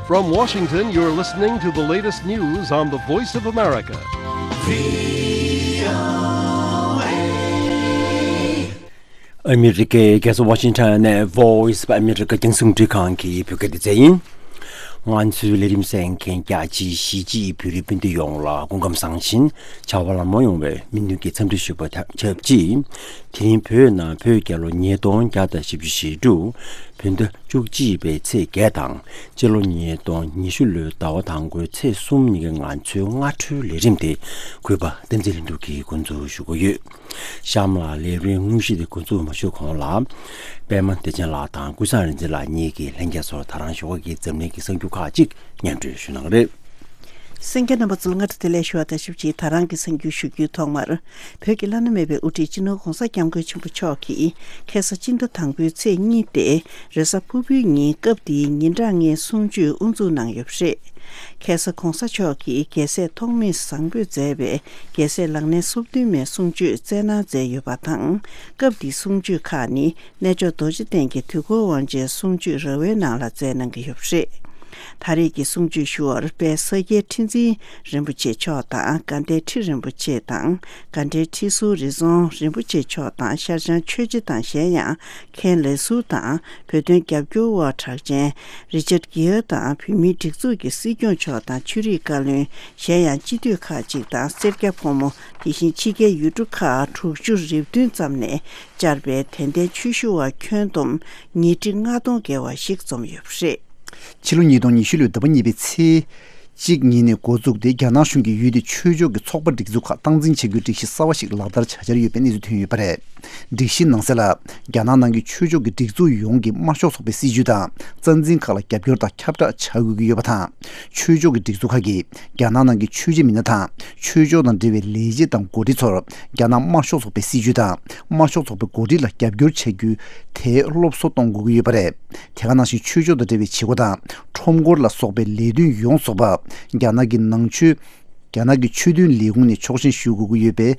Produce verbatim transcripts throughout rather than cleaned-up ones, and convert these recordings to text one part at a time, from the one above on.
From Washington, you're listening to the latest news on the Voice of America. ཨ་མི་རི་ཀའི་རྒྱལ་ས་ཝ་ཤིང་ཊོན་ནས་Voice of America རྒྱང་སྲིང་རླུང་འཕྲིན་ཁང་གི་བོད་སྐད་སྡེ་ཚན་ཡིན། ང་ཚོའི་ལས་རིམ་གསན་མཁན་རྒྱ་ཆེའི་གཞིས་བྱེས་བོད་རིགས་སྤུན་ཟླ་ཡོངས་ལ་སྐུ་ཁམས་བཟང་ཞིང་བྱ་བ་ལམ་ལྷོང་ཡོང་བའི་སྨོན་འདུན་གྱི་འཚམས་འདྲི་ཞུ་བ་དང་ཆབས་ཅིག་དེ་རིང་བོད་ནང་བོད་རྒྱལ་ལོ་ཉིས་སྟོང་བརྒྱ་དང་བཞི་བཅུ་ཞེ་དྲུག་བོད་ཟླ་བཅུ་གཅིག་པའི་ཚེས་བརྒྱད་དང་སྤྱི་ལོ་ཉིས་སྟོང་ཉི་ཤུ་ལོའི་ཟླ་བ་དང་པོའི་ཚེས་གསུམ་ཉིན་གྱི་ང་ཚོའི་སྔ་དྲོའི་ལས་རིམ་དེ་གུས་པ་བསྟན་འཛིན་ལྷུན་གྲུབ་ཀྱིས་འགོ་འཛུགས་ཞུ་གི་ཡོད། གཤམ་ལ་ལས་རིམ་དངོས་གཞི་དེ་འགོ་འཛུགས་མ་ཞུ་གོང་ལ། པད་མ་བདེ་ཆེན་ལགས་དང་ཀུན་བཟང་རིག་འཛིན་ལགས་གཉིས་ཀྱིས་ལྷན་རྒྱས་ཚོར་ད་རང་ཞོགས་ཀྱི་འཛམ་གླིང་གི་གསར་འགྱུར་ཁག་ཅིག་སྙན་སྒྲོན་ཞུ་གནང་གི་རེད། གསན་མཁན་རྣམ་པ་ཚོ་ལ་སྔ་དྲོ་བདེ་ལེགས་ཞུ་བ་དང་ཆབས་ཅིག་ད་རང་གི་གསར་འགྱུར་ཞུ་རྒྱུའི་ཐོག་མར། བོད་ཀྱི་བླ་ན་མེད་པའི་དབུ་ཁྲིད་སྤྱི་ནོར་༧གོང་ས་༧སྐྱབས་མགོན་ཆེན་པོ་མཆོག་གིས་ཁ་སང་སྤྱི་ཟླ་དང་པོའི་ཚེས་གཉིས་ཏེ་རེས་གཟའ་ཕུར་བུའི་ཉིན་སྐབས་དེའི་ཉིན་གྲངས་ལྔའི་གསུང་ཆོས་དབུ་འཛུགས་གནང་ཡོད་པ་རེད། ཁ་སང་༧གོང་ས་མཆོག་གིས་རྒྱལ་སྲས་ཐོགས་མེད་བཟང་པོས་མཛད་པའི་རྒྱལ་སྲས་ལག་ལེན་སོ་བདུན་མའི་གསུང་ཆོས་སྩལ་གནང་མཛད་ཡོད་པ་དང་། སྐབས་དེའི་གསུང་ཆོས་ཁག་ནི་གནས་མཆོག་རྡོ་རྗེ་གདན་གྱི་དུས་འཁོར་དབང་ཆེན་གསུང་ཆོས་ར་བའི་ནང་ལ་སྩལ་གནང་གི་ཡོད་པ་རེད། ད་རེས་ཀྱི་གསུང་ཆོས་ཞུ་བར་དཔལ་ས་སྐྱའི་ཁྲི་འཛིན་རིན་པོ་ཆེ་མཆོག་དང་དགའ་ལྡན་ཁྲི་རིན་པོ་ཆེ་དང་དགའ་ལྡན་ཁྲི་ཟུར་རི་རྫོང་རིན་པོ་ཆེ་མཆོག་དང་ཤར་བྱང་ཆོས་རྗེ་དང་གཞན་ཡང་མཁན་ལས་ཟུར་དང་བོད་དོན་རྒྱབ་སྐྱོར་བ་གྲགས་ཅན་རི་ཅར་གྷི་ཡར་དང་བོད་མིའི་སྒྲིག་འཛུགས་ཀྱི་སྲིད་སྐྱོང་མཆོག་དང་ཆོས་རིག་བཀའ་བློན་གཞན་ཡང་སྤྱི་འཐུས་ཁག་ཅིག་དང་སེར་སྐྱ་ཕོ་མོ་དེ་བཞིན་ཕྱི་རྒྱལ་ཡུལ་གྲུ་ཁག་དྲུག་ཅུ་རེ་བདུན་ཙམ་ནས་བཅར་བའི་དད་ལྡན་ཆོས་ཞུ་བ་ཁྱོན་བསྡོམས་ཉིས་ཁྲི་ལྔ་སྟོང་བརྒལ་བ་ཞིག་འཛོམས་ཡོད་པ་རེད། ཕྱི་ལོ་ཉིས་སྟོང་ཉི་ཤུ་ལོའི་ཟླ་བ་གཉིས་པའི་ཚེས་གཅིག་ཉིན་ནས་འགོ་བཙུགས་ཏེ་རྒྱ་ནག་གཞུང་གིས་ཡུལ་དེའི་ཆོས་ཕྱོགས་ཀྱི་ཚོགས་པ་སྒྲིག་འཛུགས་ཁག་སྟངས་འཛིན་བྱ་རྒྱུའི་སྒྲིག་གཞི་གསར་བ་ཞིག་ལག་བསྟར་བྱ་འཆར་ཡོད་པའི་གནས་ཚུལ་ཐོན་ཡོད་པ་རེད། སྒྲིག་གཞིའི་ནང་གསལ་ལ། རྒྱ་ནག་ནང་གི་ཆོས་ཕྱོགས་ཀྱི་སྒྲིག་འཛུགས་ཡོངས་ཀྱིས་དམར་ཤོག་ཚོགས་པའི་སྲིད་བྱུས་དང་རྩ་འཛིན་ཁག་ལ་རྒྱབ་སྐྱོར་དང་ཁྱབ་བསྒྲགས་བྱ་དགོས་ཀྱི་ཡོད་པ་དང་། ཆོས་ཕྱོགས་ཀྱི་སྒྲིག་འཛུགས་ཁག་གིས་རྒྱ་ནག་ནང་གི་ཆོས་བྱེད་མི་སྣ་དང་ཆོས་ཕྱོགས་དང་འབྲེལ་བའི་ལས་བྱེད་དང་འགོ་ཁྲིད་ཚོར་རྒྱ་ནག་དམར་ཤོག་ཚོགས་པའི་སྲིད་བྱུས་དང་དམར་ཤོག་ཚོགས་པའི་འགོ་ཁྲིད་ལ་རྒྱབ་སྐྱོར་བྱ་རྒྱུ་དེ་སློབ་གསོ་གཏོང་དགོས་ཀྱི་ཡོད་པ་རེད། དེ་ག་ནང་བཞིན་ཆོས་ཕྱོགས་དང་འབྲེལ་བའི་བྱེད་སྒོ་དང་ཁྲོམ་སྐོར་ལ་སོགས་པའི་ལས་དོན་ཡོངས་རྫོགས་པ་རྒྱ་ནག་གི་ནང་ཆོས། རྒྱ་ནག་གི་ཆོས་དོན་ལས་ཁུངས་ནས་ཆོག་མཆན་ཞུ་དགོས་ཀྱི་ཡོད་པའི་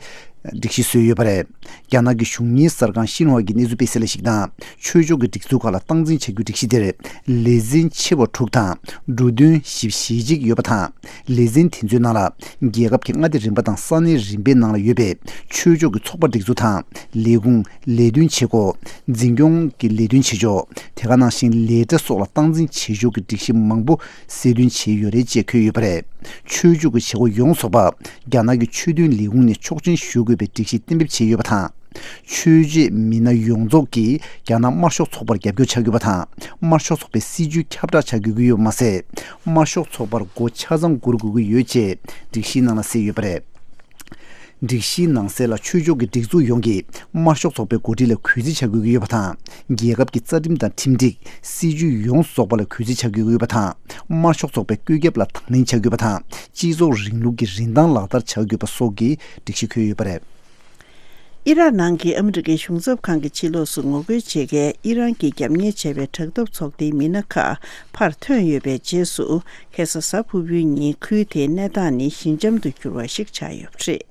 སྒྲིག་གཞི་བཟོས་ཡོད་པ་རེད། རྒྱ་ནག་གི་གཞུང་གཉེར་གསར་ཁང་ཤིན་ཧྭ་གི་གནས་ཚུལ་སྤེལ་གསལ་ལ་གཞིགས་ན། ཆོས་ཕྱོགས་ཀྱི་སྒྲིག་འཛུགས་ཁག་ལ་སྟངས་འཛིན་བྱ་རྒྱུའི་སྒྲིག་གཞི་དེར་ལེ་ཚན་ཆེ་བ་དྲུག་དང་འབྲུ་དོན་བཞི་བཅུ་ཞེ་གཅིག་ཡོད་པ་དང་། ལེ་ཚན་དེ་ཚོའི་ནང་ལ་རྒྱལ་ཁབ་ཀྱི་མངའ་སྡེ་རིམ་པ་དང་ས་གནས་རིམ་པའི་ནང་ལ་ཡོད་པའི་ཆོས་ཕྱོགས་ཀྱི་ཚོགས་པ་སྒྲིག་འཛུགས་དང་ལས་ཁུངས། ལས་དོན་བྱེད་སྒོ། འཛིན་སྐྱོང་གི་ལས་དོན་བྱེད་ཕྱོགས། དེ་ག་ནང་བཞིན་ལས་གྲྭ་སོགས་ལ་སྟངས་འཛིན་བྱེད་ཕྱོགས་ཀྱི་སྒྲིག་གཞི་མང་པོ་གསལ་སྟོན་བྱས་ཡོད་རེད་ཅེས་འཁོད་ཡོད་པ་རེད། ཆོས་ཕྱོགས་ཀྱི་བྱེད་སྒོ་ཡོངས་རྫོགས་པ་རྒྱ་ནག་གི་ཆོས་དོན་ལས་ཁུངས་ནས་ཆོག་མཆན་ཞུ་དགོས་པའི་སྒྲིག་གཞི་གཏན་འབེབས་བྱས་ཡོད་པ་དང་། ཆོས་བྱེད་མི་སྣ་ཡོངས་རྫོགས་ཀྱིས་རྒྱ་ནག་དམར་ཤོག་ཚོགས་པར་རྒྱབ་སྐྱོར་བྱ་དགོས་པ་དང་། དམར་ཤོག་ཚོགས་པའི་སྲིད་བྱུས་ཁྱབ་བསྒྲགས་བྱ་དགོས་ཀྱི་ཡོད་པ་མ་ཟད། དམར་ཤོག་ཚོགས་པར་སྒོ་ཆ་ཚང་སྒུར་དགོས་ཀྱི་ཡོད་ཅེས་སྒྲིག་གཞིའི་ནང་ལ་གསལ་ཡོད་པ་རེད། སྒྲིག་གཞིའི་ནང་གསལ་ལ་ཆོས་ཕྱོགས་ཀྱི་སྒྲིག་འཛུགས་ཡོངས་ཀྱིས་དམར་ཤོག་ཚོགས་པའི་འགོ་ཁྲིད་ལ་གུས་བརྩི་བྱ་དགོས་ཀྱི་ཡོད་པ་དང་། རྒྱལ་ཁབ་ཀྱི་རྩ་ཁྲིམས་དང་ཁྲིམས་སྒྲིག་སྲིད་བྱུས་ཡོངས་རྫོགས་པ་ལ་གུས་བརྩི་བྱ་དགོས་ཀྱི་ཡོད་པ་དང་། དམར་ཤོག་ཚོགས་པའི་བཀོད་ཁྱབ་ལ་དང་ལེན་བྱ་དགོས་པ་དང་། སྤྱི་ཚོགས་རིང་ལུགས་ཀྱི་རིན་ཐང་ལག་བསྟར་བྱ་དགོས་པ་སོགས་ཀྱི་སྒྲིག་གཞི་འཁོད་ཡོད་པ་རེད། ཨི་རག་ནང་གི་ཨ་མི་རི་ཀའི་གཞུང་ཚབ་ཁང་གི་ཕྱི་ལོགས་སུ་ངོ་རྒོལ་བྱེད་མཁན་ཨི་རན་གྱིས་རྒྱབ་གཉེར་བྱས་པའི་དྲག་འཐབ་ཚོགས་སྡེའི་མི་སྣ་ཁག་ཕར་ཐོན་ཡོད་པའི་རྗེས་སུ། ཁ་སང་གཟའ་ཕུར་བུའི་ཉིན་ཁུལ་དེའི་གནས་སྟངས་ནི་ཞི་འཇམ་དུ་གྱུར་བ་ཞིག་ཆགས་ཡོད་པ་རེད།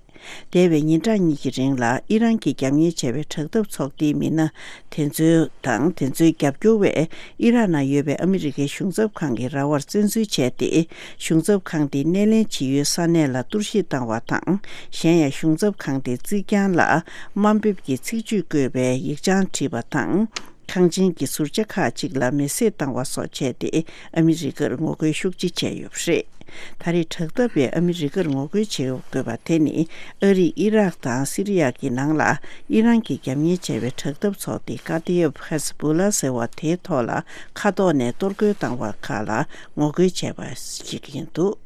འདས་པའི་ཉིན་གྲངས་གཉིས་ཀྱི་རིང་ལ་ཨི་རན་གྱིས་རྒྱབ་གཉེར་བྱས་པའི་དྲག་འཐབ་ཚོགས་སྡེའི་མི་སྣ་དེ་ཚོའི་དང་དེ་ཚོའི་རྒྱབ་སྐྱོར་བས་ཨི་རག་ནང་ཡོད་པའི་ཨ་མི་རི་ཀའི་གཞུང་ཚབ་ཁང་གི་ར་བར་བཙན་འཛུལ་བྱས་ཏེ། གཞུང་ཚབ་ཁང་དེའི་སྣེ་ལེན་བྱེད་ཡུལ་ས་གནས་ལ་གཏོར་བཤིག་བཏང་བ་དང་། གཞན་ཡང་གཞུང་ཚབ་ཁང་དེའི་རྩིག་གྱང་ལ་དམའ་འབེབས་ཀྱི་ཚིག་བརྗོད་བཀོད་པའི་ཡིག་བྱང་བྲིས་པ་དང་། ཁང་ཆེན་གྱི་ཟུར་ཆ་ཁག་ཅིག་ལ་མེ་བསྲེགས་བཏང་བ་སོགས་བྱས་ཏེ་ཨ་མི་རི་ཀར་ངོ་རྒོལ་ཤུགས་ཆེ་བྱས་ཡོད་པ་རེད། ད་རེས་དྲག་འཐབ་པས་ཨ་མི་རི་ཀར་ངོ་རྒོལ་བྱེད་དགོས་པ་དེ་ནི་ཨ་རིས་ཨི་རག་དང་སི་རི་ཡ་གི་ནང་ལ་ཨི་རན་གྱིས་རྒྱབ་གཉེར་བྱས་པའི་དྲག་འཐབ་ཚོགས་སྡེ་ཀ་ཏི་ཡབ་ཧེ་ཟ་བུ་ལ་ཟེར་བ་དེའི་ཐོག་ལ་མཁའ་ཐོག་ནས་གཏོར་རྒོལ་བཏང་བ་ཁག་ལ་ངོ་རྒོལ་བྱས་པ་ཞིག་ཡིན་འདུག་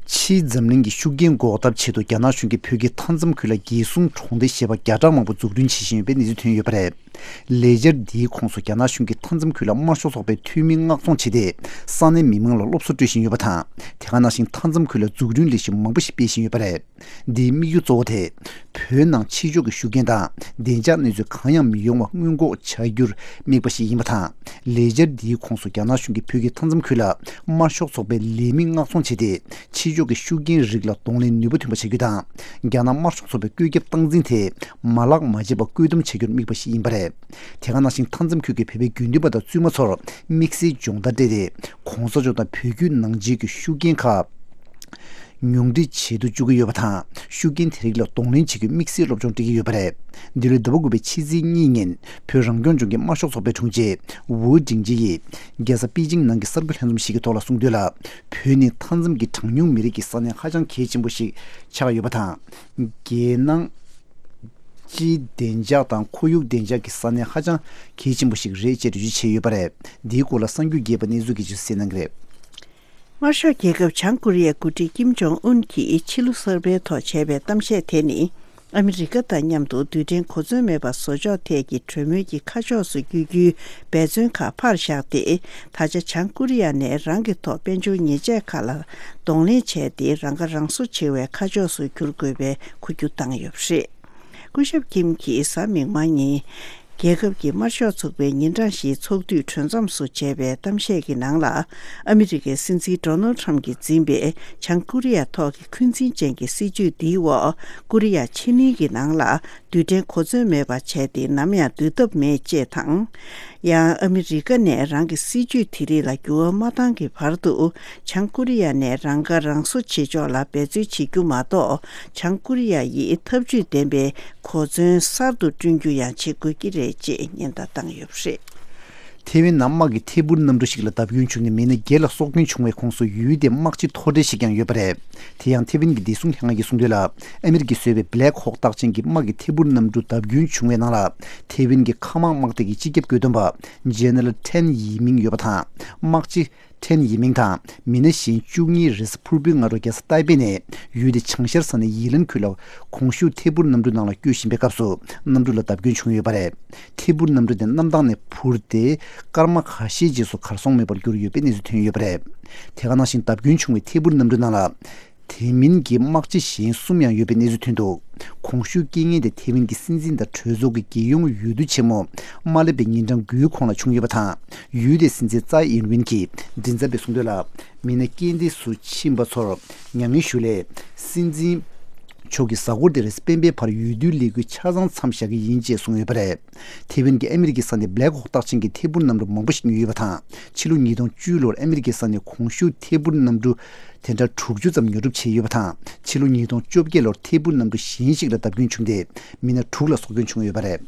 ཕྱིའི་འཛམ་གླིང་གི་ཤུགས་རྐྱེན་འགོག་ཐབས་ཆེད་དུ་རྒྱ་ནག་གཞུང་གིས་བོད་ཀྱི་མཐའ་མཚམས་ཁུལ་ལ་རྒྱལ་སྲུང་གྲོང་སྡེ་ཞེས་པ་བརྒྱ་ཕྲག་མང་པོ་འཛུགས་སྐྲུན་བྱེད་བཞིན་ཡོད་པའི་གནས་ཚུལ་ཐོན་ཡོད་པ་རེད། ལས་འཆར་འདིའི་ཁོངས་སུ་རྒྱ་ནག་གཞུང་གིས་མཐའ་མཚམས་ཁུལ་ལ་དམར་ཤོག་ཚོགས་པའི་འཐུས་མི་མངགས་ཚོང་བྱས་ཏེ། ས་གནས་མི་མང་ལ་སློབ་གསོ་སྤྲོད་བཞིན་ཡོད་པ་དང་། དེ་ག་ནང་བཞིན་མཐའ་མཚམས་ཁུལ་ལ་འཛུགས་སྐྲུན་ལས་གཞི་མང་པོ་ཞིག་སྤེལ་བཞིན་ཡོད་པ་རེད། འདིའི་དམིགས་ཡུལ་གཙོ་བོ་དེ། བོད་ནང་ཕྱི་ཕྱོགས་ཀྱི་ཤུགས་རྐྱེན་དང་བདེ་འཇགས་གནས་ཚུལ་གང་ཡང་མི་ཡོང་བ་སྔོན་འགོག་བྱ་རྒྱུར་དམིགས་པ་ཞིག་ཡིན་པ་དང་། ལས་འཆར་འདིའི་ཁོངས་སུ་རྒྱ་ནག་གཞུང་གིས་བོད་ཀྱི་མཐའ་མཚམས་ཁུལ་ལ་དམར་ཤོག་ཚོགས་པའི་ལས་མི་མངགས་ཚོང་བྱས་ཏེ། ཕྱི་ཕྱོགས་ཀྱི་ཤུགས་རྐྱེན་རིགས་ལ་གདོང་ལེན་ནུས་པ་ཐོན་པ་བྱ་རྒྱུ་དང་། རྒྱ་ནག་དམར་ཤོག་ཚོགས་པའི་བཀོད་ཁྱབ་སྟངས་འཛིན་དེ་མ་ལག་མ་བྱས་པ་བཀོད་འདོམས་བྱ་རྒྱུར་དམིགས་པ་ཞིག་ཡིན་པ་རེད། དེ་ག་ནང་བཞིན་མཐའ་མཚམས་ཁུལ་གྱི་བོད་པའི་དགེ་འདུན་པ་དང་བཙུན་མ་ཚོར་དམིགས་བསལ་སྦྱོང་བརྡར་སྤྲད་དེ། གོང་ས་མཆོག་དང་བོད་བརྒྱུད་ནང་ཆོས་ཀྱི་ཤུགས་རྐྱེན་ཁག་ཉུང་འཕྲི་བྱེད་དུ་བཅུག་གི་ཡོད་པ་དང་། ཤུགས་རྐྱེན་དེ་རིགས་ལ་གདོང་ལེན་བྱེད་རྒྱུའི་དམིགས་བསལ་སློབ་སྦྱོང་སྤྲད་ཀྱི་ཡོད་པ་རེད། འདི་ལོའི་ཟླ་བ་དགུ་པའི་ཕྱི་ཚེས་གཉིས་ཉིན་བོད་རང་སྐྱོང་ལྗོངས་ཀྱི་དམར་ཤོག་ཚོགས་པའི་དྲུང་ཆེ་ཝུའུ་ཀྲིང་ཅི་ཡིས་རྒྱལ་ས་པེ་ཅིང་ནང་གི་གསར་འགོད་ལྷན་འཛོམས་ཤིག་གི་ཐོག་ལ་གསུངས་དོན་ལ། བོད་ནི་མཐའ་མཚམས་ཀྱི་གྲངས་ཉུང་མི་རིགས་ཀྱི་ས་གནས་ཧ་ཅང་གལ་ཆེན་པོ་ཞིག་ཆགས་ཡོད་པ་དང་། རྒྱལ་ནང་སྤྱིའི་བདེ་འཇགས་དང་ཁོར་ཡུག་བདེ་འཇགས་ཀྱི་ས་གནས་ཧ་ཅང་གལ་ཆེན་པོ་ཞིག་རེད་ཅེས་འགྲེལ་བརྗོད་བྱས་ཡོད་པ་རེད། འདིའི་སྐོར་ལ་གསར་འགྱུར་རྒྱས་པ་གནས་ཚུལ་གྱི་ཆེད་གསན་གནང་གི་རེད། དམར་ཤོག་རྒྱལ་ཁབ་བྱང་ཀོ་རི་ཡའི་འགོ་ཁྲིད་ཀིམ་ཇོང་ཨུན་གྱིས་ཕྱི་ལོ་གསར་པའི་ཐོག་བྱས་པའི་གཏམ་བཤད་དེ་ནི། ཨ་མི་རི་ཀ་དང་མཉམ་དུ་རྡུལ་ཕྲན་གོ་མཚོན་མེད་པ་བཟོ་ཕྱོགས་ཐད་ཀྱི་གྲོས་མོལ་གྱི་ཁ་ཕྱོགས་སུ་བསྐྱོད་རྒྱུའི་འབད་བརྩོན་ཁག་ཕར་བཞག་སྟེ། ད་ཆ་བྱང་ཀོ་རི་ཡ་ནས་རང་གི་ཐོག་དཔལ་འབྱོར་ཉེས་ཆད་ཁག་ལ་གདོང་ལེན་བྱས་ཏེ། རང་ཁ་རང་གསོ་བྱེད་པའི་ཁ་ཕྱོགས་སུ་འགྱུར་དགོས་པའི་འགུལ་སྐྱོད་བཏང་ཡོད་པ་རེད། སྐུ་ཞབས་ཀིམ་གྱིས་གཟའ་མིག་དམར་ཉིན། རྒྱལ་ཁབ་ཀྱི་དམར་ཤོག་ཚོགས་པའི་ཉིན་གྲངས་བཞིའི་ཚོགས་དུས་གྲོས་མཚམས་སུ་བྱས་པའི་གཏམ་བཤད་ཀྱི་ནང་ལ། ཨ་མི་རི་ཀའི་སྲིད་འཛིན་ཌོ་ནལ་ཁྲམ་གྱིས་འཛིན་པའི་བྱང་ཀོ་རི་ཡ་ཐོག་གི་འཁོན་འཛིན་ཅན་གྱི་སྲིད་བྱུས་འདིའི་འོག་ཀོ་རི་ཡ་ཕྱེད་གླིང་གི་ནང་ལ་རྡུལ་ཕྲན་གོ་མཚོན་མེད་པ་བྱས་ཏེ། ནམ་ཡང་སྡོད་ཐབས་མེད་ཅེས་དང་། ཡང་ཨ་མི་རི་ཀ་ནས་རང་གི་སྲིད་བྱུས་དེ་རིགས་ལ་འགྱུར་བ་མ་བཏང་གི་བར་དུ། བྱང་ཀོ་རི་ཡ་ནས་རང་ཁ་རང་གསོ་བྱེད་ཕྱོགས་ལ་འབད་རྩོལ་བྱེད་རྒྱུ་མ་གཏོགས། བྱང་ཀོ་རི་ཡ་ཡིས་ཐབས་ཇུས་ལྡན་པའི་གོ་མཚོན་གསར་དུ་བསྐྲུན་རྒྱུ་ཡང་བྱེད་དགོས་ཀྱི་རེད་ཅེས་ཉེན་བརྡ་བཏང་ཡོད་པ་རེད། ཐེ་ཝན་ནང་དམག་གི་ཐད་འཕུར་གནམ་གྲུ་ཞིག་ལ་བརྡབ་སྐྱོན་བྱུང་ནས་མི་སྣ་བརྒྱད་ལ་སྲོག་སྐྱོན་བྱུང་བའི་ཁོངས་སུ་ཡུལ་དེའི་དམག་སྤྱི་མཐོ་གྲས་ཤིག་ཀྱང་ཡོད་པ་རེད། དེ་ཡང་ཐེ་ཝན་གྱི་བདེ་སྲུང་ལྷན་ཁང་གིས་གསུངས་དོན་ལ། ཨ་མི་རི་ཀས་བཟོས་པའི་Black Hawk རྟགས་ཅན་གྱི་དམག་གི་ཐད་འཕུར་གནམ་གྲུ་བརྡབ་སྐྱོན་བྱུང་བའི་ནང་ལ། ཐེ་ཝན་གྱི་མཁའ་དམག་དམག་སྡེ་གི་སྤྱི་ཁྱབ་བཀོད་འདོམས་པ་General Tan Yi Ming ཡོད་པ་དང་། དམག་སྤྱི་Tan Yi Ming དང་མི་སྣ་གཞན་བཅུ་གཉིས་རེས་གཟའ་ཕུར་བུའི་སྔ་དྲོ་རྒྱལ་ས་ཏའེ་པེ་ནས་ཡུལ་དེའི་བྱང་ཤར་ས་གནས་ཡི་ལན་ཁུལ་ལ་གོང་ཞུས་ཐད་འཕུར་གནམ་གྲུ་ནང་ལ་བསྐྱོད་བཞིན་པའི་སྐབས་སུ། གནམ་གྲུ་ལ་བརྡབ་སྐྱོན་བྱུང་ཡོད་པ་རེད། ཐད་འཕུར་གནམ་གྲུ་དེ་གནམ་ཐང་ནས་འཕུར་ཏེ། སྐར་མ་ཁ་ཤས་རྗེས་སུ་གར་སོང་མེད་པར་གྱུར་ཡོད་པའི་གནས་ཚུལ་ཐོན་ཡོད་པ་རེད། དེ་ག་ནང་བཞིན་བརྡབ་སྐྱོན་བྱུང་བའི་ཐད་འཕུར་གནམ་གྲུ་ནང་ལ། དེ་མིན་གྱི་དམག་སྤྱི་གཞན་གསུམ་ཡང་ཡོད་པའི་གནས་ཚུལ་ཐོན་འདུག་གོང་ཞུས་རྐྱེན་ངན་དེ་ཐེ་ཝན་གྱི་སྲིད་འཛིན་དང་གྲོས་ཚོགས་ཀྱི་རྒྱལ་ཡོངས་འོས་བསྡུ་ཆེན་མོ་མ་སླེབས་པའི་ཉིན་གྲངས་དགུའི་གོང་ལ་བྱུང་ཡོད་པ་དང་། ཡུལ་དེའི་སྲིད་འཛིན་ཙའེ་ཨིན་ཝིན་གྱིས་མགྲིན་ཚབ་པས་གསུངས་དོན་ལ། མི་སྣ་རྐྱེན་འདས་སུ་ཕྱིན་པ་ཚོར་མྱ་ངན་ཞུ་སླད། སྲིད་འཛིན་མཆོག་གིས་གཟའ་འཁོར་འདིར་སྤེན་པའི་བར་འོས་བསྡུའི་ལས་འགུལ་ཆ་ཚང་མཚམས་བཞག་གི་ཡིན་ཅེས་གསུངས་ཡོད་པ་རེད། ཐེ་ཝན་གྱིས་ཨ་མི་རི་ཀའི་ས་ནས་Black Hawk རྟགས་ཅན་གྱི་ཐད་འཕུར་གནམ་གྲུ་མང་པོ་ཞིག་ཉོས་ཡོད་པ་དང་། ཕྱི་ལོ་ཉིས་སྟོང་བཅུ་ལོར་ཨ་མི་རི་ཀའི་ས་ནས་གོང་ཞུས་ཐད་འཕུར་གནམ་གྲུ་དེ་འདྲ་དྲུག་ཅུ་ཙམ་ཉོ་སྒྲུབ་བྱས་ཡོད་པ་དང་། ཕྱི་ལོ་ཉིས་སྟོང་བཅོ་བརྒྱད་ལོར་ཐད་འཕུར་གནམ་གྲུ་གཞན་ཞིག་ལ་བརྡབ་སྐྱོན་བྱུང་སྟེ། མི་སྣ་དྲུག་ལ་སྲོག་སྐྱོན་བྱུང་ཡོད་པ་རེད།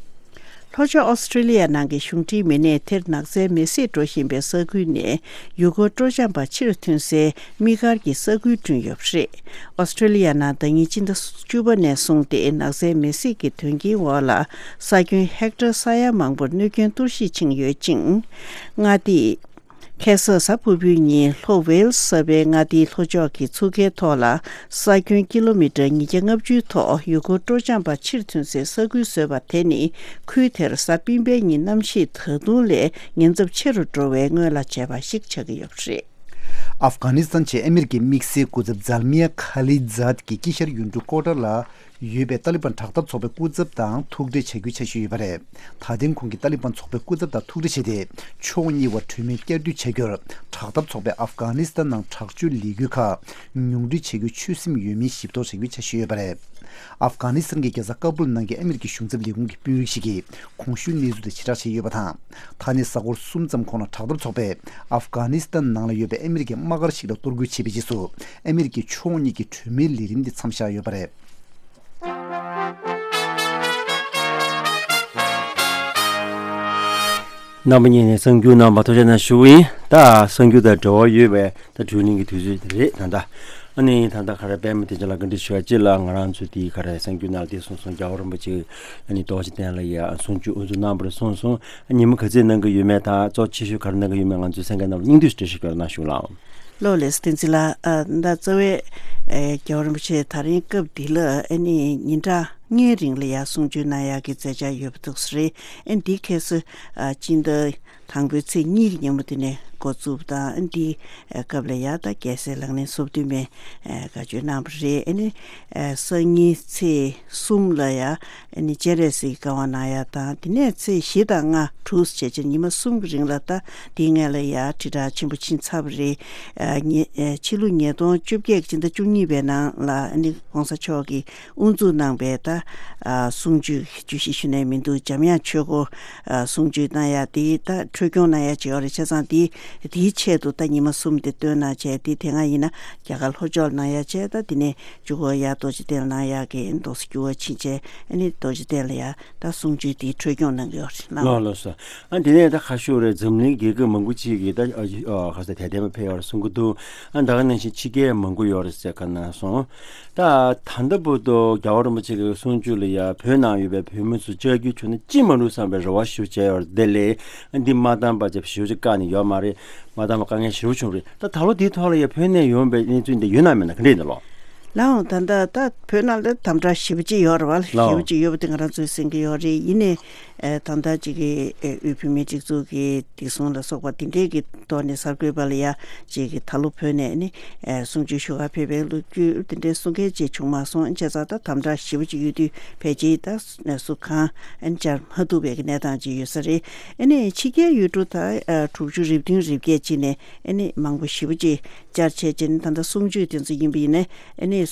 ལྷོ་ཕྱོགས་ཨོ་སི་ཀྲི་ལི་ཡ་ནང་གི་གཞུང་འབྲེལ་མི་སྣས་དེར་ནགས་ཚལ་མེ་བསྲེགས་འགྲོ་བཞིན་པའི་ས་ཁུལ་ནས་ཡུལ་སྐོར་སྤྲོ་འཆམ་པ་ཕྱིར་ཐོན་སའི་དམིགས་བཀར་གྱི་ས་ཁུལ་བསྐྲུན་ཡོད་པ་རེད། ཨོ་སི་ཀྲི་ལི་ཡ་ནང་ཟླ་ཉིན་སྤྱི་ཟླ་བཅུ་པ་ནས་བཟུང་སྟེ་ནགས་ཚལ་མེ་བསྲེགས་ཀྱི་དོན་རྐྱེན་འོག་ལ་ས་ཁྱོན་ཧེག་ཊར་ས་ཡ་མང་པོར་གནོད་སྐྱོན་གཏོར་བཤིག་ཕྱིན་ཡོད་ཅིང་། མངའ་སྡེ། ཁ་སང་གཟའ་ཕུར་བུའི་ཉིན་ལྷོ་ཝེལ་སི་ས་པའི་མངའ་སྡེའི་ལྷོ་ཕྱོགས་ཀྱི་མཚོ་ཁའི་ཐོག་ལ་ས་ཁྱོན་ཀི་ལོ་མི་ཊར་ཉིས་བརྒྱ་ལྔ་བཅུའི་ཐོག་ཡུལ་སྐོར་སྤྲོ་འཆམ་པ་ཕྱིར་ཐོན་སའི་ས་ཁུལ་བཟོས་པ་དེ་ནི། ཁུལ་དེར་གཟའ་སྤེན་པའི་ཉིན་གནམ་གཤིས་ད་དུང་ལས་ཉེན་ཚབས་ཆེ་རུ་འགྲོ་བའི་སྔོན་ལ་བྱས་པ་ཞིག་ཆགས་ཀྱི་ཡོད་པ་རེད། ཨབ་གྷ་ནི་སི་ཐན་ཆེད་ཨ་མི་རི་ཀའི་དམིགས་བསལ་སྐུ་ཚབ་ཛལ་མི་ཡ་ཁ་ལི་ཛད་ཀྱིས་དཀྱིལ་ཤར་ཡུལ་གྲུ་ཀོ་ཏར་ལ་ཡོད་པའི་ཏཱ་ལི་བན་དྲག་འཐབ་ཚོགས་པའི་སྐུ་ཚབ་དང་ཐུག་འཕྲད་བྱ་རྒྱུའི་འཆར་གཞི་ཡོད་པ་རེད། ད་ཐེངས་ཁོང་གིས་ཏཱ་ལི་བན་ཚོགས་པའི་སྐུ་ཚབ་དང་ཐུག་འཕྲད་བྱས་ཏེ། ཕྱོགས་གཉིས་བར་གྲོས་མོལ་བསྐྱར་ཟློས་བྱ་རྒྱུར། དྲག་འཐབ་ཚོགས་པས་ཨབ་གྷ་ནི་སི་ཐན་ནང་དྲག་སྤྱོད་ལས་འགུལ་ཁག་ཉུང་འཕྲི་བྱ་རྒྱུའི་ཆོད་སེམས་ཡོད་མིན་ཞིབ་རྟོག་བྱ་རྒྱུའི་འཆར་གཞི་ཡོད་པ་རེད། ཨབ་གྷ་ནི་སི་ཐན་གྱི་རྒྱལ་ས་ཀ་སྦུལ་ནང་གི་ཨ་མི་རི་ཀའི་གཞུང་ཚབ་ལས་ཁུངས་ཀྱི་དཔོན་རིགས་ཤིག་གིས་གོང་ཞུས་གནས་ཚུལ་དེ་ཕྱིར་བསྒྲགས་བྱས་ཡོད་པ་དང་། ད་ནས་གཟའ་འཁོར་གསུམ་ཙམ་གོང་ལ་དྲག་འཐབ་ཚོགས་པས་ཨབ་གྷ་ནི་སི་ཐན་ནང་ལ་ཡོད་པའི་ཨ་མི་རི་ཀའི་དམག་སྒར་ཞིག་ལ་གཏོར་རྒོལ་བྱས་པའི་རྗེས་སུ། ཨ་མི་རི་ཀའི་ཕྱོགས་གཉིས་ཀྱི་གྲོས་མོལ་ལས་རིམ་དེ་མཚམས་བཞག་ཡོད་པ་རེད། རྣམ་པ་གཉིས་ནས་གསར་འགྱུར་གནང་བ་ཐུགས་རྗེ་གནང་ཞུ་གི་ཡིན། ད་གསར་འགྱུར་དང་འབྲེལ་བ་ཡོད་པའི་ད་དྲུང་ནས་ཀྱི་དུས་ཚོད་དེ་རེད་ད་ལྟ། ཨ་ནི་ད་ལྟ་ག་རེ་པད་མ་བདེ་ཆེན་ལགས་བཀའ་འདྲི་ཞུ་བ་ཅིག་ལ་ང་རང་ཚོ་དེའི་ག་རེ་གསར་འགྱུར་ནང་ལ་དེ་གསུངས་སོང་། རྒྱལ་བ་རིན་པོ་ཆེ་ཨ་ནི་རྡོ་རྗེ་གདན་ལ་ཡ་གསུང་ཆོས་དབུ་འཛུགས་གནང་བར་གསུངས་སོང་། ཉིན་མོ་ག་ཚོད་གནང་གི་ཡོད་མེད་དང་གཙོ་ཆེ་ཤོས་ག་རེ་གནང་གི་ཡོད་མེད་ང་ཚོའི་གསན་མཁན་རྣམས་ལ་སྙིང་བསྡུས་ཤིག་འགྲེལ་བཤད་སྐྱོར་གནང་ཞུ་ལགས། ལགས་ལགས་བསྟན་འཛིན་ལགས། ཨ་ད་རྩ་བའི་ཨེ་རྒྱལ་བ་རིན་པོ་ཆེ་ད་རིང་སྐབས་འདི་ལ་ཨ་ནི་ཉིན་གྲངས་ལྔའི་རིང་ལ་ཡ་གསུང་ཆོས་གནང་ཡག་གི་མཛད་འཆར་ཡོད་པ་འདུག་ས་རེད། ཨ་འདི་ཁ་སང་ཨ་སྤྱི་ཟླ་དང་པོའི་ཚེས་གཉིས་ཀྱི་ཉིན་མོ་དེ་ནས་ འགོ་བཙུགས་དང་འདི་སྐབས་ལ་ཡ་ད་རྒྱལ་སྲས་ལག་ལེན་སོ་བདུན་མའི་བཀའ་ཆོས་གནང་བ་རེད། ཨ་ནི་སང་ཉིན་ཚེས་གསུམ་ལ་ཡ་ཨ་ནི་སྤྱན་རས་གཟིགས་ཀྱི་བཀའ་དབང་གནང་ཡ་དང་དེ་ནས་ཚེས་བཞི་དང་ལྔ་དྲུག་བྱས་བྱས་ཉི་མ་གསུམ་གྱི་རིང་ལ་ད་འདིའི་སྔོན་ལ་ཡ་ཁྲི་ཕྲག་ཆེན་པོ་ཕྱིན་ཚར་བ་རེད། ཨ་ཉེ་ཨ་ཕྱི་ལོ་ཉིས་སྟོང་བཅོ་བརྒྱད་ཀྱི་ཕྱི་ཟླ་བཅུ་གཉིས་པའི་ནང་ལ་ཨ་ནི་༸གོང་ས་མཆོག་གིས་དབུ་འཛུགས་གནང་པའི་ད་ཨ་གསུང་ཆོས་བརྗོད་གཞི་ཞུ་ནས་མི་འདུག་འཇམ་དབྱངས་ཆོས་སྒོ་ཨ་གསུང་ཆོས་གནང་ཡ་དེ་ད་འཕྲོས་སྐྱོང་གནང་ཡ་བྱས་ཡོད་རེད། བྱས་ཙང་དེ་དེའི་ཆེད་དུ་ད་ཉི་མ་གསུམ་དེ་བཏོན་གནང་བྱས་དེ་དེ་སྔ་ཡིན་ན་རྒྱ་གར་ལྷོ་ཕྱོགས་ལ་གནང་ཡ་བྱས། ད་དེ་ནས་མཇུག་གུ་ཡ་རྡོ་རྗེ་གདན་ལ་གནང་ཡ་གི་འདུག་སེ་འགྱུར་བ་ཕྱིན་བྱས་ཨ་ནི་རྡོ་རྗེ་གདན་ལ་ཡ་ད་གསུང་ཆོས་དེ་འཕྲོས་སྐྱོང་གནང་གི་ཡོད་རེད། ལགས་ལགས་ལགས་སོ། ཨ་དེ་ནས་ད་ཁ་ཤོ་རེད། འཛམ་གླིང་རྒྱལ་ཁབ་མང་པོ་ཅིག་གིས་ད་ཨ་ཨ་ཁ་ས་དད་ལྡན་པ་ཕེབས་ཡོད་རེད་གསུང་གི་འདུག་ཨ་ད་ག་ནང་བཞིན་ཕྱི་རྒྱལ་མང་པོ་ཡོད་རེད་ཟེར་ག་ན་སོང་། ད་ད་ལྟ་བར་དུ་རྒྱལ་བ་རིན་པོ་ཆེ་གི་གསུང་ཆོས་ལ་ཡ་བོད་ནང་ཡོད་པའི་བོད་མི་ཚོ་བཅར་རྒྱུ་བྱུང་ན་ཅི་མ་རུང་བསམ་པའི་རེ་བ་ཞུ་བྱས་ཡོད་རེད། དེ་ལས་ཨ་འདི་མ་བཏང་པ་བྱས་ཞུ་ཅིག་བཀག་ནས་ཡོད་མ་རེད། མ་བཏང་པ་དཀའ་ངལ་ཞེ་པོ་བྱུང་རེད། ད་ད་ལོ་འདིའི་ཐོག་ལ་ཡ་བོད་ནས་ཡོང་བའི་གནས་ཚུལ་འདི་ཡོད་ན་མེད་ན་ག་འདྲས་འདི་ལོ། ལའང་ད་ལྟ་ད་བོད་ནང་ལ་དམ་དྲག་ཞེ་པོ་ཅིག་ཡོད་རེད་བ། ལའང་ཞེ་པོ་ཅིག་ཡོད་པ་དེ་ང་རང་ཚོས་གསན་གྱི་ཡོད་རེད། ཡིན་ནའི་ཨེ་ད་ལྟ་ཅིག་གི་ཨེ་དབུས་བོད་མིའི་སྒྲིག་འཛུགས་ཀྱི་བདེ་སྲུང་ལ་སོགས་པ་དེ་འདྲས་ཀྱི་ཐོག་ནས་གསར་འགོད་པ་ལ་ཡ་ཅིག་གི་ད་ལོ་བོད་ནས་ནི་ཨེ་གསུང་ཆོས་ཞུ་གར་ཕེབས་པའི་ལོ་རྒྱུས་དེ་འདྲས་གསུང་མཁན་ཅིག་བྱུང་མ་སོང་། བྱས་ཙང་ད་དམ་དྲག་ཞེ་པོ་ཅིག་ཡོད་དུས་ཕལ་ཆེར་ད་སུ་གང་ཨེ་བཅར་མ་ཐུབ་པའི་གི་གནས་སྟངས་ཅིག་ཡོད་ས་རེད། ཨེ་ནས་ཕྱི་རྒྱལ་ཡུལ་གྲུ་ད་ཨེ་དྲུག་ཅུ་རེ་བདུན་རེ་བརྒྱད་ཅིག་ནས་ཨེ་ནས་མང་པོ་ཞེ་པོ་ཅིག་བཅར་བྱས་རྗེས་ནི་ད་ལྟ་གསུང་ཆོས་དེ་ཚོ་ཡིན་པ་ཡིན་ནའི་ཨ་ནི་ཨེ་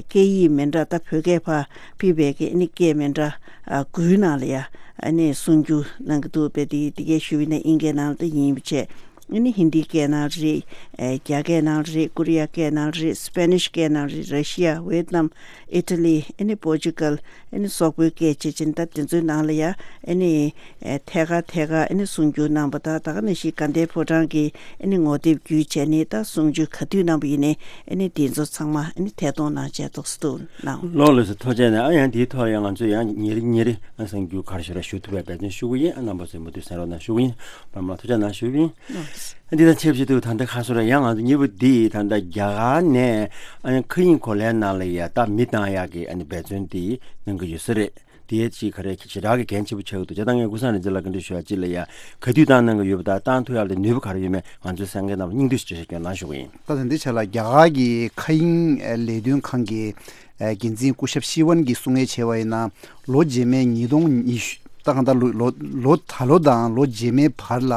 སྐད་ཡིག་མི་འདྲ་ད་བོད་སྐད་ཕར་ཕུད་པའི་གི་ཨ་ནི་སྐད་མི་འདྲ་ཨ་དགུའི་ནང་ལ་ཡ་ཨ་ནི་གསུང་རྒྱུ་གནང་གི་འདུག་པས། དེ་དེ་སྐད་ཞུ་བ་ཡིན་ན་དབྱིན་སྐད་ནང་ལ་ད་ཡིན་པ་བྱས་ཨ་ནི་ཧིན་དི་སྐད་ནང་རེད། ཨེ་རྒྱ་སྐད་ནང་རེད། ཀོ་རི་ཡ་སྐད་ནང་རེད། སྤེ་ནིཤ་སྐད་ནང་རེད། ར་ཤི་ཡ། ཝེད་ནམ། ཨི་ཊ་ལི། ཨ་ནི་པོར་ཅུ་གལ། ཨ་ནི་སོག་པོའི་སྐད་བྱས་ཙང་ད་དེ་ཚོའི་ནང་ལ་ཡ་ཨ་ནི་ཨེ་ཐད་ཀར་ཐད་ཀར་ཨ་ནི་གསུང་རྒྱུ་གནང་པ་དང་། ད་ག་ནང་བཞིན་དགའ་ལྡན་ཕོ་བྲང་གི་ཨ་ནི་ངོ་དེབ་བརྒྱུད་བྱས་ནས་ད་གསུང་ཆོས་ག་དུས་གནང་པ་ཡིན་ནའི་ཨ་ནི་དེ་ཚོ་ཚང་མ་ཨ་ནི་ཐད་གཏོང་གནང་བྱས་ཏོག་སུ་འདུག་གནང་། ལགས་ལགས་སོ། ཐུགས་རྗེ་ཆེ་གནང་། ཨ་ཡང་དེའི་ཐོག་ཡང་ང་ཚོས་ཡང་ཉིན་རེ་ཉིན་རེ་ཨ་གསར་འགྱུར་ག་རེ་ཞིག་རེ་ཞུ་ཐུབ་པའི་འབད་བརྩོན་ཞུ་གི་ཡིན། ཨ་རྣམ་པ་ཚོས་མུ་མཐུད་གསན་རོགས་གནང་ཞུ་གི་ཡིན། པར་མ་ཐུགས་རྗེ་གནང་ཞུ་གི་ཡིན། ལགས། འདི་དང་ཆབས་ཅིག་ཏུ་ད་ལྟ་ཁ་སོ་ར་ཡང་ང་ཚོ་གཉིས་པོ་འདི་ད་ལྟ་རྒྱ་གར་ནས་ཨ་ནི་མཁའ་དབྱིངས་གོ་ལའི་ནང་ལ་ཡ་ད་མི་བཏང་ཡག་གི་ཨ་ནི་འབད་བརྩོན་འདི་གནང་གི་ཡོད་ས་རེད། དེའི་ཅིག་ག་རེ་ཞེ་དྲག་གི་འགན་ཆེ་པོ་ཆགས་ཀྱི་འདུག་ཅེས་ད་ངས་ཀུན་བཟང་རིག་འཛིན་ལགས་བཀའ་འདྲི་ཞུ་ཡ་ཅིག་ལ་ཡ་ག་དུས་བཏང་གནང་གི་ཡོད་པ་དང་བཏང་ཐུབ་ཡག་ལ་ནུས་པ་ག་རེ་ཡོད་མེད་ང་ཚོའི་གསན་མཁན་རྣམས་ལ་སྙིང་བསྡུས་ཤིག་འགྲེལ་བཤད་སྐྱོན་གནང་ཞུ་གི་ཡིན། ད་ད་འདི་ཆ་ལ་རྒྱ་གར་གྱི་མཁའ་དབྱིངས་ལས་དོན་ཁང་གི་འགན་འཛིན་སྐུ་ཞབས་ཤི་ཝན་གྱིས་གསུང་ངེས་བྱས་པ་ཡིན་ན་ལོ་རྗེས་མའི་ཉིས་སྟོང་ཉི་ཤུ་ད་གང་ལྟར་ལོ་ལོ་ལོ་ད་ལོ་དང་ལོ་རྗེས་མའི་བར་ལ་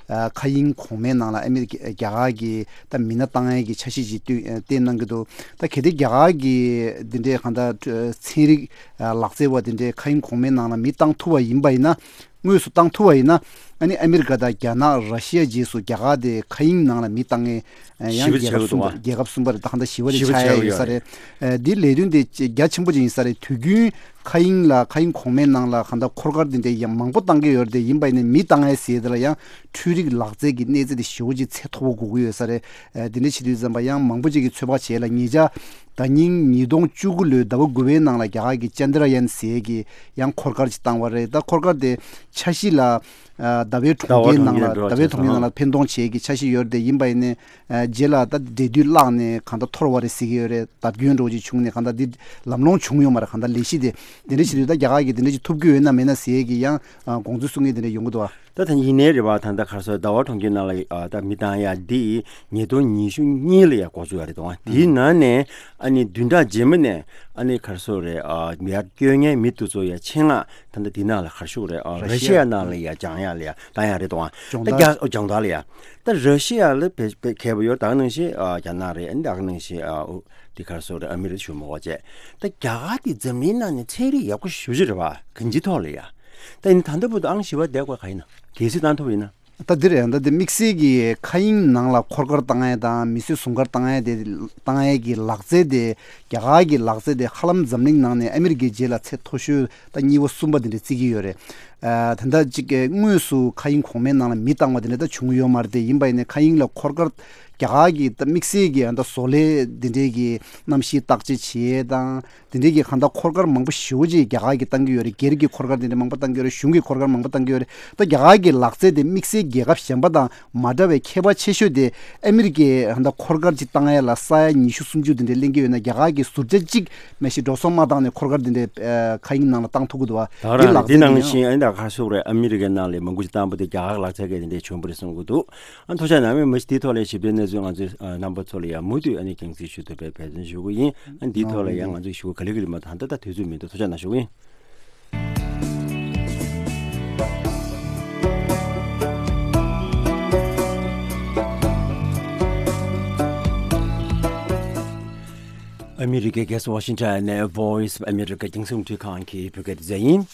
ཨ་མཁའ་དབྱིངས་གོང་མའི་ནང་ལ་ཨ་མི་རི་ཀ་རྒྱ་གར་གྱི་ད་མི་སྣ་བཏང་ཡས་ཀྱི་འཆར་གཞི་ཅིག་བཏོན་བཏོན་གནང་གི་འདུག་ད་གལ་ཏེ་རྒྱ་གར་གྱི་འདི་འདྲའི་གང་ལྟར་ཚན་རིག་ཨ་ལག་རྩལ་བ་འདི་འདྲའི་མཁའ་དབྱིངས་གོང་མའི་ནང་ལ་མི་བཏང་ཐུབ་པ་ཡིན་པ་ཡིན་ན། དངོས་སུ་བཏང་ཐུབ་པ་ཡིན་ན། ཨ་ནི་ཨ་མི་རི་ཀ་དང་རྒྱ་ནག་ར་ཤི་ཡ་རྗེས་སུ་རྒྱ་གར་དེ་མཁའ་དབྱིངས་ནང་ལ་མི་བཏང་ངེས་ཨ་ཡང་ཞི་བ་རྒྱལ་ཁབ་ཆགས་གསུམ་པ་འདུག་རྒྱལ་ཁབ་གསུམ་པ་རེད། ད་གང་ལྟར་ཞི་བ་རེ་ཞི་བ་ཆགས་ཆགས་ཡ་ཡོད་ཡོད་ས་རེད། རེད། ཨ་འདི་ལས་དོན་དེ་རྒྱ་ཆེན་པོ་ཅིག་ཡིན་ས་རེད། དུས་རྒྱུན་མཁའ་དབྱིངས་ལ་མཁའ་དབྱིངས་གོང་མའི་ནང་ལ་གང་ལྟར་འཁོར་སྐར་འདི་འདྲའི་ཡང་མང་པོ་བཏང་གི་ཡོད་རེད། དེ་ཡིན་པ་ཡིན་ནའི་མི་བཏང་ཡ་ཟེར་དེ་ལ་ཡང་འཕྲུལ་རིག་ལག་རྩལ་གྱི་གནས་ཚད་དེ་ཞེ་པོ་ཅིག་ཚད་མཐོ་པོ་དགོས་ཀྱི་ཡོད་ས་རེད། ཨ་འདི་འདྲ་བྱེད་དུས་ཙམ་པ་ཡང་མང་པོ་ཅིག་གིས་ཚོད་དཔག་བྱས་ལ་ཉེ་ཆར་ད་ཉིན་ཉིས་སྟོང་བཅུ་དགུ་ལོའི་ཟླ་བ་དགུ་པའི་ནང་ལ་རྒྱ་གར་གྱི་ཅན་དྲ་ཡན་ཟེར་གྱི་ཡང་འཁོར་སྐར་ཅིག་བཏང་བ་རེད། ད་འཁོར་སྐར་དེ་འཆར་གཞི་ལ་ཨ་ཟླ་བའི་གྲོང་ཁྱེར་ནང་ལ་ཟླ་བའི་གྲོང་ཁྱེར་འགྲོ་ཟླ་བའི་གྲོང་ཁྱེར་ནང་ལ་འཕེན་གཏོང་བྱེད་ཀྱི་འཆར་གཞི་ཡོད་རེད། དེ་ཡིན་པ་ཡིན་ནའི་ཨ་རྗེས་ལ་ད་འབྲེལ་མཐུད་བརླག་ནས་གང་ལྟར་འཐོར་བ་རེད་ཟེར་གྱི་ཡོད་རེད། བརྡབ་སྐྱོན་འདྲ་བོ་ཅིག་བྱུང་ནས་གང་ལྟར་འདི་ལམ་ལྷོང་བྱུང་ཡོད་མ་རེད། གང་ལྟར་ལས་གཞི་དེ་དེ་འདྲ་བྱེད་དུས་ད་རྒྱ་གར་གྱིས་དེ་འདྲ་ཅིག་ཐུབ་ཀྱི་ཡོད་ན་མེད་ན་ཟེར་གྱི་ཡང་ཨ་དགོངས་ཚུལ་གསུང་མཁན་དེ་འདྲ་ཡོང་གི་འདུག་ཨ། ད་ད་ཡིན་ནའི་རེད་བ། ད་ལྟ་ག་རེ་ཟེར་ཟླ་བ་གྲོང་ཁྱེར་ནང་ལ་ཨ་ད་མི་བཏང་ཡ་འདི་ཉིས་སྟོང་ཉི་ཤུ་གཉིས་ལ་ཡ་འགོ་བཙུགས་ཡ་རེད་དོ། དེའི་ནང་ནས་ཨ་ནི་བདུན་ཕྲག་རྗེས་མ་ནས་ཨ་ནི་ག་རེ་ཟེར་རེད། ཨ་མི་ཡར་སྐྱོད་མཁན་མི་དེ་ཚོ་ཡ་ཆེད་མངགས་ད་ལྟ་འདི་ནང་ལ་ག་རེ་ཞུ་རེད། ཨ་ར་ཤི་ཡ་ནང་ལ་ཡ་སྦྱང་ཡ་ལ་ཡ་བཏང་ཡ་རེད་དོ། ཨ་སྦྱོང་ད་བརྡར་རྒྱ་སྦྱོང་བརྡར་ལ་ཡ་ད་ར་ཤི་ཡ་ལ་བེད་བེད་མཁས་པོ་ཡོད། ད་ག་ནང་བཞིན་ཨ་རྒྱ་ནག་རེད། ཨ་ནི་ད་ག་ནང་བཞིན་ཨ་འོ་འདི་ག་རེ་ཟེར་རེད། ཨ་མི་རི་ཞུ་མོ་བ་བྱས། ད་རྒྱ་གར་འདི་འཛམ་གླིང་ནང་ནས་ཚན་རིག་ཡག་པོ་ཞེ་པོ་ཅིག་རེད་བ། གང་ཅིའི་ཐོག་ལ་ཡ། ད་ཡིན་ད་ལྟ་བར་དུ་ཨང་བཞི་པ་བསྡད་དགོས་ག་ཡིན་ན། གལ་སྲིད་བཏང་ཐུབ་ཡིན་ན། ད་འདི་རེད། ད་འདི་དམིགས་བསལ་གྱི་མཁའ་དབྱིངས་ནང་ལ་འཁོར་སྐར་བཏང་ཡས་དང་མི་གསོད་ཟུང་སྐར་བཏང་ཡས་དེ་བཏང་ཡས་ཀྱི་ལག་རྩལ་དེ་རྒྱ་གར་གྱི་ལག་རྩལ་དེ་ཧ་ལམ་འཛམ་གླིང་ནང་ནས་ཨ་མི་རི་ཀའི་རྗེས་ལ་ཚད་མཐོ་ཤོས་ད་གཉིས་པ་གསུམ་པ་དེ་འདྲ་བརྩི་གི་ཡོད་རེད། ཨ་ད་ལྟ་གཅིག་གི་དངོས་སུ་མཁའ་དབྱིངས་གོང་མའི་ནང་ལ་མི་བཏང་བ་དེ་འདྲ་ད་བྱུང་ཡོད་མ་རེད། དེ་ཡིན་པ་ཡིན་ནའི་མཁའ་དབྱིངས་ལ་འཁོར་སྐར་རྒྱ་གར་གྱི་ད་དམིགས་བསལ་གྱི་ད་བཟོ་ལས་དེ་འདྲའི་གི་གནམ་གཤིས་བརྟག་དཔྱད་བྱེད་ཡས་དང་། དེ་འདྲའི་གི་གང་ལྟར་འཁོར་སྐར་མང་པོ་ཞེ་པོ་ཅིག་རྒྱ་གར་གྱིས་བཏང་གི་ཡོད་རེད། སྒེར་གྱི་འཁོར་སྐར་དེ་འདྲ་མང་པོ་བཏང་གི་ཡོད་རེད། གཞུང་གི་འཁོར་སྐར་མང་པོ་བཏང་གི་ཡོད་རེད། ད་རྒྱ་གར་གྱི་ལག་རྩལ་དེ་དམིགས་བསལ་རྒྱལ་ཁབ་གཞན་པ་དང་མ་འདྲ་བའི་ཁྱད་པར་ཆེ་ཤོས་དེ་ཨ་མི་རི་ཀའི་གང་ལྟར་འཁོར་སྐར་ཅིག་བཏང་ཡ་ལ་ས་ཡ་ཉི་ཤུ་སུམ་ཅུ་དེ་འདྲ་ལེན་གྱི་ཡོད་ན་རྒྱ་གར་གྱིས་ཟུར་ཆ་གཅིག་མ་གཞི་འགྲོ་སོང་མ་བཏང་ནས་འཁོར་སྐར་དེ་འདྲ་ཨ་མཁའ་དབྱིངས་ནང་ལ་བཏང་ཐུབ་ཀྱི་འདུག་བ། ད་ག་རང་རེད། དེ་ནང་བཞིན་ཨ་ནི་ ད་ག་སོགས་རེད། ཨ་མི་རི་ཀའི་ནང་ལ་མང་པོ་ཞིག་བཏང་པ་དེ་རྒྱ་གར་ལག་ཆ་གས་དེ་འདྲས་བྱུང་བ་རེད་གསུང་གི་འདུག་ཨ་ཐུགས་རྗེ་གནང་། མི་མི་ཞིག་དེའི་ཐོག་ལ་ཞིབ་ཕྲའི་གནས་ཚུལ་ང་ཚོས་ཨ་རྣམ་པ་ཚོ་ལ་ཡང་མུ་མཐུད་ཨ་ནི་རྒྱང་སྲིང་ཞུ་ཐུབ་པའི་འབད་བརྩོན་ཞུ་གི་ཡིན། ཨ་འདིའི་ཐོག་ལ་ཡང་ང་ཚོས་ཞུ་གི་ག་ལེ་ག་ལེ་མ་ད་ད་ལྟ་དུས་ཚོད་མི་འདུག་ཐུགས་རྗེ་གནང་ཞུ་གི་ཡིན། ཨ་མི་རི་ཀའི་རྒྱལ་ས་ཝ་ཤིང་ཊོན་ནས་Voice of America རྒྱང་སྲིང་རླུང་འཕྲིན་ཁང་གི་བོད་སྐད་སྡེ་ཚན་ཡིན།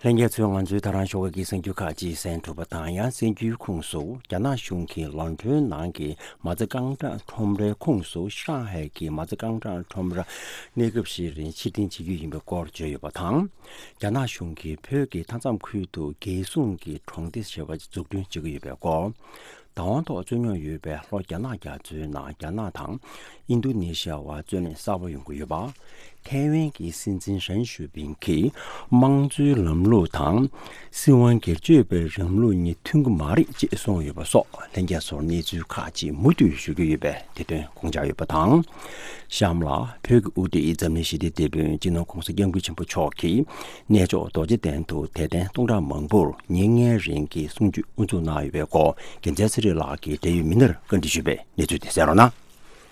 ལྷན་རྒྱས་ཚོས་ང་ཚོའི་ད་རང་ཞོགས་ཀ་གི་གསར་འགྱུར་ཁག་ཅིག་གསན་ཐུབ་པ་དང་། ཡང་གསར་འགྱུར་ཁོངས་སུ་རྒྱ་ནག་གཞུང་གིས་ལོན་ཌོན་ནང་གི་མ་རྩ་རྐང་གྲངས་ཁྲོམ་རའི་ཁོངས་སུ་ཧྲང་ཧའེ་གི་མ་རྩ་རྐང་གྲངས་ཁྲོམ་ར་གནས་སྐབས་ཤིག་རིང་ཕྱིར་འཐེན་བྱེད་རྒྱུ་ཡིན་པའི་སྐོར་བརྗོད་ཡོད་པ་དང་། རྒྱ་ནག་གཞུང་གིས་བོད་ཀྱི་མཐའ་མཚམས་ཁུལ་དུ་རྒྱལ་སྲུང་གི་གྲོང་སྡེ་ཞེས་པ་འཛུགས་སྐྲུན་བྱེད་ཀྱི་ཡོད་པའི་སྐོར། བདག་དབང་ཐོག་རྩོད་རྙོག་ཡོད་པའི་ལྷོ་རྒྱ་ནག་རྒྱ་མཚོའི་ནང་རྒྱ་ནག་དང་ཨིན་རྡུ་ནེ་ཤི་ཡ་བར་རྩོད་གླེང་གསར་པ་ཡོང་གི་ཡོད་པ། ཐའེ་ཝན་གྱི་སྲིད་འཛིན་ཧྲེན་ཞུ་པིན་གྱིས་དམངས་གཙོའི་ལམ་ལུགས་དང་སྲིད་དབང་སྒེར་གཅོད་པའི་ལམ་ལུགས་གཉིས་མཐུན་གྱི་མ་རེད་ཅེས་གསུངས་ཡོད་པ་སོགས། ལྷན་རྒྱས་ཚོར་གནས་ཚུལ་ཁག་ཅིག་མུ་མཐུད་ཞུ་གི་ཡོད་པས་དེ་དོན་དགོངས་འཇགས་ཡོད་པ་དང་། གཤམ་ལ་བོད་ཀྱི་དབུ་ཁྲིད་འཛམ་གླིང་ཞི་བདེའི་དེད་དཔོན་སྤྱི་ནོར་༧གོང་ས་༧སྐྱབས་མགོན་ཆེན་པོ་མཆོག་གིས་གནས་མཆོག་རྡོ་རྗེ་གདན་དུ་དད་ལྡན་སྟོང་ཕྲག་མང་པོར་ཉིན་ལྔའི་རིང་གི་གསུང་ཆོས་དབུ་འཛུགས་གནང་ཡོད་པའི་སྐོར། རྒྱལ་མཚན་ཚེ་རིང་ལགས་ཀྱིས་འབྲེལ་ཡོད་མི་སྣར་བཀའ་འདྲི་ཞུས་པའི་གནས་ཚུལ་དེ་གསན་རོགས་གནང་།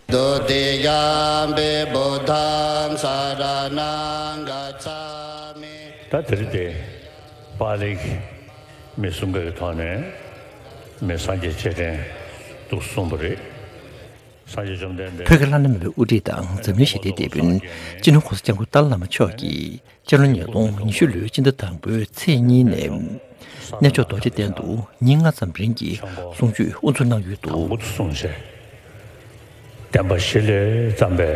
ဒုတိယံ་ပိ བུདྡྷံ་စရဏံ་གཙྪ་མི། ད་དེ་རིང་འདི་པཱ་ལིའི་མི་གསུམ་ཀ་གི་ཐོག་ནས་མི་སངས་རྒྱས་སྤྱན་འདྲེན་དུ་གསུངས་པ་རེད། སངས་རྒྱས་བཅོམ་ལྡན་འདས། བོད་ཀྱི་བླ་ན་མེད་པའི་དབུ་ཁྲིད་དང་འཛམ་གླིང་ཞི་བདེའི་དེད་དཔོན་སྤྱི་ནོར་༧གོང་ས་༧སྐྱབས་མགོན་ཏཱ་ལའི་བླ་མ་མཆོག་གིས་སྤྱི་ལོ་ཉིས་སྟོང་ཉི་ཤུ་ལོའི་སྤྱི་ཟླ་དང་པོའི་ཚེས་གཉིས་ནས་གནས་མཆོག་རྡོ་རྗེ་གདན་དུ་ཉིན་ལྔ་ཙམ་རིང་གི་གསུང་ཆོས་དབུ་འཛུགས་གནང་ཡོད་འདུག་དང་པོ་དུ་གསུངས་བྱས། བསྟན་པ་གཞི་ལས་བརྩམས་པའི་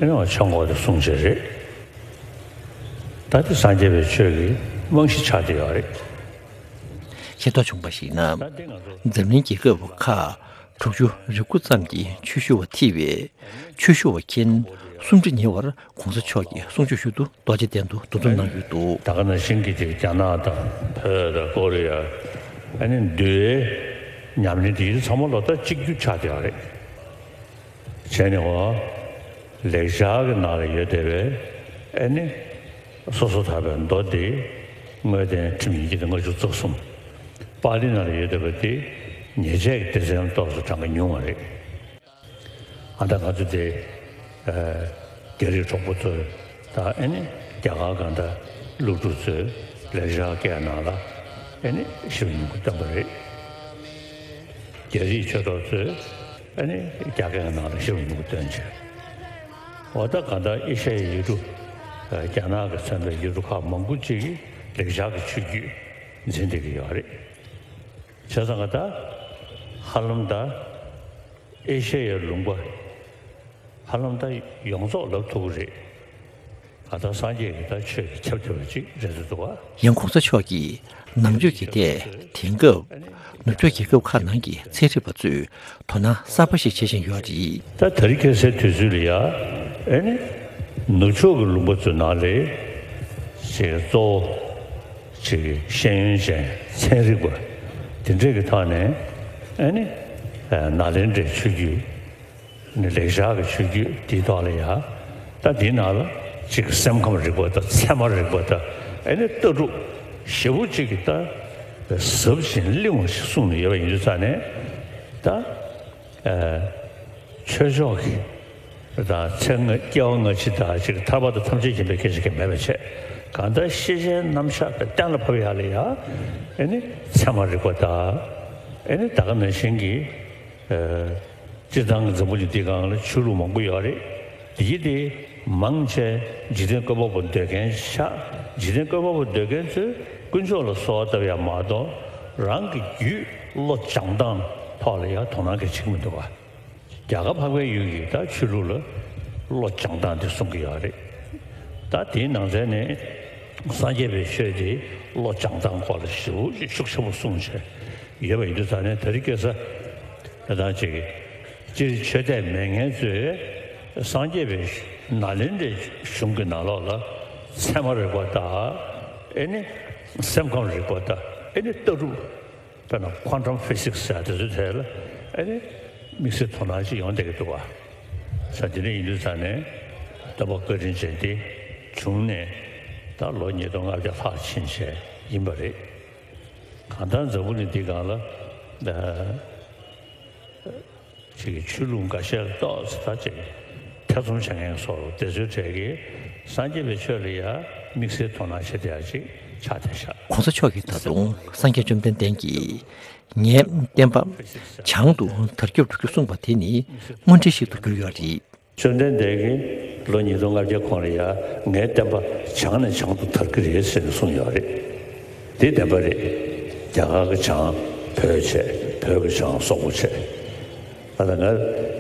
ཨེ་ནི་ཆོས་འཁོར་དེ་གསུངས་བྱས་རེད། ད་དེ་སངས་རྒྱས་པའི་ཆོས་ཀྱི་རྨང་གཞི་ཆགས་བསྡད་ཡོད་རེད། ཤེས་རྟོགས་བྱུང་བར་གཞིགས་ན། འཛམ་གླིང་རྒྱལ་ཁབ་ཁག་དྲུག་ཅུ་རེ་དགུ་ཙམ་གྱི་ཆོས་ཞུ་བ་ཐེ་བའི་ཆོས་ཞུ་བ་མཁན་སུམ་ཁྲི་ཉེ་བར་༧གོང་ས་མཆོག་གི་གསུང་ཆོས་ཞུ་དུ་རྡོ་རྗེ་གདན་དུ་འདུ་འཛོམས་གནང་ཡོད་འདུག་ད་ག་ནང་བཞིན་གྱི་ཅིག་རྒྱ་ནག་དང་བོད་དང་ཀོ་རི་ཡ། ཨ་ནི་འདུལ་བའི་ཉམས་ལེན་དེ་ཡིན་ཚང་མ་ལོ་ལྟར་གཅིག་གྱུར་ཆགས་བསྡད་ཡོད་རེད། བྱས་ནས་འོ། ལེགས་སྦྱར་གྱི་ནང་ལ་ཡོད་བསྡད་པའི་ཨ་ནི། སོ་སོ་ཐར་པའི་མདོ་འདི་དངོས་བསྟན་ཁྲིམས་ཡིན་གྱི་ལྔ་བཅུ་རྩ་གསུམ། པཱ་ལི་ནང་ལ་ཡོད་བསྡད་པ་འདི་ཉེས་བྱས་ཀྱི་སྡེ་ཚན་ཏོག་ཙམ་གྲངས་ཀ་ཉུང་བ་རེད། ཨ་ད་ང་ཚོ་འདི་རྒྱ་རིགས་གྲོགས་པོ་ཚོས་ད་ཨ་ནི་རྒྱ་གར་གང་ལྟར་སློབ་ཕྲུག་ཚོས་ལེགས་སྦྱར་སྐད་ནང་ལ་ཨ་ནི་ཞིབ་ཉུང་གི་བཏོན་པ་རེད། རྒྱ་རིགས་ཆོས་གྲོགས་ཚོས་ཨ་ནི་རྒྱ་སྐད་ནང་ལ་ཞིབ་ཉུང་གི་བཏོན་བྱས། འོ་ད་གང་ལྟར་ཨེ་ཤ་ཡའི་ཡུལ་གྲུ། རྒྱ་ནག་གིས་མཚོན་པའི་ཡུལ་གྲུ་ཁག་མང་པོ་ཅིག་གིས་ལེགས་སྦྱར་གྱི་ཆོས་བརྒྱུད་འཛིན་བསྡད་ཀྱི་ཡོད་རེད། བྱས་ཙང་ད་ཧ་ལམ་ད་ཨེ་ཤ་ཡའི་ལུང་པ་ཧ་ལམ་ད་ཡོངས་རྫོགས་ལབ་ཐུབ་ཀྱི་རེད། ད་ལྟ་སངས་རྒྱས་ཀྱི་ད་ཆོས་ཀྱི་ཁྱབ་བསྡད་པ་ཅིག་རེད་འདུག་བ། ཡང་༧གོང་ས་མཆོག་གིས་ནང་ཆོས་ཀྱི་ཐད་དེང་སྐབས་ནུབ་ཕྱོགས་རྒྱལ་ཁབ་ཁག་ནང་གི་ཚན་རིག་པ་ཚོས་དོ་སྣང་གསར་པ་ཞིག་བྱེད་བཞིན་ཡོད་རེད། ད་དེ་རིང་ཁ་སང་དུས་ཚོད་ལ་ཡ་ཨེ་ནི་ནུབ་ཕྱོགས་ཀྱི་ལུང་པ་ཚོའི་ནང་ལ་ཅིག་གཙོ་བོ་ཅིག་ཤེས་ཡོན་ཅན་ཚན་རིག་པ་དེ་འདྲས་ཀྱི་ཐོག་ནས་ཨེ་ནི་ནཱ་ལེནྡྲའི་ཆོས་བརྒྱུད། ནི་ལེགས་སྦྱར་གྱི་ཆོས་བརྒྱུད་འདིའི་ཐོག་ལ་ཡ། ད་འདིའི་ནང་ལ་གཅིག་སེམས་ཁམས་རིག་པ་དང་ཚད་མ་རིག་པ་དང་ཨེ་ནི་ལྟ་གྲུབ་ཞེ་པོ་གཅིག་གི་ད་ཟབ་ཅིང་བརླིང་བ་ཞིག་གསུངས་ནས་ཡོད་པ་ཡིན་དུས་ཙང་ནས་ད་ཆོས་ཕྱོགས་ཀྱི་ད་ཚེ་སྔ་སྐྱེ་བ་སྔ་ཕྱི་ད་ཅིག་ཐར་པ་དང་ཐམས་ཅད་མཁྱེན་པའི་སྐད་ཆ་གང་མེད་པ་བྱས། གང་ལྟར་ཤེས་བྱའི་རྣམ་གཞག་གི་གཏན་ལ་ཕབ་ཡག་ལ་ཡ་ཨེ་ནི་ཚད་མ་རིག་པ་དང་ཨེ་ནི་ད་ག་ནང་བཞིན་གྱི། སྤྱིར་བཏང་གི་འཛམ་བུ་གླིང་འདིའི་སྒང་ལ་ཆོས་ལུགས་མང་པོ་ཡོད་རེད། དེ་ཡི་དེ་མང་ཆེ་འཇིག་རྟེན་བཀོད་པ་པོ་འདོད་མཁན་ཆགས། འཇིག་རྟེན་བཀོད་པ་པོ་འདོད་མཁན་ཚོས་དཀོན་མཆོག་ལ་གསོལ་བ་བཏབ་ཡ་མ་གཏོགས་རང་གི་རྒྱུད་བློ་སྦྱང་སྟངས་ཐོག་ལ་ཡ་དོ་སྣང་གི་བྱེད་ཀྱི་མི་འདུག་ག། རྒྱ་གར་འཕགས་པའི་ཡུལ་གྱི་ད་ཆོས་ལུགས་ལ་བློ་སྦྱང་སྟངས་དེ་གསུང་གི་ཡོད་རེད། ད་དེའི་ནང་ཚན་ནས་སངས་རྒྱས་པའི་ཆོས་དེ་བློ་སྦྱང་སྟངས་སྐོར་ལ་ཞེ་པོ་ཤུགས་ཆེན་པོ་གསུངས་བྱས་ཡོད་པ་ཡིན་དུས་ཙང་ནས་དེ་རིང་ཁ་སང་ད་ཅིག་སྤྱིར་ཆོས་དད་མེད་མཁན་ཚོས་སངས་རྒྱས་པའི་ནཱ་ལེནྡྲའི་གཞུང་གི་ནང་ལོགས་ལ་ཚད་མ་རིག་པ་དང་ཨེ་ནི་སེམས་ཁམས་རིག་པ་དང་ཨེ་ནི་ལྟ་གྲུབ། དཔེར་ན་ཁོན་ཊམ་ཕི་སིག་སི་ཟེར་དེ་ཚོའི་ཐད་ལ་ཨེ་ནི་དམིགས་བསལ་དོ་སྣང་ཅིག་ཡོང་བསྡད་ཀྱི་འདུག་བ། ས་དེ་འདྲ་ཡིན་དུས་ཙང་ནས་སྟོན་པ་བཀའ་དྲིན་ཅན་དེ་བྱུང་ནས་ད་ལོ་ཉིས་སྟོང་ལྔ་བརྒྱ་ལྷག་ཕྱིན་བྱས་ ཡིན་པ་རེད། གང་ལྟར་འཛམ་བུ་གླིང་འདི་སྒང་ལ་ཅིག་གི་ཆོས་ལུགས་འགའ་ཤས་ལ་ཏོག་ཙམ་ད་ཅིག་ཐེ་ཚོམ་བྱེད་མཁན་སོགས་དེ་ཚོའི་གྲས་ཀྱིས་སངས་རྒྱས་པའི་ཆོས་ལ་ཡང་དམིགས་བསལ་དོ་སྣང་བྱེད་བསྡད་ཡ་ཅིག་ཆགས་བསྡད་ཤག་གོང་ས་མཆོག་གིས་ད་དུང་སངས་རྒྱས་བཅོམ་ལྡན་འདས་ཀྱིས་ངའི་བསྟན་པ་བྱང་དུ་དར་ཁྱབ་འགྲོ་རྒྱུ་གསུངས་པ་དེ་ནི་དངོས་འབྲེལ་ཞིག་ཏུ་གྱུར་ཡོད་རེད། བཅོམ་ལྡན་འདས་ཀྱིས་ལོ་ཉིས་སྟོང་ལྔ་བརྒྱ་གོང་ལ་ཡང་ངའི་བསྟན་པ་བྱང་ནས་བྱང་དུ་དར་གྱི་རེད་ཟེར་ནས་གསུངས་ཡོད་རེད། དེ་བདེན་པ་རེད། རྒྱ་གར་གྱི་བྱང་བོད་བྱས། བོད་ཀྱི་བྱང་སོག་པོ་བྱས། ད་ལྟ་ང་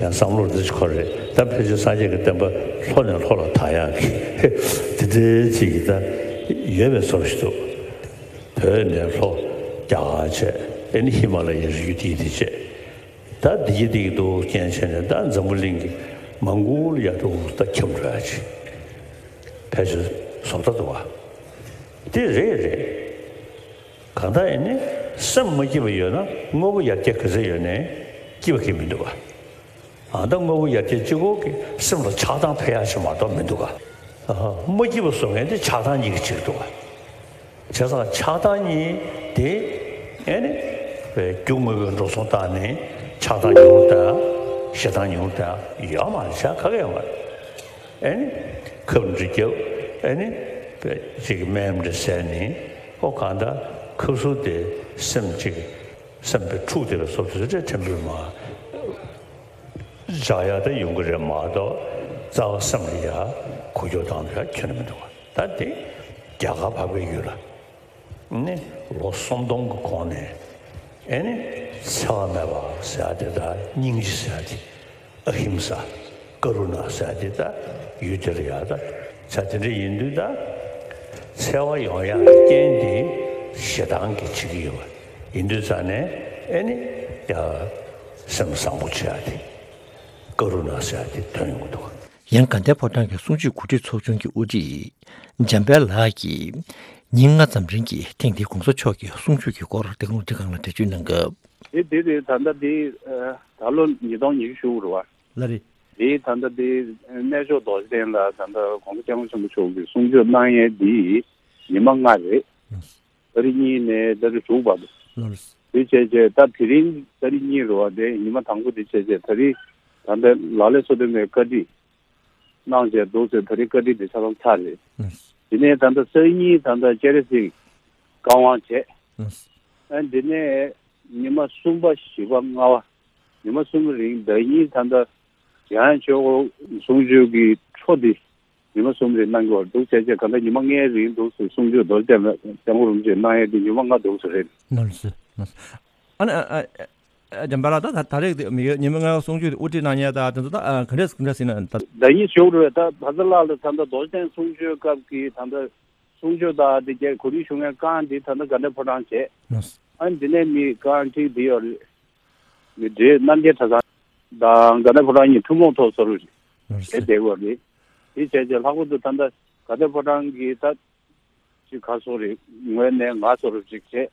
ཡང་བསམ་བློར་འདི་ཅིག་འཁོར་རེད། ད་ཕལ་ཆེར་སངས་རྒྱས་ཀྱི་བསྟན་པ་ལྷོ་ནས་ལྷོ་ལ་དར་ཡག་གི་དེ་འདྲའི་ཅིག་གི་ད་ཡོད་པའི་བཟོ་ཞིག་འདུག་བོད་ནས་ལྷོ་རྒྱ་གར་བྱས། ཨེ་ནི་ཧི་མ་ལ་ཡའི་རི་རྒྱུད་དེ་དེ་བྱས། ད་འདི་གི་འདི་གི་འདུག་རྐྱེན་བྱས་ནས་ད་འཛམ་བུ་གླིང་གི་མང་པོ་ལ་ཡ་འདུག་ད་ཁྱབ་འགྲོ་ཡ་ཅིག་ཕལ་ཆེར་བཟོ་ལྟ་འདུག་བ། དེ་རེད་རེད། གང་ལྟར་ཡིན་ནའི་སེམས་མ་སྐྱིད་པ་ཡོད་ན་དངོས་པོ་ཡར་རྒྱས་ག་ཚད་ཡོད་ནའི་སྐྱིད་པ་གང་ཡང་མི་འདུག་བ། ཨ་ད་དངོས་པོ་ཡར་རྒྱས་གཅིག་པོ་གིས་སེམས་ལ་ཆགས་སྡང་འཕེལ་ཡ་ཅིག་མ་གཏོགས་མི་འདུག་བ། ཨ་མ་སྐྱིད་པ་བཟོ་མཁན་དེ་ཆགས་སྡང་གཉིས་ཀྱི་ཕྱིར་འདུག་བ། བྱས་ཙང་ཆགས་སྡང་གཉིས་དེ་ཨེ་ནི་རྒྱུ་དངོས་པོའི་འགྲོ་སོང་བཏང་ནས་ཆགས་སྡང་ཉུང་རུ་བཏང་། ཞེ་སྡང་ཉུང་རུ་བཏང་ཡོད་མ་རེད། བྱ་ག་གེ་ཡོད་མ་རེད། ཨེ་ནི་ཁབ་འདྲ་བརྒྱབ། ཨེ་ནི་ཅིག་སྨན་འདྲ་བཟས་ནས་ཨོ་གང་ལྟར་ཁབ་སུབ་དེ་སེམས་ཅིག་སེམས་པའི་འཁྲུག་དེ་ལ་སོགས་དེ་ཚོ་ཕྲན་བུ་མ་འཇགས་ཡག་ད་ཡོང་གི་རེད་མ་གཏོགས་རྩ་བ་སེམས་ལ་ཡ་འགུལ་སྐྱོད་བཏང་ཡག་ཁྱོན་ནས་མི་འདུག་བ། ད་དེ་རྒྱ་གར་འཕགས་པའི་ཡུལ་ལ་ནི་ལོ་སུམ་སྟོང་གི་གོང་ནས་ཨེ་ནི་འཚེ་བ་མེད་པ་ཟེར་ཡ་དེ་དང་སྙིང་རྗེ་ཟེར་ཡ་དེ། ཨ་ཧིམ་ས་ཀ་རུ་ཎ་ཟེར་ཡ་དེ་ད་ཡུལ་དེ་ལ་ཡ་ད་ཆ་དེ་འདྲ་ཡིན་དུས་ད་འཚེ་བ་ཡོང་ཡག་གི་རྐྱེན་དེ་ཞེ་སྡང་གིས་བྱེད་ཀྱི་ཡོད་པ་ཡིན་དུས་ཙང་ནས་ཨེ་ནི་ཡ་སེམས་བཟང་པོ་བྱེད་ཡ་དེ་ཀ་རུ་ཎ་ཟེར་ཡ་དེ་ཐོན་ཡོང་གི་འདུག་ཡང་དགའ་ལྡན་ཕོ་བྲང་གི་གསུང་ཆོས་གོ་སྒྲིག་ཚོགས་ཆུང་གི་དབུ་ཁྲིད་འཇམ་དཔལ་ལགས་ཀྱིས་ཉིན་ལྔ་ཙམ་རིང་གི་ཐེངས་འདིའི་གོང་ས་མཆོག་གི་གསུང་ཆོས་ཀྱི་སྐོར་བདེ་སྐྱིད་རླུང་འཕྲིན་ཁང་ལ་འགྲེལ་བརྗོད་གནང་སྐབས། དེ་དེ་རེད། ད་ལྟ་དེ་ད་ལོ་ཉིས་སྟོང་ཉི་ཤུ་རེད་བ། ལགས་རེད། དེ་ད་ལྟ་དེ་གནས་མཆོག་རྡོ་རྗེ་གདན་ལ་ད་ལྟ་གོང་ས་སྐྱབས་མགོན་ཆེན་པོ་མཆོག་གིས་གསུང་ཆོས་གནང་ཡས་འདི་ཉི་མ་ལྔ་རེད། ཨུམ། ཏ་རིག་གཉིས་ནས་ཏ་རིག་དྲུག་བར་དུ། ལགས་རེད། དེ་བྱས་བྱས་ད་དེ་རིང་ཏ་རིག་གཉིས་རེད་བ། དེ་ཉི་མ་དང་པོ་དེ་བྱས་བྱས་ད་རིང་ད་ལྟ་ལག་ལེན་སོ་བདུན་པའི་བཀའ་ཁྲིད་གནང་བྱས་འདུག་ཟེར། ད་རིང་བཀའ་ཁྲིད་དེ་ཆ་ཚང་ཚར་རེད། ཨུམ། དེ་ནས་ད་ལྟ་སང་ཉིན་ད་ལྟ་སྤྱན་རས་གཟིགས་བཀའ་དབང་བྱས། ཨུམ། ཨ་དེ་ནས་ཉི་མ་གསུམ་པ་བཞི་པ་ལྔ་པ་ཉི་མ་གསུམ་རིང་ཟླ་ཉིན་ད་ལྟ་འཇམ་དབྱངས་ཆོས་འཁོར་གསུང་ཆོས་ཀྱི་འཕྲོ་འདི་ཉི་མ་གསུམ་རིང་གནང་གི་ཡོད་འདུག་བྱས་བྱས་ག་ད་ཉི་མ་ལྔའི་རིང་འདུག་ཟེར། གསུང་ཆོས་རྡོ་རྗེ་གདན་ལ་སྐྱབས་མགོན་རིན་པོ་ཆེ་གནང་ཡས་དེ་ཉི་མ་ལྔ་འདུག་ཟེར་རེད། ལགས་སོ། ལགས་སོ། ཨ་ནི་ཨ་ཨ་ཨ་འཇམ་དཔལ་ལགས། ད་ད་ད་རེས་དེ་མི་ཡོད་ཉི་མ་ལྔའི་གསུང་ཆོས་དེ་དབུ་ཁྲིད་གནང་མཁན་ད་དེ་ཚོ་ད་ཨ་ག་འདྲས་ག་འདྲས་ཟེར་ན་ད། ཟླ་ཉིན་བཞུགས་རེད། ད་བཛྲ་ལ་ལ་ད་ད་རྡོ་རྗེ་གདན་གསུང་ཆོས་སྐབས་ཀྱི་ད་ད་གསུང་ཆོས་དང་དེ་རྒྱས་གོ་སྒྲིག་ཞུ་མཁན་རྐང་དེ་ད་ལྟ་དགའ་ལྡན་ཕོ་བྲང་བྱས། ལགས་སོ། ཨ་ནི་འདི་ནས་མི་རྐང་ཁྲིད་འདི་ཡོད་རེད། མི་འདྲེ་རྣམ་རྒྱལ་གྲྭ་ཚང་དང་དགའ་ལྡན་ཕོ་བྲང་གཉིས་ཐུན་མོང་ཐོག་བཟོ་རུ་ལགས་སོ། བྱས་བསྡད་ཡོད་རེད། དེ་བྱས་བྱས་ལྷག་པར་དུ་ད་ལྟ་དགའ་ལྡན་ཕོ་བྲང་གི་ད་ཅིག་ག་སོགས་རེད། ངོས་ནས་ང་སོགས་རུ་ཅིག་བྱས།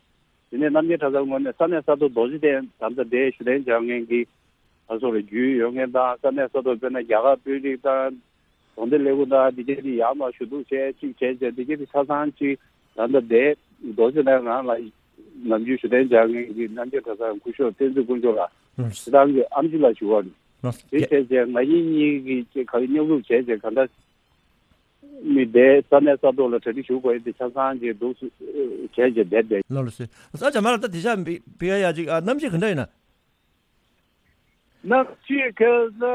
དེ་ནས་རྣམ་རྒྱལ་གྲྭ་ཚང་ངོས་ནས་ས་གནས་ས་ཐོག་རྡོ་རྗེ་གདན་ད་ལྟ་དེ་ཞུ་གཏན་འཇགས་མཁན་གྱི་ད་སོགས་རེ་རྒྱུས་ཡོད་མཁན་དང་། ས་གནས་ས་ཐོག་དཔེར་ན་རྒྱ་གར་དཔོན་རིགས་དང་དགོན་སྡེ་ལས་ཁུངས་དང་འདི་གས་དེ་ཡར་མར་ཞུ་གཏུག་བྱས་གཅིག་བྱས་བྱས་འདི་གས་དེ་ཆ་ཚང་གཅིག་ད་ལྟ་བསྡད། རྡོ་རྗེ་གདན་རང་ལ་ནམ་རྒྱུན་ཞུ་གཏན་འཇགས་མཁན་གྱི་རྣམ་རྒྱལ་གྲྭ་ཚང་སྐུ་ཞབས་བསྟན་འཛིན་དཀོན་མཆོག་ལགས། ལགས་སོ། དེ་རང་གི་ཨམ་ཆི་ལགས་ཞུ་བ་རེད། ལགས་སོ། དེ་བྱས་བྱས་ང་གཉིས་གཉིས་ཀྱིས་ཅིག་ག་རེ་མཉམ་རུབ་བྱས་བྱས་ག་འདྲ་མི་བསྡད། ས་གནས་ས་ཐོག་ལ་གྲ་སྒྲིག་ཞུ་དགོས་ཡས་དེ་ཆ་ཚང་གཅིག་འདུག་བྱས་བྱས་བསྡད་བསྡད། ལགས་སོ། ཨ་འཇམ་དཔལ་ལགས། ད་དེ་ཤ་བི་བི་ཡ་ཡ་ཅིག་ཨ་གནམ་གཤིས་ག་འདྲ་ཡིན་ན། གནམ་གཤིས་ཁ་སང་དེ་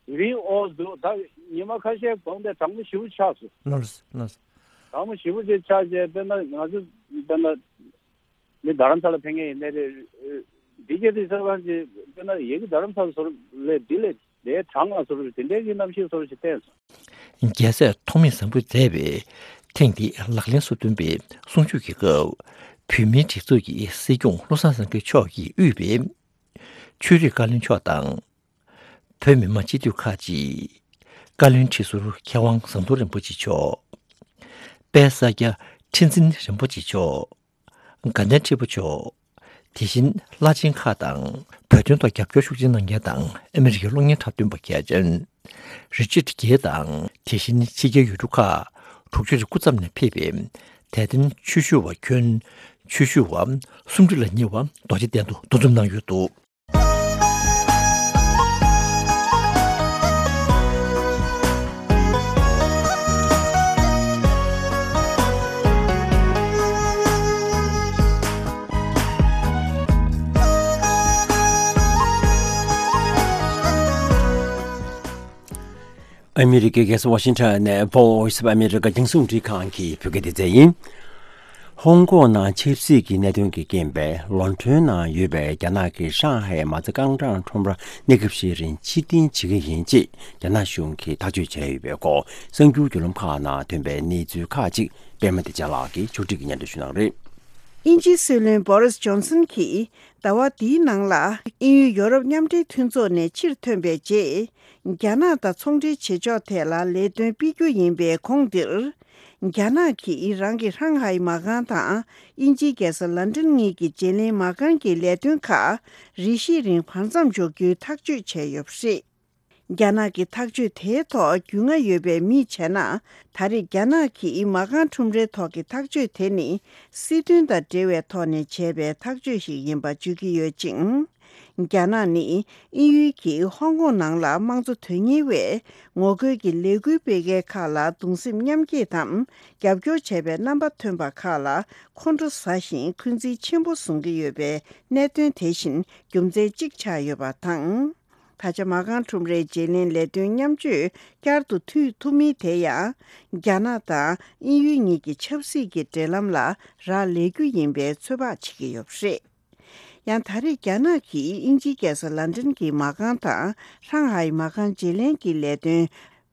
རིང་འོ་འདུག་ད་ཉི་མ་ཁ་ཤས་གོང་དེ་གྲང་མོ་ཞེ་པོ་ཆགས་སོང་། ལགས་སོ། ལགས་སོ། གྲང་མོ་ཞེ་པོ་ཅིག་ཆགས་བྱས་དཔེར་ན་ང་ཚོ་དཔེར་ན་མི་རྡ་རམ་ས་ལ་ཕེབས་མཁན་ཡིན་ནའི་རེད། འདི་ག་དེ་ས་གང་ཅིག་དཔེར་ན་ཡ་གི་རྡ་རམ་ས་ལ་བཟོ་ལས་འདི་ལས་དེ་གྲང་ང་བཟོ་དེ་འདྲའི་གི་གནམ་གཤིས་བཟོ་ཞིག་བསྟན་སོང་། རྒྱལ་སྲས་ཐོགས་མེད་བཟང་པོས་མཛད་པའི་ཐེངས་འདིའི་ལག་ལེན་སོ་བདུན་པའི་གསུང་ཆོས་ཀྱི་སྐབས། བོད་མིའི་སྒྲིག་འཛུགས་ཀྱི་སྲིད་སྐྱོང་བློ་བཟང་སེང་གེ་མཆོག་གིས་དབུས་པའི་ཆོས་རིག་བཀའ་བློན་མཆོག་དང་། བོད་མི་མང་སྤྱི་འཐུས་ཁག་ཅིག་བཀའ་བློན་ཁྲི་ཟུར་མཁས་དབང་ཟམ་གདོང་རིན་པོ་ཆེ་མཆོག་དཔལ་ས་སྐྱ་ཁྲི་འཛིན་རིན་པོ་ཆེ་མཆོག་དགའ་ལྡན་ཁྲི་པ་མཆོག་དེ་བཞིན་བླ་ཆེན་ཁག་དང་བོད་དོན་ཐོག་རྒྱབ་སྐྱོར་ཤུགས་ཆེ་གནང་མཁན་དང་ཨ་མི་རི་ཀའི་གློག་བརྙན་འཁྲབ་སྟོན་པ་གལ་ཅན་རི་ཅར་གྷེ་དང་། དེ་བཞིན་ཕྱི་རྒྱལ་ཡུལ་གྲུ་ཁག་དྲུག་ཅུ་རེ་དགུ་ཙམ་ནས་ཕེབས་པའི་ དད་ལྡན་ཆོས་ཞུ་བ་ཁྱོན་ཆོས་ཞུ་བ་སུམ་ཁྲི་ལ་ཉེ་བ་རྡོ་རྗེ་གདན་དུ་འདུ་འཛོམས་གནང་ཡོད་འདུག། ཨ་མི་རི་ཀའི་རྒྱལ་ས་ཝ་ཤིང་ཊོན་ནས་Voice of America རྒྱང་སྲིང་རླུང་འཕྲིན་ཁང་གི་བོད་སྐད་སྡེ་ཚན་ཡིན། ཧོང་ཀོང་ནང་ཆབ་སྲིད་ཀྱི་གནད་དོན་གྱི་རྐྱེན་པས་ལོན་ཊོན་ནང་ཡོད་པའི་རྒྱ་ནག་གི་ཧྲང་ཧའེ་མ་རྩ་རྐང་གྲངས་ཁྲོམ་ར་གནས་སྐབས་ཤིག་རིང་ཕྱིར་འཐེན་བྱེད་ཀྱི་ཡིན་ཅེས་རྒྱ་ནག་གཞུང་གིས་ཐག་གཅོད་བྱས་ཡོད་པའི་སྐོར་གསར་འགྱུར་བརྒྱུད་ལམ་ཁག་ནང་ཐོན་པའི་གནས་ཚུལ་ཁག་ཅིག་པད་མ་བདེ་ཆེན་ལགས་ཀྱིས་ཕྱོགས་སྒྲིག་གིས་སྙན་སྒྲོན་ཞུ་གནང་རེད། དབྱིན་ཇིའི་སྲིད་བློན་བོ་རིས་ཇོན་སན་གྱིས་ཟླ་བ་འདིའི་ནང་ལ་དབྱིན་ཡུལ་ཡོ་རོབ་མཉམ་འབྲེལ་མཐུན་ཚོགས་ནས་ཕྱིར་ཐོན་པའི་རྗེས། རྒྱ་ནག་དང་ཚོང་འབྲེལ་བྱེད་ཕྱོགས་ཐད་ལ་ལས་དོན་སྤེལ་རྒྱུ་ཡིན་པའི་གོང་འདིར། རྒྱ་ནག་གིས་རང་གི་ཧྲང་ཧའེ་མ་རྐང་དང་དབྱིན་ཇིའི་རྒྱལ་ས་ལན་ཀྲན་གཉིས་ཀྱི་བརྗེ་ལེན་མ་རྐང་གི་ལས་དོན་ཁག་རེ་ཞིག་རིང་བར་མཚམས་འཇོག་རྒྱུའི་ཐག་གཅོད་བྱས་ཡོད་པ་རེད། རྒྱ་ནག་གི་ཐག་གཅོད་དེའི་ཐོག་རྒྱུས་མངའ་ཡོད་པའི་མིས་བྱས་ན། ད་རེས་རྒྱ་ནག་གིས་མ་རྐང་ཁྲོམ་རའི་ཐོག་གི་ཐག་གཅོད་དེ་ནི་སྲིད་དོན་དང་འབྲེལ་བའི་ཐོག་ནས་བྱས་པའི་ཐག་གཅོད་ཞིག་ཡིན་པ་བརྗོད་ཀྱི་ཡོད་ཅིང་། རྒྱ་ནག་ནི་དབྱིན་ཡུལ་གྱིས་ཧོང་ཀོང་ནང་ལ་དམངས་གཙོ་དོན་གཉེར་བས་ངོ་རྒོལ་གྱི་ལས་འགུལ་སྤེལ་མཁན་ཁག་ལ་གདུང་སེམས་མཉམ་སྐྱེད་དམ་རྒྱབ་སྐྱོར་བྱས་པའི་རྣམ་པ་ཐོན་པ་ཁག་ལ་ཁོང་ཁྲོ་ཟ་ཞིང་འཁོན་འཛིན་ཆེན་པོ་བཟུང་གི་ཡོད་པའི་གནད་དོན་དེ་བཞིན་རྒྱུ་མཚན་གཅིག་ཆགས་ཡོད་པ་དང་། ད་ཆ་མ་རྐང་ཁྲོམ་རའི་བརྗེ་ལེན་ལས་དོན་མཉམ་སྤྱོད་བསྐྱར་དུ་མཐུད་ཐུབ་མིན་དེ་ཡང་རྒྱ་ནག་དང་དབྱིན་ཡུལ་གཉིས་ཀྱི་ཆབ་སྲིད་ཀྱི་འབྲེལ་ལམ་ལ་རག་ལས་རྒྱུ་ཡིན་པའི་ཚོད་དཔག་བྱེད་ཀྱི་ཡོད་པ་རེད། ཡང་ད་རེས་རྒྱ་ནག་གིས་དབྱིན་ཇིའི་རྒྱལ་ས་ལན་ཀྲན་གྱི་མ་རྐང་དང་ཧྲང་ཧའེ་མ་རྐང་བརྗེ་ལེན་གྱི་ལས་དོན་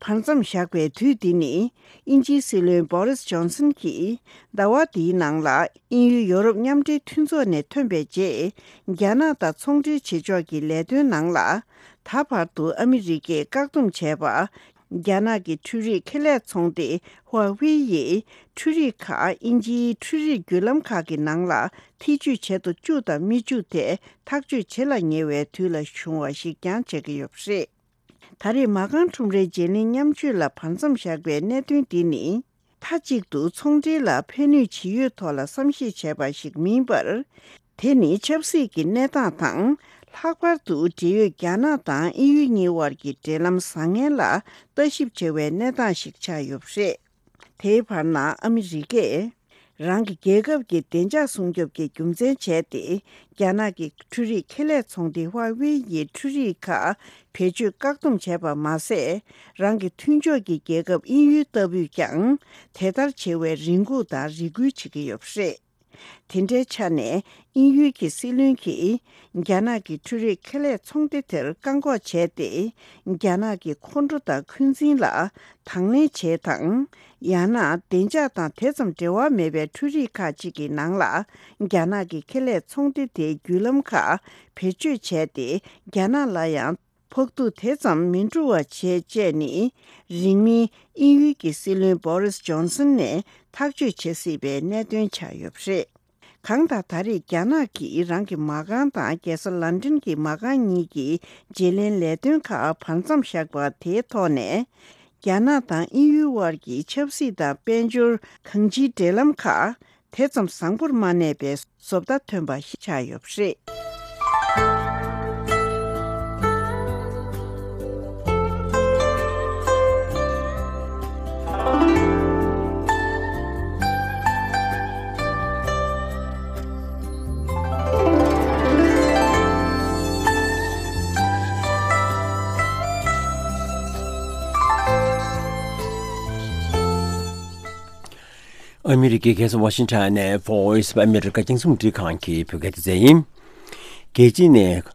བར་མཚམས་བཞག་པའི་དུས་འདི་ནི། དབྱིན་ཇིའི་སྲིད་བློན་བོ་རིས་ཇོན་སན་གྱིས་ཟླ་བ་འདིའི་ནང་ལ་དབྱིན་ཡུལ་ཡོ་རོབ་མཉམ་འབྲེལ་མཐུན་ཚོགས་ནས་ཐོན་པའི་རྗེས། རྒྱ་ནག་དང་ཚོང་འབྲེལ་བྱེད་ཕྱོགས་ཀྱི་ལས་དོན་ནང་ལ། ད་བར་དུ་ཨ་མི་རི་ཀས་བཀག་སྡོམ་བྱས་པ། རྒྱ་ནག་གི་འཕྲུལ་རིག་ཁེ་ལས་ཚོང་སྡེ་ཧྭ་ཝེ་ཡིས་འཕྲུལ་རིག་ཁག་དབྱིན་ཇིའི་འཕྲུལ་རིག་བརྒྱུད་ལམ་ཁག་གི་ནང་ལ་ཐེ་ཇུས་བྱེད་དུ་བཅུག་དང་མི་བཅུག་དེ་ཐག་གཅོད་བྱེད་ལ་ཉེ་བའི་དུས་ལ་བྱུང་བ་ཞིག་ཀྱང་བྱེད་ཀྱི་ཡོད་པ་རེད། ད་རེས་མ་རྐང་ཁྲོམ་རའི་བརྗེ་ལེན་མཉམ་སྤྱོད་ལ་བར་མཚམས་བཞག་པའི་གནད་དོན་འདི་ནི། མཐའ་གཅིག་ཏུ་ཚོང་འབྲེལ་ལ་ཕན་ནུས་ཇི་ཡོད་ཐོག་ལ་བསམ་གཞིག་བྱས་པ་ཞིག་མིན་པར། དེ་ནི་ཆབ་སྲིད་ཀྱི་གནས་སྟངས་དང་། ལྷག་པར་དུ་འབྲེལ་ཡོད་རྒྱ་ནག་དང་དབྱིན་ཡུལ་གཉིས་དབར་གྱི་འབྲེལ་ལམ་བཟང་ངན་ལ་ལྟ་ཞིབ་བྱ་བའི་གནས་སྟངས་ཤིག་ཆགས་ཡོད་པ་རེད། དེའི་བར་ན་ཨ་མི་རི་ཀས། རང་གི་རྒྱལ་ཁབ་ཀྱི་བདེ་འཇགས་སྲུང་སྐྱོབ་ཀྱི་རྒྱུ་མཚན་བྱས་ཏེ། རྒྱ་ནག་གི་འཕྲུལ་རིག་ཁེ་ལས་ཚོང་སྡེ་ཧྭ་ཝེ་ཡི་འཕྲུལ་རིག་ཁག་བེད་སྤྱོད་བཀག་སྡོམ་བྱས་པ་མ་ཟད། རང་གི་མཐུན་ཕྱོགས་ཀྱི་རྒྱལ་ཁབ་དབྱིན་ཡུལ་ལྟ་བུས་ཀྱང་དེ་ལྟར་བྱེད་པའི་རེ་སྒུག་དང་རེ་སྐུལ་བྱེད་ཀྱི་ཡོད་པ་རེད། དེ་འདྲའི་ཆ་ནས་དབྱིན་ཡུལ་གྱི་སྲིད་བློན་གྱིས་རྒྱ་ནག་གི་འཕྲུལ་རིག་ཁེ་ལས་ཚོང་སྡེ་དེར་བཀག་འགོག་བྱས་ཏེ། རྒྱ་ནག་གི་ཁོང་ཁྲོ་དང་འཁོན་འཛིན་ལ་དང་ལེན་བྱེད་དང་། ཡང་ན་བདེ་འཇགས་དང་དེ་ཙམ་འབྲེལ་བ་མེད་པའི་འཕྲུལ་རིག་ཁག་ཅིག་གི་ནང་ལ་རྒྱ་ནག་གི་ཁེ་ལས་ཚོང་སྡེ་དེའི་བརྒྱུད་ལམ་ཁག་བེད་སྤྱོད་བྱས་ཏེ་རྒྱ་ནག་ལ་ཡང་། ཕོག་ཐུག་དེ་ཙམ་མི་འགྲོ་བ་བྱེད་ཅེས་ནི། རིང་མིན་དབྱིན་ཡུལ་གྱི་སྲིད་བློན་བོ་རིས་ཇོན་སན་ནས་ཐག་གཅོད་བྱེད་སྲིད་པའི་གནད་དོན་ཆགས་ཡོད་པ་རེད། གང་ལྟར་ད་རེས་རྒྱ་ནག་གིས་རང་གི་མ་རྐང་དང་རྒྱལ་ས་ལན་ཀྲན་གྱི་མ་རྐང་གཉིས་ཀྱི་བརྗེ་ལེན་ལས་དོན་ཁག་བར་མཚམས་བཞག་པ་དེའི་ཐོག་ནས། རྒྱ་ནག་དང་དབྱིན་ཡུལ་དབར་གྱི་ཆབ་སྲིད་དང་དཔལ་འབྱོར་གང་ཅིའི་འབྲེལ་ལམ་ཁག་དེ་ཙམ་བཟང་པོར་མ་གནས་པའི་བཟོ་ལྟ་ཐོན་པ་ཞིག་ཆགས་ཡོད་པ་རེད། ཨ་མི་རི་ཀའི་རྒྱལ་ས་ཝ་ཤིང་ཊོན་ནས་Voice of America རྒྱང་སྲིང་རླུང་འཕྲིན་ཁང་གི་བོད་སྐད་སྡེ་ཚན་ཡིན། རྒྱལ་སྤྱི་ནས་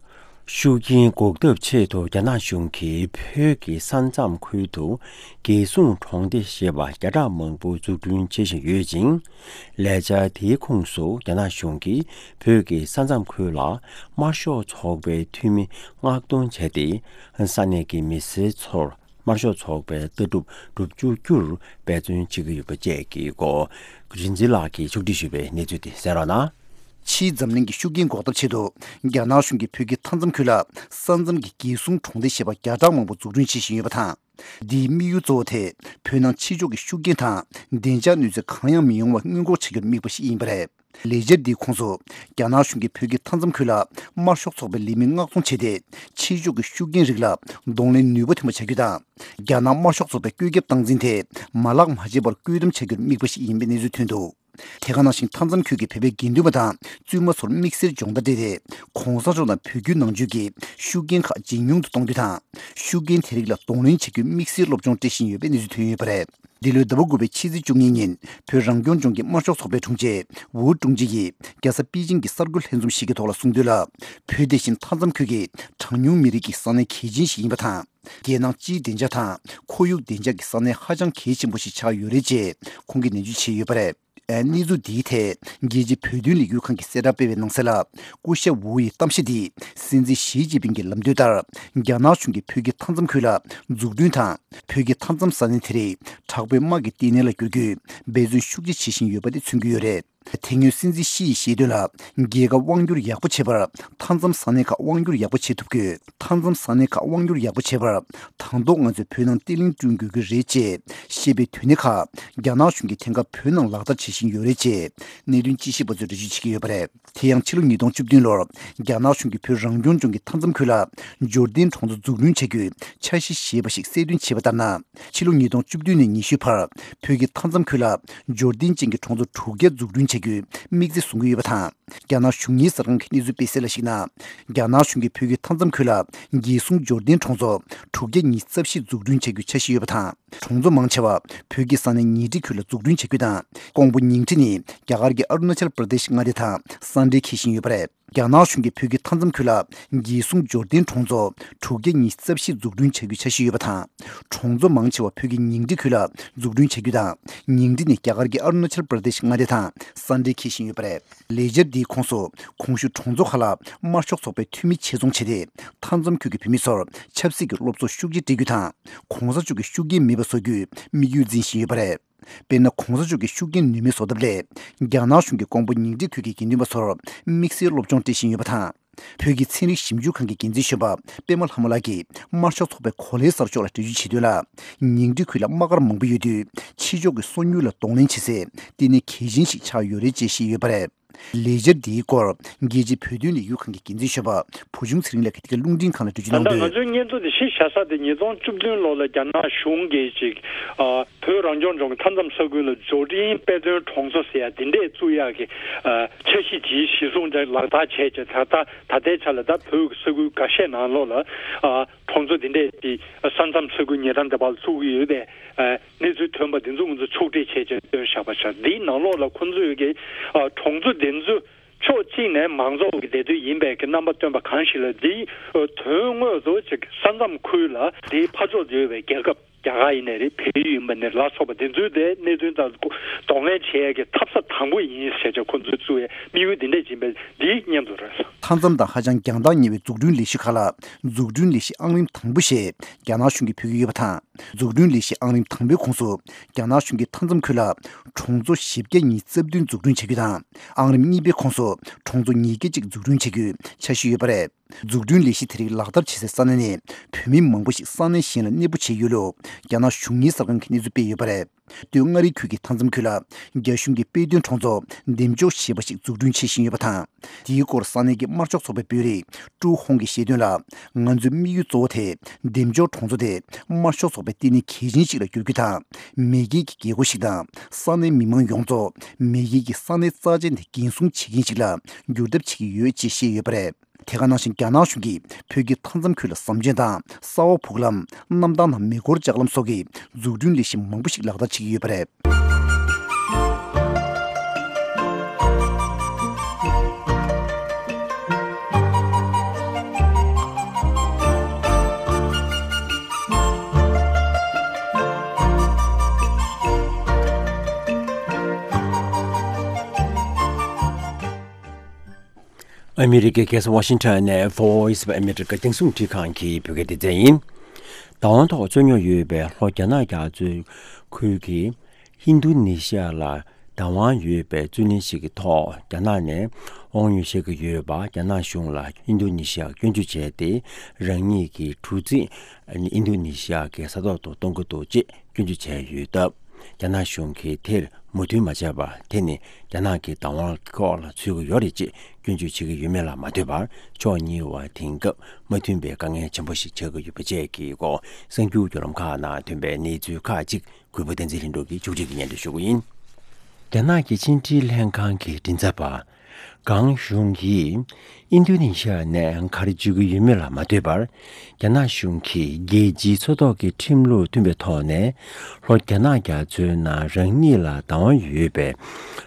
ཤུགས་རྐྱེན་འགོག་ཐབས་ཆེད་དུ་རྒྱ་ནག་གཞུང་གིས་བོད་ཀྱི་ས་མཚམས་ཁུལ་དུ་རྒྱལ་སྲུང་གྲོང་སྡེ་ཞེས་པ་བརྒྱ་ཕྲག་མང་པོ་འཛུགས་སྐྲུན་བྱེད་བཞིན་ཡོད་ཅིང་། ལས་འཆར་དེའི་ཁོངས་སུ་རྒྱ་ནག་གཞུང་གིས་བོད་ཀྱི་ས་མཚམས་ཁུལ་ལ་དམར་ཤོག་ཚོགས་པའི་འཐུས་མི་མངགས་གཏོང་བྱས་ཏེ། ས་གནས་ཀྱི་མི་སེར་ཚོར། དམར་ཤོག་ཚོགས་པའི་ལྟ་གྲུབ་སྒྲུབ་བཅུག་རྒྱུར་འབད་བརྩོན་བྱེད་ཀྱི་ཡོད་པ་བཅས་ཀྱི་སྐོར། རིག་འཛིན་ལགས་ཀྱིས་ཕྱོགས་སྒྲིག་ཞུས་པའི་གནས་ཚུལ་དེ་གསན་རོགས་གནང་། ཕྱིའི་འཛམ་གླིང་གི་ཤུགས་རྐྱེན་འགོག་ཐབས་ཆེད་དུ། རྒྱ་ནག་གཞུང་གིས་བོད་ཀྱི་མཐའ་མཚམས་ཁུལ་ལ། ས་མཚམས་ཀྱི་རྒྱལ་སྲུང་གྲོང་སྡེ་ཞེས་པ་བརྒྱ་ཕྲག་མང་པོ་འཛུགས་སྐྲུན་བྱེད་བཞིན་ཡོད་པ་དང་། འདིའི་དམིགས་ཡུལ་གཙོ་བོ་དེ་བོད་ནང་ཕྱི་ཕྱོགས་ཀྱི་ཤུགས་རྐྱེན་དང་བདེ་འཇགས་གནོད་འཚེ་གང་ཡང་མི་ཡོང་བ་སྔོན་འགོག་བྱ་རྒྱུར་དམིགས་པ་ཞིག་ཡིན་པ་རེད། ལས་འཆར་འདིའི་ཁོངས་སུ་རྒྱ་ནག་གཞུང་གིས་བོད་ཀྱི་མཐའ་མཚམས་ཁུལ་ལ་དམར་ཤོག་ཚོགས་པའི་ལས་མི་མངགས་གཏོང་བྱས་ཏེ། ཕྱི་ཕྱོགས་ཀྱི་ཤུགས་རྐྱེན་རིགས་ལ་གདོང་ལེན་ནུས་པ་ཐོན་པ་བྱ་རྒྱུ་དང་། རྒྱ་ནག་དམར་ཤོག་ཚོགས་པའི་བཀོད་ཁྱབ་སྟངས་འཛིན་དེ་མ་ལག་མ་བརྗེད་པར་བཀོད་སྡོམ་བྱ་རྒྱུར་དམིགས་པ་ཞིག་ཡིན་པའི་གནས་ཚུལ་ཐོན་འདུག་དེ་ག་ནང་བཞིན་མཐའ་མཚམས་ཁུལ་གྱི་བོད་པའི་དགེ་འདུན་པ་དང་བཙུན་མ་ཚོར་དམིགས་བསལ་སྦྱོང་བརྡར་སྤྲད་དེ། གོང་ས་མཆོག་དང་བོད་བརྒྱུད་ནང་ཆོས་ཀྱི་ཤུགས་རྐྱེན་ཁག་ཇེ་ཉུང་དུ་གཏོང་རྒྱུ་དང་། ཤུགས་རྐྱེན་དེ་རིགས་ལ་གདོང་ལེན་བྱེད་རྒྱུའི་དམིགས་བསལ་སློབ་སྦྱོང་སྤྲད་བཞིན་ཡོད་པའི་གནས་ཚུལ་ཐོན་ཡོད་པ་རེད། འདི་ལོའི་ཟླ་བ་དགུ་པའི་ཕྱི་ཚེས་བཅུ་གཉིས་ཉིན་བོད་རང་སྐྱོང་ལྗོངས་ཀྱི་དམར་ཤོག་ཚོགས་པའི་དྲུང་ཆེ་ཝུའུ་ཀྲུང་ཅི་ཡིས་རྒྱལ་ས་པེ་ཅིང་གི་གསར་འགོད་ལྷན་འཛོམས་ཤིག་གི་ཐོག་ལ་གསུངས་དོན་ལ། བོད་དེ་བཞིན་མཐའ་མཚམས་ཁུལ་གྱི་གྲངས་ཉུང་མི་རིགས་ཀྱི་ས་གནས་གལ་ཆེན་ཞིག་ཡིན་པ་དང་། རྒྱལ་ནང་སྤྱིའི་བདེ་འཇགས་དང་ཁོར་ཡུག་བདེ་འཇགས་ཀྱི་ས་གནས་ཧ་ཅང་གལ་ཆེན་པོ་ཞིག་ཆགས་ཡོད་རེད་ཅེས་ཁོང་གིས་ནན་བརྗོད་བྱས་ཡོད་པ་རེད། གནས་ཚུལ་འདིའི་ཐད་རྒྱལ་སྤྱིའི་བོད་དོན་ལས་འགུལ་ཁང་གིས་གསལ་བསྒྲགས་སྤེལ་བའི་ནང་གསལ་ལ། སྐུ་ཞབས་ཝུའུ་ཡི་གཏམ་བཤད་འདིས་སྲིད་འཛིན་ཞི་ཅིན་ཕིང་གི་ལམ་སྟོན་ལྟར། རྒྱ་ནག་གཞུང་གིས་བོད་ཀྱི་མཐའ་མཚམས་ཁུལ་ལ་འཛུགས་སྐྲུན་དང་། བོད་ཀྱི་མཐའ་མཚམས་ས་གནས་དེ་རིགས་དྲག་པོའི་དམག་གི་ལྟེ་གནས་ལ་བསྒྱུར་རྒྱུའི་འབད་བརྩོན་ཤུགས་ཆེ་བྱེད་བཞིན་ཡོད་པ་དེ་མཚོན་གྱི་ཡོད་རེད། དེ་སྔོན་སྲིད་འཛིན་ཞི་ཡིས་བཤད་དོན་ལ། རྒྱལ་ཁབ་དབང་སྒྱུར་ཡག་པོ་བྱེད་པར་མཐའ་མཚམས་ས་གནས་ཁག་དབང་སྒྱུར་ཡག་པོ་བྱེད་ཐུབ་དགོས། མཐའ་མཚམས་ས་གནས་ཁག་དབང་སྒྱུར་ཡག་པོ་བྱེད་པར་དང་ཐོག་ང་ཚོས་བོད་ནང་བརྟན་ལྷིང་བསྐྲུན་དགོས་ཀྱི་རེད་ཅེས་བཤད་པའི་དོན་སྣེ་ཁག་རྒྱ་ནག་གཞུང་གིས་དེང་སྐབས་བོད་ནང་ལག་བསྟར་བྱེད་བཞིན་ཡོད་རེད་ཅེས་གནད་དོན་དཔྱད་ཞིབ་པ་ཚོས་འགྲེལ་བརྗོད་བྱེད་ཀྱི་ཡོད་པ་རེད། དེ་ཡང་ཕྱི་ལོ་ཉིས་སྟོང་བཅུ་བདུན་ལོར་རྒྱ་ནག་གཞུང་གིས་བོད་རང་སྐྱོང་ལྗོངས་ཀྱི་མཐའ་མཚམས་ཁུལ་ལ་འབྱོར་ལྡན་གྲོང་ཚོ་འཛུགས་སྐྲུན་བྱ་རྒྱུའི་འཆར་གཞི་ཞེས་པ་ཞིག་གསལ་སྟོན་བྱས་པ་ལྟར་ན། ཕྱི་ལོ་ཉིས་སྟོང་བཅུ་བདུན་ནས་ཉི་ཤུའི་བར་བོད་ཀྱི་མཐའ་མཚམས་ཁུལ་ལ་འབྱོར་ལྡན་ཅན་གྱི་གྲོང་ཚོ་དྲུག་བརྒྱ་འཛུགས་སྐྲུན་བྱ་རྒྱུའི་དམིགས་ཚད་བཟུང་གི་ཡོད་པ་དང་། རྒྱ་ནག་གཞུང་གཉེར་གསར་ཁང་གིས་གནས་ཚུལ་སྤེལ་གསལ་ལ་གཞིགས་ན། རྒྱ་ནག་གཞུང་གིས་བོད་ཀྱི་མཐའ་མཚམས་ཁུལ་ལ་རྒྱལ་སྲུང་འབྱོར་ལྡན་གྲོང་ཚོ་དྲུག་བརྒྱ་ཉི་ཤུ་རྩ་བཞི་འཛུགས་སྐྲུན་བྱ་རྒྱུའི་འཆར་གཞི་ཡོད་པ་དང་། གྲོང་ཚོ་མང་ཆེ་བ་བོད་ཀྱི་ས་གནས་ཉིང་ཁྲི་ཁུལ་ལ་འཛུགས་སྐྲུན་བྱ་རྒྱུ་དང་། ཀོང་པོ་ཉིང་ཁྲི་ནི་རྒྱ་གར་གྱི་ཨ་རུ་ན་ཅལ་པྲ་དེཤ་མངའ་སྡེ་དང་ས་འབྲེལ་འཁེལ་བཞིན་ཡོད་པ་རེད། རྒྱ་ནག་གཞུང་གིས་བོད་ཀྱི་མཐའ་མཚམས་ཁུལ་ལ་རྒྱལ་སྲུང་འབྱོར་ལྡན་གྲོང་ཚོ་དྲུག་བརྒྱ་ཉི་ཤུ་རྩ་བཞི་འཛུགས་སྐྲུན་བྱ་རྒྱུའི་འཆར་གཞི་ཡོད་པ་དང་། གྲོང་ཚོ་མང་ཆེ་བ་བོད་ཀྱི་ཉིང་ཁྲི་ཁུལ་ལ་འཛུགས་སྐྲུན་བྱ་རྒྱུ་དང་། ཉིང་ཁྲི་ནི་རྒྱ་གར་གྱི་ཨ་རུ་ན་ཅལ་པྲ་དེཤ་མངའ་སྡེ་དང་ས་འབྲེལ་འཁེལ་བཞིན་ཡོད་པ་རེད། ལས་འཆར་འདིའི་ཁོངས་སུ་གོང་ཞུས་གྲོང་ཚོ་ཁག་ལ་དམར་ཤོག་ཚོགས་པའི་འཐུས་མི་ཆེད་རྫོང་བྱས་ཏེ། མཐའ་མཚམས་ཁུལ་གྱི་བོད་མི་ཚོར་ཆབ་སྲིད་ཀྱི་སློབ་གསོ་ཤུགས་ཆེ་སྤྲད་རྒྱུ་དང་། གོང་ས་མཆོག་གི་ཤུགས་རྐྱེན་མེད་པ་བཟོ་རྒྱུའི་དམིགས་ཡུལ་འཛིན་བཞིན་ཡོད་པ་རེད། དཔེར་ན། གོང་ས་མཆོག་གི་ཤུགས་རྐྱེན་ནུས་མེད་བཟོ་ཐབས་སླད། རྒྱ་ནག་གཞུང་གིས་ཀོང་པོ་ཉིང་ཁྲི་ཁུལ་གྱི་དགེ་འདུན་པ་ཚོར་དམིགས་བསལ་སློབ་སྦྱོང་སྤྲད་བཞིན་ཡོད་པ་དང་། བོད་ཀྱི་ཚན་རིག་ཞིབ་འཇུག་ཁང་གི་འགན་འཛིན་གཞོན་པ་པད་མ་ལྷ་མོ་ལགས་ཀྱིས་དམར་ཤོག་ཚོགས་པའི་གོ་ལའི་གསར་ཤོག་ལ་འགྲེལ་བརྗོད་བྱས་དོན་ལ། ཉིང་ཁྲི་ཁུལ་ལ་དམག་སྒར་མང་པོ་ཡོད་དུས། ཕྱི་ཕྱོགས་ཀྱི་སོ་ཉུལ་ལ་གདོང་ལེན་བྱེད་སའི་ལྟེ་གནས་གལ་ཆེན་ཞིག་ཆགས་ཡོད་རེད་ཅེས་བཤད་ཡོད་པ་རེད། ལས་འཆར་འདིའི་སྐོར་རྒྱལ་སྤྱིའི་བོད་དོན་ལས་འགུལ་ཁང་གི་འགན་འཛིན་གཞོན་པ་བུ་ཆུང་ཚེ་རིང་ལགས་ཀྱིས་འདི་ག་རླུང་འཕྲིན་ཁང་ལ་འགྲེལ་བརྗོད་ད་ལྟ་གནང་ང་དོན། ཚོའི་སྙན་ཐོ་དེ་གཞི་བཞག་ས་དེ་ཉིས་སྟོང་བཅུ་བདུན་ལོ་ལ་རྒྱ་ནག་གཞུང་གིས་ཅིག་ཨ། བོད་རང་སྐྱོང་ལྗོངས་ཀྱི་མཐའ་མཚམས་ས་ཁུལ་ལ་འབྱོར་འབྲིང་དཔེ་སྟོན་གྲོང་ཚོ་ཟེར་ཡ་དེ་འདྲས་བཙུགས་ཡག་གི་ཨ། འཆར་གཞི་ཅིག་གཞིར་བཟུང་ལག་བསྟར་བྱས་རྗེས། ད་ལྟ་ད་ལྟའི་ཆ་ལ་ད་བོད་ཀྱི་ས་ཁུལ་འགའ་ཤས་ནང་ལོགས་ལ་ཨ། གྲོང་ཚོ་དེ་འདྲས་ཀྱི་ས་མཚམས་ས་ཁུལ་ཉེ་འགྲམ་དེ་བར་བཙུགས་ཀྱི་ཡོད་པའི་ཨ། གནས་ཚུལ་ཐོན་པ་དེ་ཚོ་ང་ཚོ་ཕྱོགས་སྒྲིག་བྱས་རྗེས་བཏོན་བཞག་པ་ཆགས། འདིའི་ནང་ལོགས་ལ་ཁོང་ཚོས་ཀྱི་ཨ། གྲོང་ཚོ་དེ་ཚོ་ཕྱོགས་གཅིག་ནས་མང་ཚོགས་ཀྱི་བདེ་སྡོད་ཡིན་པའི་གི་རྣམ་པ་སྟོན་པ་གང་ཞིག་ལ། འདིའི་དོན་དངོས་སུ་ཅིག་ས་མཚམས་ཁུལ་ལ་དེའི་ཕར་ཕྱོགས་ཡོད་པའི་རྒྱལ་ཁབ། རྒྱ་གར་ཡིན་ནའི་རེད། བལ་ཡུལ་ཡིན་པ་ནས་ལ་སོགས་པ་དེ་ཚོའི་དེ་གནད་དོན་དང་གདོང་ལེན་བྱེད་ཡས་ཀྱི་འཐབ་ས་དང་པོ་ཡིན་ཟེར་བྱས་ཁོ་ཚོས་བཙུགས་པའི་དམིགས་ཡུལ་འདི་འདྲས་ཡིན་པས། འདིའི་སྙན་ཐོ་རེད། མཐའ་མཚམས་དང་ཧ་ཅང་རྒྱང་ཐག་ཉེ་བའི་འཛུགས་སྐྲུན་ལས་གཞི་ཁག་ལ་འཛུགས་སྐྲུན་ལས་གཞི་ཨང་རིམ་དང་པོ་ཞེས་རྒྱ་ནག་གཞུང་གིས་འབོད་ཀྱི་ཡོད་པ་དང་། འཛུགས་སྐྲུན་ལས་གཞི་ཨང་རིམ་དང་པོའི་ཁོངས་སུ་རྒྱ་ནག་གཞུང་གིས་མཐའ་མཚམས་ཁུལ་ལ་གྲོང་ཚོ་བཞི་བརྒྱ་ཉི་ཤུ་རྩ་བདུན་འཛུགས་སྐྲུན་བྱ་རྒྱུ་དང་། ཨང་རིམ་གཉིས་པའི་ཁོངས་སུ་གྲོང་ཚོ་ཉིས་བརྒྱ་གཅིག་འཛུགས་སྐྲུན་བྱ་རྒྱུའི་འཆར་གཞི་ཡོད་པ་རེད། འཛུགས་སྐྲུན་ལས་གཞི་དེ་རིགས་ལག་བསྟར་བྱེད་སའི་ས་གནས་ནས་བོད་མི་མང་པོ་ཞིག་ས་གནས་གཞན་ལ་གནས་སྤོ་བྱས་ཡོད་ལུགས་རྒྱ་ནག་གཞུང་གཉེར་གསར་ཁང་གིས་གནས་ཚུལ་སྤེལ་ཡོད་པ་རེད། སྟོད་མངའ་རིས་ཁུལ་གྱི་མཐའ་མཚམས་ཁུལ་ལ་རྒྱ་གཞུང་གིས་དཔེ་སྟོན་གྲོང་ཚོ་འདེམ་འཇོག་ཞེས་པ་ཞིག་འཛུགས་སྐྲུན་བྱེད་བཞིན་ཡོད་པ་དང་། དེའི་སྐོར་ས་གནས་ཀྱི་དམར་ཤོག་ཚོགས་པའི་དཔོན་རིགས་ཀྲུའུ་ཧོང་གིས་བཤད་དོན་ལ། ང་ཚོའི་དམིགས་ཡུལ་གཙོ་བོ་དེ་འདེམ་འཇོག་གྲོང་ཚོ་དེ་དམར་ཤོག་ཚོགས་པའི་ལྟེ་གནས་གལ་ཆེན་ཞིག་ལ་བསྒྱུར་རྒྱུ་དང་། མེས་རྒྱལ་གྱི་རྒྱལ་སྒོ་ཞིག་དང་། ས་གནས་མི་མང་ཡོངས་རྫོགས་མེས་རྒྱལ་གྱི་ས་གནས་རྩ་ཆེན་དེ་འགན་སྲུང་བྱེད་མཁན་ཞིག་ལ་བསྒྱུར་ཐབས་བྱེད་ཀྱི་ཡོད་ཅེས་བཤད་ཡོད་པ་རེད། དེ་ག་ནང་བཞིན་རྒྱ་ནག་གཞུང་གིས་བོད་ཀྱི་མཐའ་མཚམས་ཁུལ་ལ་ཟམ་ཆེན་དང་། ས་འོག་བུ་གུ་ལམ། གནམ་ཐང་ནང་མེ་འཁོར་ལྕགས་ལམ་སོགས་ཀྱི་འཛུགས་སྐྲུན་ལས་གཞི་མང་པོ་ཞིག་ལག་བསྟར་བྱེད་ཀྱི་ཡོད་པ་རེད། ཨ་མི་རི་ཀའི་རྒྱལ་ས་ཝ་ཤིང་ཊོན་ནས་Voice of America རྒྱང་སྲིང་རླུང་འཕྲིན་ཁང་གི་བོད་སྐད་སྡེ་ཚན་ཡིན། བདག་དབང་ཐོག་རྩོད་རྙོག་ཡོད་པའི་ལྷོ་རྒྱ་ནག་རྒྱ་མཚོའི་ཁུལ་གྱི་ཧིན་རྡུ་ནི་ཤི་ཡ་ལ་བདག་དབང་ཡོད་པའི་རྩོད་གླེང་ཞིག་གི་ཐོག་རྒྱ་ནག་ནས་ དབང་ཡོད་བཤད་ཀྱི་ཡོད་པ། རྒྱ་ནག་གཞུང་ལ་ཨིན་རྡུ་ནི་ཤི་ཡ་སྐྱོན་བརྗོད་བྱས་ཏེ། རང་ཉིད་ཀྱི་གྲུ་གཟིངས་ཨིན་རྡུ་ནི་ཤི་ཡ་གི་ས་ཐོག་ཏུ་གཏོང་གི་འདུག་ཅེས་སྐྱོན་བརྗོད་བྱས་ཡོད་སྟབས། རྒྱ་ནག་གཞུང་གིས་དེར་མོས་མཐུན་མ་བྱས་པར། དེ་ནི་རྒྱ་ནག་གི་བདག་དབང་ཁོག་ལ་ཚུད་ཀྱི་ཡོད་རེད་ཅེས་སྐྱོན་བརྗོད་བྱེད་ཀྱི་ཡོད་མེད་ལ་མ་ལྟོས་པར། ཕྱོགས་གཉིས་བར་དེང་སྐབས་མ་མཐུན་པའི་དཀའ་ངལ་ཆེན་པོ་ཞིག་ཆགས་ཀྱི་ཡོད་པ་བཅས་ཀྱི་སྐོར། གསར་འགྱུར་བརྒྱུད་ལམ་ཁག་ནང་ཐོན་པའི་གནས་ཚུལ་ཁག་ཅིག་གུས་པ་བསྟན་འཛིན་ལྷུན་གྲུབ་ཀྱིས་ཕྱོགས་སྒྲིག་གིས་སྙན་སྒྲོན་ཞུ་གི་ཡིན། རྒྱ་ནག་གི་ཕྱི་འབྲེལ་ལྷན་ཁང་གི་མགྲིན་ཚབ་པ་གང་ཞུང་གིས་ཨིན་རྡུ་ནི་ཤི་ཡ་ནས་ག་རེ་བརྗོད་ཀྱི་ཡོད་མེད་ལ་མ་ལྟོས་པར། རྒྱ་ནག་གཞུང་གིས་རྒྱལ་སྤྱིའི་མཚོ་ཐོག་གི་ཁྲིམས་ལུགས་མཐུན་པའི་ཐོག་ནས། ལྷོ་རྒྱ་ནག་རྒྱ་མཚོའི་ནང་རང་ཉིད་ལ་བདག་དབང་ཡོད་པའི་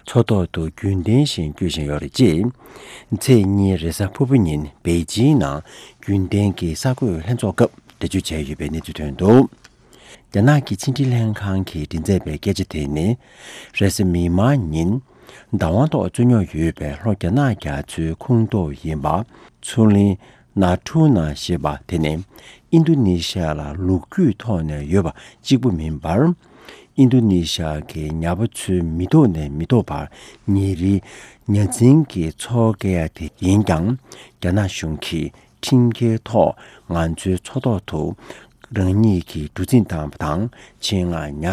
མཚོ་ཐོག་ཏུ་རྒྱུན་ལྡན་བཞིན་སྐྱོད་བཞིན་ཡོད་རེད་ཅེས། ཚེས་གཉིས་རེས་གཟའ་ཕུར་བུ་ཉིན་པེ་ཅིང་ནང་རྒྱུན་ལྡན་གྱི་གསར་འགོད་ལྷན་ཚོགས་སྐབས་འགྲེལ་བརྗོད་བྱས་ཡོད་པའི་གནས་ཚུལ་ཐོན་འདུག། རྒྱ་ནག་གི་ཕྱི་འབྲེལ་ལྷན་ཁང་གིས་མགྲིན་ཚབ་པའི་སྐད་ཆ་དེ་ནི། རེས་གཟའ་མིག་དམར་ཉིན། བདག་དབང་ཐོག་རྩོད་རྙོག་ཡོད་པའི་ལྷོ་རྒྱ་ནག་རྒྱ་མཚོའི་ཁོངས་གཏོགས་ཡིན་པ། མཚོ་གླིང་ན་ཐུ་ན་ཞེས་པ་དེ་ནི། ཨིན་རྡུ་ནི་ཤི་ཡ་ལ་ལོ་རྒྱུས་ཐོག་ནས་ཡོད་པ་གཅིག་པུ་མིན་པར། ཨིན་རྡུ་ནི་ཤི་ཡ་གི་ཉ་པ་ཚོའི་མི་ཐོག་ནས་མི་ཐོག་བར་ཉིན་རེའི་ཉ་འཛིན་གྱི་འཚོ་བསྐྱལ་ཡ་དེ་ཡིན་ཀྱང་། རྒྱ་ནག་གཞུང་གིས་ཁྲིམས་འགལ་ཐོག་ང་ཚོའི་མཚོ་ཐོག་ཏུ་རང་ཉིད་ཀྱི་གྲུ་གཟིངས་བཏང་བ་དང་། ཆེད་མངགས་ཉ་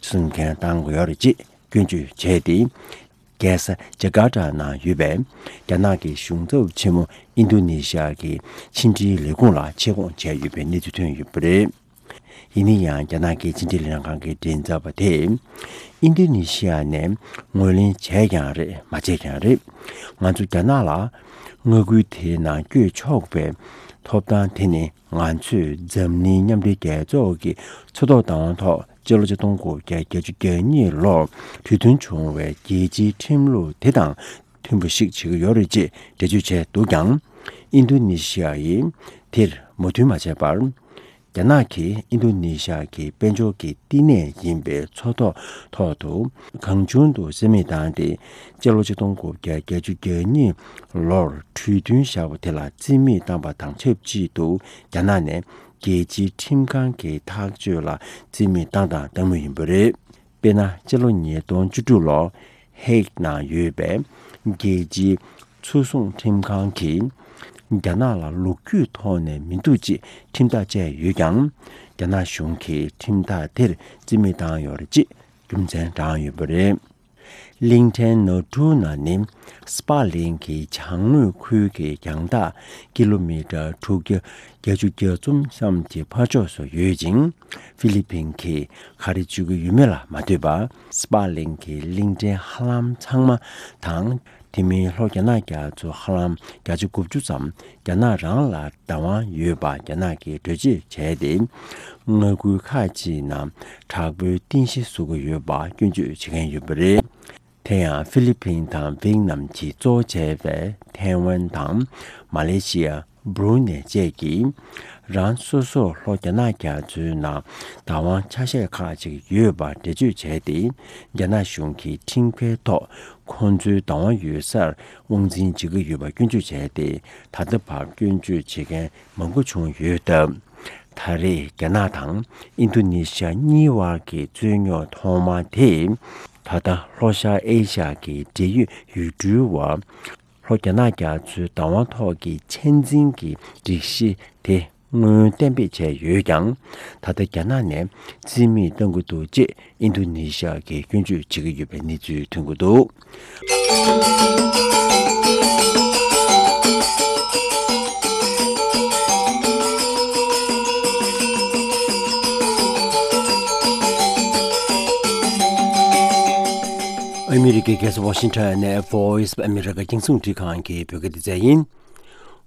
སྲུང་མཁན་བཏང་དགོས་ཡོད་རེད་ཅེས་སྐྱོན་བརྗོད་བྱས་ཏེ། རྒྱལ་ས་ཇ་ཀར་ཏ་ནང་ཡོད་པའི་རྒྱ་ནག་གི་གཞུང་ཚབ་ཆེན་མོ་ཨིན་རྡུ་ནི་ཤི་ཡ་གི་ཕྱི་འབྲེལ་ལས་ཁུངས་ལ་ཆེད་བསྐོང་བྱས་ཡོད་པའི་གནས་ཚུལ་ཐོན་ཡོད་པ་རེད། ཡིན་ན་ཡང་། རྒྱ་ནག་གི་ཕྱི་འབྲེལ་ལྷན་ཁང་གི་མགྲིན་ཚབ་པ་དེས། ཨིན་རྡུ་ནི་ཤི་ཡ་ནས་ངོས་ལེན་བྱས་ཀྱང་རེད། མ་བྱས་ཀྱང་རེད། ང་ཚོ་རྒྱ་ནག་ལ་མངའ་ཁུལ་དེའི་ནང་བསྐྱོད་ཆོག་པའི་ཐོབ་ཐང་དེ་ནི། ང་ཚོས་འཛམ་གླིང་མཉམ་འབྲེལ་རྒྱལ་ཚོགས་ཀྱི་མཚོ་ཐོག་བདག་དབང་ཐོག་སྤྱི་ལོ་ཆིག་སྟོང་དགུ་བརྒྱ་བརྒྱད་ཅུ་གྱ་གཉིས་ལོར་གྲོས་མཐུན་བྱུང་བའི་རྒྱལ་སྤྱིའི་ཁྲིམས་ལུགས་དེ་དང་མཐུན་པ་ཞིག་བྱེད་ཀྱི་ཡོད་རེད་ཅེས་འགྲེལ་བརྗོད་བྱས་འདུག་ཀྱང་། ཨིན་རྡུ་ནི་ཤི་ཡ་ཡིས་དེར་མོས་མཐུན་མ་བྱས་པར། རྒྱ་ནག་གིས་ཨིན་རྡུ་ནི་ཤི་ཡ་གི་དཔལ་འབྱོར་གྱི་བསྟི་གནས་ཡིན་པའི་མཚོ་ཐོག་ཐོག་ཏུ་གང་བྱུང་དུ་རྩིས་མེད་བཏང་སྟེ། སྤྱི་ལོ་ཆིག་སྟོང་དགུ་བརྒྱ་བརྒྱད་ཅུ་གྱ་གཉིས་ལོར་གྲོས་མཐུན་བཞག་པ་དེ་ལ་རྩིས་མེད་བཏང་པ་དང་ཆབས་ཅིག་ཏུ། རྒྱ་ནག་ནས་རྒྱལ་སྤྱིའི་ཁྲིམས་ཁང་གི་ཐག་གཅོད་ལ་རྩིས་མེད་བཏང་དང་བཏང་མུས་ཡིན་པ་རེད། དཔེར་ན། སྤྱི་ལོ་ཉིས་སྟོང་བཅུ་དྲུག་ལོར་ཧེག་ནང་ཡོད་པའི་རྒྱལ་སྤྱིའི་ཚོགས་ཟུང་ཁྲིམས་ཁང་གིས། རྒྱ་ནག་ལ་ལོ་རྒྱུས་ཐོག་ནས་མི་འདུག་ཅེས་ཁྲིམས་ཐག་བཅད་ཡོད་ཀྱང་། རྒྱ་ནག་གཞུང་གིས་ཁྲིམས་ཐག་དེར་རྩིས་མེད་བཏང་ཡོད་རེད་ཅེས་རྒྱུ་མཚན་བགྲངས་ཡོད་པ་རེད། གླིང་ཕྲན་ན་ཐུ་ན་ནི་སྤ་གླིང་གི་བྱང་ངོས་ཁུལ་གྱི་རྒྱང་ཐག་ཀི་ལོ་མི་ཊར་དྲུག་བརྒྱ་བརྒྱད་ཅུ་གྱ་གསུམ་ཙམ་གྱི་ཕར་ཕྱོགས་སུ་ཡོད་ཅིང་། ཧྥི་ལི་ཕིན་གྱིས་ག་རེ་བརྗོད་ཀྱི་ཡོད་མེད་ལ་མ་ལྟོས་པར། སྤ་གླིང་གི་གླིང་ཕྲན་ཧ་ལམ་ཚང་མ་དང་། དེ་མིན་ལྷོ་རྒྱ་ནག་རྒྱ་མཚོ་ཧ་ལམ་བརྒྱ་ཆ་དགུ་བཅུ་ཙམ་རྒྱ་ནག་རང་ལ་བདག་དབང་ཡོད་པ་རྒྱ་ནག་གིས་གྲོས་ཆོད་བྱས་ཏེ། མངའ་ཁུལ་ཁག་ཅིག་ནང་དྲག་པོའི་རྟེན་གཞི་བཟོ་གི་ཡོད་པ་སྐྱོན་བརྗོད་བྱེད་མཁན་ཡོད་པ་རེད། དེ་ཡང་ཧྥི་ལི་ཕིན་དང་ཝེ་ཏི་ནམ་གྱིས་གཙོ་བྱས་པའི་ཐའེ་ཝན་དང་མ་ལེ་ཤི་ཡ། སྦྲུ་ནེ་བཅས་ཀྱིས་རང་སོ་སོར་ལྷོ་རྒྱ་ནག་རྒྱ་མཚོའི་ནང་བདག་དབང་ཆ་ཤས་ཁག་ཅིག་ཡོད་པར་འགྲེལ་བརྗོད་བྱས་ཏེ། རྒྱ་ནག་གཞུང་གིས་ཁྲིམས་འགལ་ཐོག་ཁོང་ཚོའི་བདག་དབང་ཡོད་སར་དབང་འཛིན་བྱེད་ཀྱི་ཡོད་པ་སྐྱོན་བརྗོད་བྱས་ཏེ། ད་ལྟ་བར་སྐྱོན་བརྗོད་བྱེད་མཁན་མང་པོ་བྱུང་ཡོད་སྟབས། ད་རེས་རྒྱ་ནག་དང་ཨིན་རྡུ་ནི་ཤི་ཡ་གཉིས་བར་གྱི་རྩོད་རྙོག་ཐོག་མ་དེ། ད་ལྟ་ལྷོ་ཤར་ཨེ་ཤ་ཡ་གི་འབྲེལ་ཡོད་ཡུལ་གྲུའི་བར། ལྷོ་རྒྱ་ནག་རྒྱ་མཚོའི་བདག་དབང་ཐོག་གི་ཆ་འཛིན་གྱི་སྒྲིག་གཞི་དེ་སྔོན་གཏན་འབེབས་བྱས་ཡོད་ཀྱང་། ད་ལྟ་རྒྱ་ནག་ནས་རྩིས་མེད་གཏང་གི་འདུག་ཅེས་ཨིན་རྡུ་ནི་ཤ་ཡ་གིས་སྐྱོན་བརྗོད་བྱེད་ཀྱི་ཡོད་པའི་གནས་ཚུལ་ཐོན་གྱི་འདུག། ཨ་མི་རི་ཀའི་རྒྱལ་ས་ཝ་ཤིང་ཊོན་ནས་Voice of America རྒྱང་སྲིང་རླུང་འཕྲིན་ཁང་གི་བོད་སྐད་སྡེ་ཚན་ཡིན།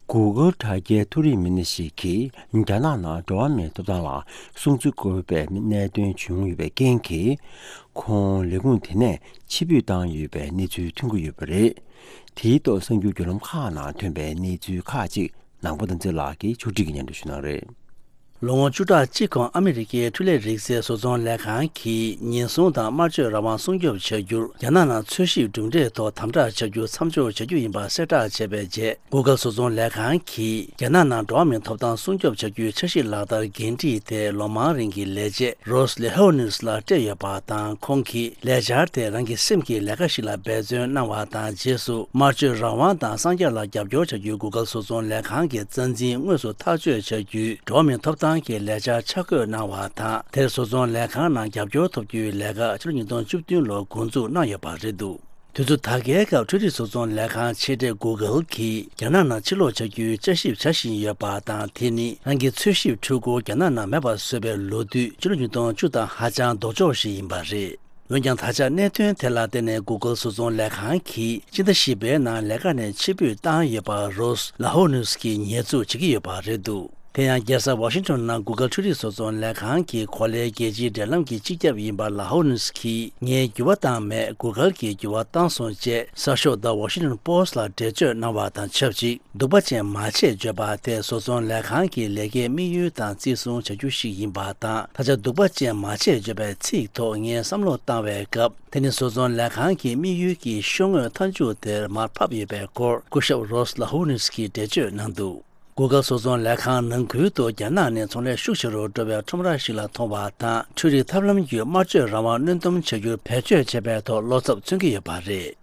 གུ་གུལ་དྲ་རྒྱའི་མཐོ་རིམ་མི་སྣ་ཞིག་གིས་རྒྱ་ནག་ནང་འགྲོ་བ་མིའི་ཐོབ་ཐང་ལ་སྲུང་བརྩི་དགོས་པའི་གནད་དོན་བྱུང་ཡོད་པའི་རྐྱེན་གྱིས། ཁོང་ལས་ཁུངས་དེ་ནས་ཕྱིར་འབུད་བཏང་ཡོད་པའི་གནས་ཚུལ་ཐོན་གྱི་ཡོད་པ་རེད། དེའི་ཐོག་གསར་འགྱུར་བརྒྱུད་ལམ་ཁག་ནང་ཐོན་པའི་གནས་ཚུལ་ཁག་ཅིག་ནང་པ་དོན་ཚེ་ལགས་ཀྱིས་ཕྱོགས་སྒྲིག་གིས་སྙན་སྒྲོན་ཞུ་གནང་རེད། ལོ་ངོ་བཅུ་ཕྲག་གཅིག་གོང་ཨ་མི་རི་ཀའི་འཕྲུལ་ལས་རིག་རྩལ་བཟོ་ཚོང་ལས་ཁང་གིས་ཉེན་སྲུང་དང་དམར་མཆོད་རང་དབང་སྲུང་སྐྱོབ་བྱ་རྒྱུར་རྒྱ་ནག་ནང་འཚོལ་ཞིབ་གྲུབ་འབྲས་ཐོག་དམ་དྲག་བྱ་རྒྱུ་མཚམས་འཇོག་བྱ་རྒྱུ་ཡིན་པ་གསལ་བསྒྲགས་བྱས་པའི་རྗེས། Google་བཟོ་ཚོང་ལས་ཁང་གིས་རྒྱ་ནག་ནང་འགྲོ་བ་མིའི་ཐོབ་ཐང་སྲུང་སྐྱོབ་བྱ་རྒྱུའི་འཆར་གཞི་ལག་བསྟར་འགན་འཁྲི་དེ་ལོ་མང་རིང་གི་ལས་བྱེད་Ross Lahonis་ལ་སྤྲད་ཡོད་པ་དང་། ཁོང་གིས་ལས་འཆར་དེ་རང་གི་སེམས་ཀྱི་ལས་ཀ་ཞིག་ལ་འབད་བརྩོན་གནང་བ་དང་། རྗེས་སུ་དམར་མཆོད་རང་དབང་དང་གསང་རྒྱ་ལ་རྒྱབ་སྐྱོར་བྱ་རྒྱུའི་Google་བཟོ་ཚོང་ལས་ཁང་གི་རྩ་འཛིན་དངོས་སུ་ཐག་གཅོད་བྱ་རྒྱུའི་འགྲོ་བ་མིའི་ཐོབ་ཐང་གི་ལས་འཆར་ཆ་བགོས་གནང་བ་དང་། དེར་བཟོ་ཚོང་ལས་ཁང་ནང་རྒྱབ་སྐྱོར་ཐོབ་རྒྱུའི་ལས་ཀ་ཕྱི་ལོ་ཉིས་སྟོང་བཅུ་བདུན་ལོར་འགོ་འཛུགས་གནང་ཡོད་པ་རེད་འདུག་དུས་ཚོད་ད་གའི་སྐབས་འཕྲུལ་རིག་བཟོ་ཚོང་ལས་ཁང་ཆེ་གྲས་Google་གིས་རྒྱ་ནག་ནང་ཕྱིར་ལོག་བྱ་རྒྱུའི་དཔྱད་ཞིབ་བྱ་བཞིན་ཡོད་པ་དང་། དེ་ནི་རང་གི་འཚོལ་ཞིབ་འཕྲུལ་འཁོར་རྒྱ་ནག་ནང་མེད་པར་བཟོས་པའི་ལོ་དུས་ཕྱི་ལོ་ཉིས་སྟོང་བཅུ་དང་ཧ་ཅང་ལྡོག་ཕྱོགས་ཤིག་ཡིན་པ་རེད། འོན་ཀྱང་། ད་ཆ་གནད་དོན་དེ་ལ་བརྟེན་ནས་Google་བཟོ་ཚོང་ལས་ཁང་གིས་སྤྱི་ཟླ་བཞི་པའི་ནང་ལས་ཀ་ནས་ཕྱིར་འབུད་བཏང་ཡོད་པ་Ross Lahonis་གིས་ཉེས་འཛུགས་བྱེད་ཀྱི་ཡོད་པ་རེད་འདུག་དེ་ཡང་རྒྱལ་ས་ཝ་ཤིང་ཊོན་ནང་Google་འཕྲུལ་རིག་བཟོ་ཚོང་ལས་ཁང་གི་གོ་ལའི་རྒྱལ་སྤྱིའི་འབྲེལ་ལམ་གྱི་སྤྱི་ཁྱབ་ཡིན་པ་Lahonis་གིས་ངས་འགྱུར་བ་བཏང་མེད། Google་གིས་འགྱུར་བ་བཏང་སོང་ཅེས་གསར་ཤོག་The Washington Post་ལ་འགྲེལ་བརྗོད་གནང་བ་དང་ཆབས་ཅིག་སྡུག་པ་ཅན་མ་བྱེད་བརྗོད་པ་དེ་བཟོ་ཚོང་ལས་ཁང་གི་ལས་ཀའི་དམིགས་ཡུལ་དང་བརྩི་སྲུང་བྱ་རྒྱུ་ཞིག་ཡིན་པ་དང་། ད་ཆ་སྡུག་པ་ཅན་མ་བྱེད་བརྗོད་པའི་ཚིག་ཐོག་ངས་བསམ་བློ་བཏང་བའི་སྐབས། དེ་ནི་བཟོ་ཚོང་ལས་ཁང་གི་དམིགས་ཡུལ་གྱི་ཤོག་ངོས་མཐའ་མཇུག་དེར་མར་ཕབ་ཡོད་པའི་སྐོར་སྐུ་ཞབས་Ross Lahonis་གིས་འགྲེལ་བརྗོད་གནང་འདུག Google་བཟོ་ཚོང་ལས་ཁང་ནང་ཁུལ་དུ་རྒྱ་ནག་ནས་ཚོང་ལས་ཤུགས་ཆེ་རུ་འགྲོ་བའི་ཁྲོམ་ར་ཞིག་ལ་མཐོང་བ་དང་། འཕྲུལ་རིག་ཐབས་ལམ་བརྒྱུད་དམར་མཆོད་རང་དབང་གནོན་སྡོམ་བྱ་རྒྱུར་བེད་སྤྱོད་བྱས་པའི་ཐོག་བློ་འཚབ་མཚོན་གྱི་ཡོད་པ་རེད།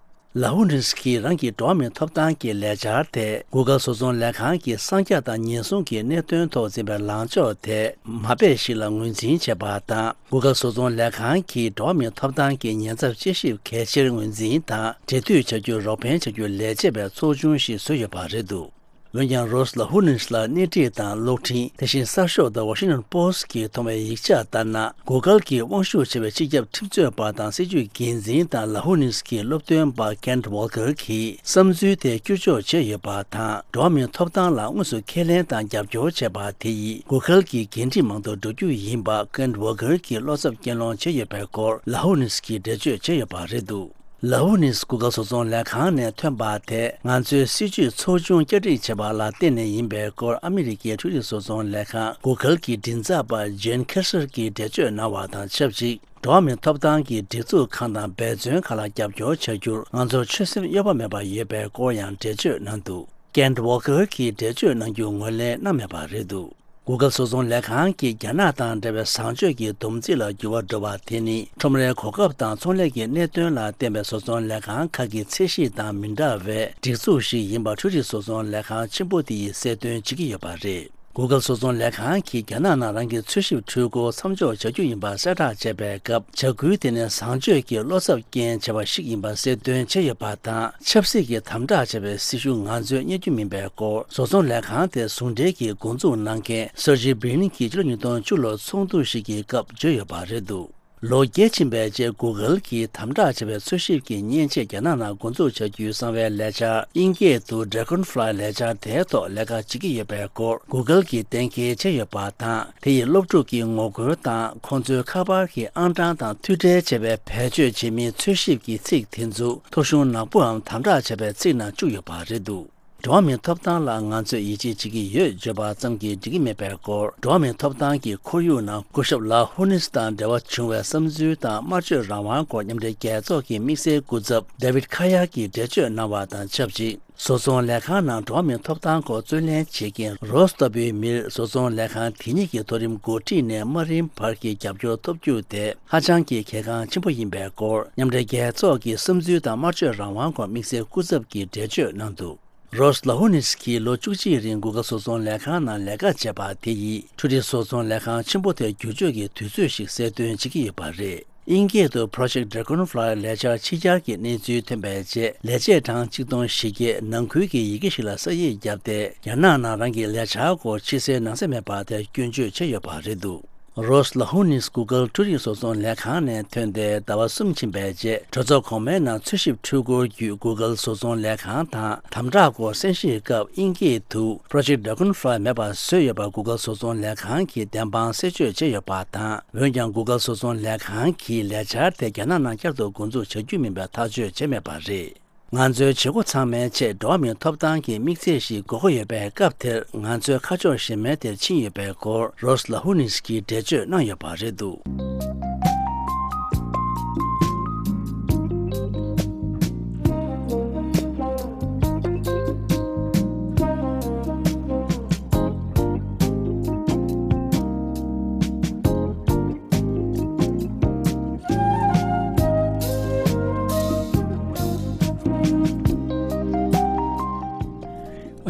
Lahonis་གིས་རང་གི་འགྲོ་བ་མིའི་ཐོབ་ཐང་གི་ལས་འཆར་དེ་Google་བཟོ་ཚོང་ལས་ཁང་གིས་གསང་རྒྱ་དང་ཉེན་སྲུང་གི་གནད་དོན་ཐོག་འཛིན་པའི་ལངས་ཕྱོགས་དེ་མ་སྤེལ་ཞིག་ལ་ངོས་འཛིན་བྱས་པ་དང་། Google་བཟོ་ཚོང་ལས་ཁང་གིས་འགྲོ་བ་མིའི་ཐོབ་ཐང་གི་ཉེན་ཚབས་དཔྱད་ཞིབ་གལ་ཆེར་ངོས་འཛིན་དང་འབྲེལ་མཐུད་བྱ་རྒྱུར་རོགས་ཕན་བྱ་རྒྱུར་ལས་བྱེད་པའི་ཚོགས་ཆུང་ཞིག་བཟོས་ཡོད་པ་རེད་འདུག་འོན་ཀྱང་། Ross Lahonis་ལ་སྣེ་ཁྲིད་དང་གློག་འཕྲིན། དེ་བཞིན་གསར་ཤོག་The Washington Post་གིས་མཐོང་བའི་ཡིག་ཆ་ལྟར་ན། Google་གྱི་དབང་ཤུགས་ཆེ་བའི་སྤྱི་ཁྱབ་ཁྲིམས་རྩོད་པ་དང་སྲིད་བྱུས་འགན་འཛིན་དང་། Lahonis་གྱི་སློབ་སྟོན་པ་Kent Walker་གྱིས་བསམ་ཚུལ་དེ་བསྐྱར་བཅོས་བྱས་ཡོད་པ་དང་། འགྲོ་བ་མིའི་ཐོབ་ཐང་ལ་དངོས་སུ་ཁས་ལེན་དང་རྒྱབ་སྐྱོར་བྱས་པ་དེ་ཡིས་Google་གྱི་འགན་འཁྲི་མང་དུ་འགྲོ་རྒྱུ་ཡིན་པ་Kent Walker་གྱིས་བློ་འཚབ་སྐྱེ་སློང་བྱས་ཡོད་པའི་སྐོར་Lahonis་གྱིས་འགྲེལ་བརྗོད་བྱས་ཡོད་པ་རེད་འདུག Lahonis་Google་བཟོ་ཚོང་ལས་ཁང་ནས་ཐོན་པ་དེ་ང་ཚོའི་སྲིད་ཇུས་ཚོགས་ཆུང་བསྐྱར་སྒྲིག་བྱས་པ་ལ་བརྟེན་ནས་ཡིན་པའི་སྐོར་ཨ་མི་རི་ཀའི་འཕྲུལ་རིག་བཟོ་ཚོང་ལས་ཁང་Google་གྱི་མགྲིན་ཚབ་པ་Jen Kiser་གྱིས་འགྲེལ་བརྗོད་གནང་བ་དང་ཆབས་ཅིག་འགྲོ་བ་མིའི་ཐོབ་ཐང་གི་སྒྲིག་འཛུགས་ཁག་དང་འབད་བརྩོན་ཁག་ལ་རྒྱབ་སྐྱོར་བྱ་རྒྱུར་ང་ཚོར་ཆོད་སེམས་གཡོ་བ་མེད་པ་ཡོད་པའི་སྐོར་ཡང་འགྲེལ་བརྗོད་གནང་འདུག Kent Walker་གྱིས་འགྲེལ་བརྗོད་གནང་རྒྱུ་ངོས་ལེན་གནང་མེད་པ་རེད་འདུག Google་བཟོ་ཚོང་ལས་ཁང་གིས་རྒྱ་ནག་དང་འབྲེལ་བའི་བཟང་སྤྱོད་ཀྱི་སྡོམ་རྩིས་ལ་འགྱུར་བ་འགྲོ་བ་དེ་ནི་ཁྲོམ་རའི་གོ་སྐབས་དང་ཚོང་ལས་ཀྱི་གནད་དོན་ལ་བརྟེན་པའི་བཟོ་ཚོང་ལས་ཁང་ཁག་གི་ཚད་གཞི་དང་མི་འདྲ་བའི་སྒྲིག་འཛུགས་ཤིག་ཡིན་པ་འཕྲུལ་རིག་བཟོ་ཚོང་ལས་ཁང་ཆེན་པོ་དེ་ཡིས་གསལ་སྟོན་བྱེད་ཀྱི་ཡོད་པ་རེད། Google་བཟོ་ཚོང་ལས་ཁང་གིས་རྒྱ་ནག་ནང་རང་གི་འཚོལ་ཞིབ་འཕྲུལ་འཁོར་མཚམས་འཇོག་བྱ་རྒྱུ་ཡིན་པ་གསལ་བསྒྲགས་བྱས་པའི་སྐབས། བྱ་འགུལ་དེ་ནི་བཟང་སྤྱོད་ཀྱི་བློ་འཚབ་རྐྱེན་བྱས་པ་ཞིག་ཡིན་པ་གསལ་སྟོན་བྱས་ཡོད་པ་དང་། ཆབ་སྲིད་ཀྱི་དམ་དྲག་བྱས་པའི་སྲི་ཞུ་ང་ཚོས་རྙེད་རྒྱུ་མིན་པའི་སྐོར་བཟོ་ཚོང་ལས་ཁང་དེ་ཟུང་འབྲེལ་གྱིས་འགོ་འཛུགས་གནང་མཁན་Sergey Brin་གྱིས་ཕྱི་ལོ་ཉིས་སྟོང་བཅུ་ལོར་ཚོགས་འདུ་ཞིག་གི་སྐབས་བརྗོད་ཡོད་པ་རེད་འདུག་ལོ་བརྒྱད་ཕྱིན་པའི་རྗེས་Google་གྱིས་དམ་དྲག་བྱས་པའི་འཚོལ་ཞིབ་ཀྱི་མཉེན་ཆས་རྒྱ་ནག་ནང་འགོ་འཛུགས་བྱ་རྒྱུའི་གསང་བའི་ལས་འཆར་དབྱིན་སྐད་དུ་Dragonfly་ལས་འཆར་དེའི་ཐོག་ལས་ཀ་བྱེད་ཀྱི་ཡོད་པའི་སྐོར་Google་གྱིས་གཏན་འཁེལ་བྱས་ཡོད་པ་དང་། དེ་ཡིས་སློབ་ཕྲུག་གི་ངོ་རྒོལ་དང་ཁོང་ཚོའི་ཁ་པར་གྱི་ཨང་གྲངས་དང་མཐུད་འབྲེལ་བྱས་པའི་བེད་སྤྱོད་བྱེད་མིའི་འཚོལ་ཞིབ་ཀྱི་ཚིག་དེ་ཚོ་ཐོ་གཞུང་ནག་པོའམ་དམ་དྲག་བྱས་པའི་ཚིག་ནང་བཅུག་ཡོད་པ་རེད་འདུག་འགྲོ་བ་མིའི་ཐོབ་ཐང་ལ་ང་ཚོས་ཡིད་ཆེས་བྱེད་ཀྱི་ཡོད་བརྗོད་པ་ཙམ་གྱིས་འགྲིག་གི་མེད་པའི་སྐོར། འགྲོ་བ་མིའི་ཐོབ་ཐང་གི་ཁོར་ཡུག་ནང་སྐུ་ཞབས་ལ་ཧུ་ནིས་དང་འབྲེལ་བ་བྱུང་བའི་བསམ་ཚུལ་དང་དམར་མཆོད་རང་དབང་སྐོར་མཉམ་འབྲེལ་རྒྱལ་ཚོགས་ཀྱི་དམིགས་བསལ་སྐུ་ཚབ་David Kaya་གིས་འགྲེལ་བརྗོད་གནང་བ་དང་ཆབས་ཅིག་བཟོ་ཚོང་ལས་ཁང་ནང་འགྲོ་བ་མིའི་ཐོབ་ཐང་སྐོར་རྩོད་ལེན་བྱེད་མཁན་Ross་ལྟ་བུའི་མིར་བཟོ་ཚོང་ལས་ཁང་དེ་ཉིད་ཀྱི་མཐོ་རིམ་འགོ་ཁྲིད་ནས་དམའ་རིམ་བར་གྱི་རྒྱབ་སྐྱོར་ཐོབ་རྒྱུ་དེ་ཧ་ཅང་གི་གལ་འགངས་ཆེན་པོ་ཡིན་པའི་སྐོར། མཉམ་འབྲེལ་རྒྱལ་ཚོགས་ཀྱི་བསམ་ཚུལ་དང་དམར་མཆོད་རང་དབང་སྐོར་དམིགས་བསལ་སྐུ་ཚབ་ཀྱིས་འགྲེལ་བརྗོད་གནང་འདུག Ross་ལ་ཧུ་ནིས་ཀྱིས་ལོ་བཅུ་གཅིག་རིང་Google་བཟོ་ཚོང་ལས་ཁང་ནང་ལས་ཀ་བྱས་པ་དེ་ཡིས་འཕྲུལ་རིག་བཟོ་ཚོང་ལས་ཁང་ཆེན་པོ་དེར་བསྒྱུར་བཅོས་ཀྱི་དུས་ཚོད་ཞིག་གསལ་སྟོན་བྱེད་ཀྱི་ཡོད་པ་རེད། དབྱིན་སྐད་དུ་Project Dragonfly་ལས་འཆར་ཕྱི་གྱར་གྱི་གནས་ཚུལ་ཐོན་པའི་རྗེས། ལས་བྱེད་གྲངས་གཅིག་སྟོང་བཞི་བརྒྱས་ནང་ཁུལ་གྱི་ཡི་གེ་ཞིག་ལ་ས་ཡིག་བརྒྱབ་སྟེ། རྒྱ་ནག་ནང་རང་གི་ལས་འཆར་སྐོར་ཕྱི་གསལ་ནང་གསལ་མེད་པ་དེར་སྐྱོན་བརྗོད་བྱས་ཡོད་པ་རེད་འདུག Ross་ལ་ཧུ་ནིས་Google་འཕྲུལ་རིག་བཟོ་ཚོང་ལས་ཁང་ནས་ཐོན་ཏེ་ཟླ་བ་གསུམ་ཕྱིན་པའི་རྗེས། གྲོས་ཚོགས་གོང་མའི་ནང་འཚོལ་ཞིབ་འཕྲུལ་འཁོར་བརྒྱུད་Google་བཟོ་ཚོང་ལས་ཁང་དང་དམ་དྲག་སྐོར་གསན་བཞེས་སྐབས་དབྱིན་སྐད་དུ་Project Dragonfly་མེད་པར་བཟོས་ཡོད་པར་Google་བཟོ་ཚོང་ལས་ཁང་གིས་བདེན་དཔང་གསལ་བརྗོད་བྱས་ཡོད་པ་དང་། འོན་ཀྱང་Google་བཟོ་ཚོང་ལས་ཁང་གིས་ལས་འཆར་དེ་རྒྱ་ནག་ནང་བསྐྱར་དུ་འགོ་འཛུགས་བྱ་རྒྱུ་མིན་པའི་ཐག་གཅོད་བྱས་མེད་པ་རེད། ང་ཚོའི་བྱེད་སྒོ་ཚང་མའི་ཆེད་འགྲོ་བ་མིའི་ཐོབ་ཐང་གི་དམིགས་ཚད་ཞིག་དགོས་ཀྱི་ཡོད་པའི་སྐབས་དེར། ང་ཚོའི་ཁ་ཕྱོགས་གཞན་མའི་དེར་ཕྱིན་ཡོད་པའི་སྐོར། རོས་ལ་ཧུ་ནིས་ཀྱིས་འགྲེལ་བརྗོད་གནང་ཡོད་པ་རེད་འདུག་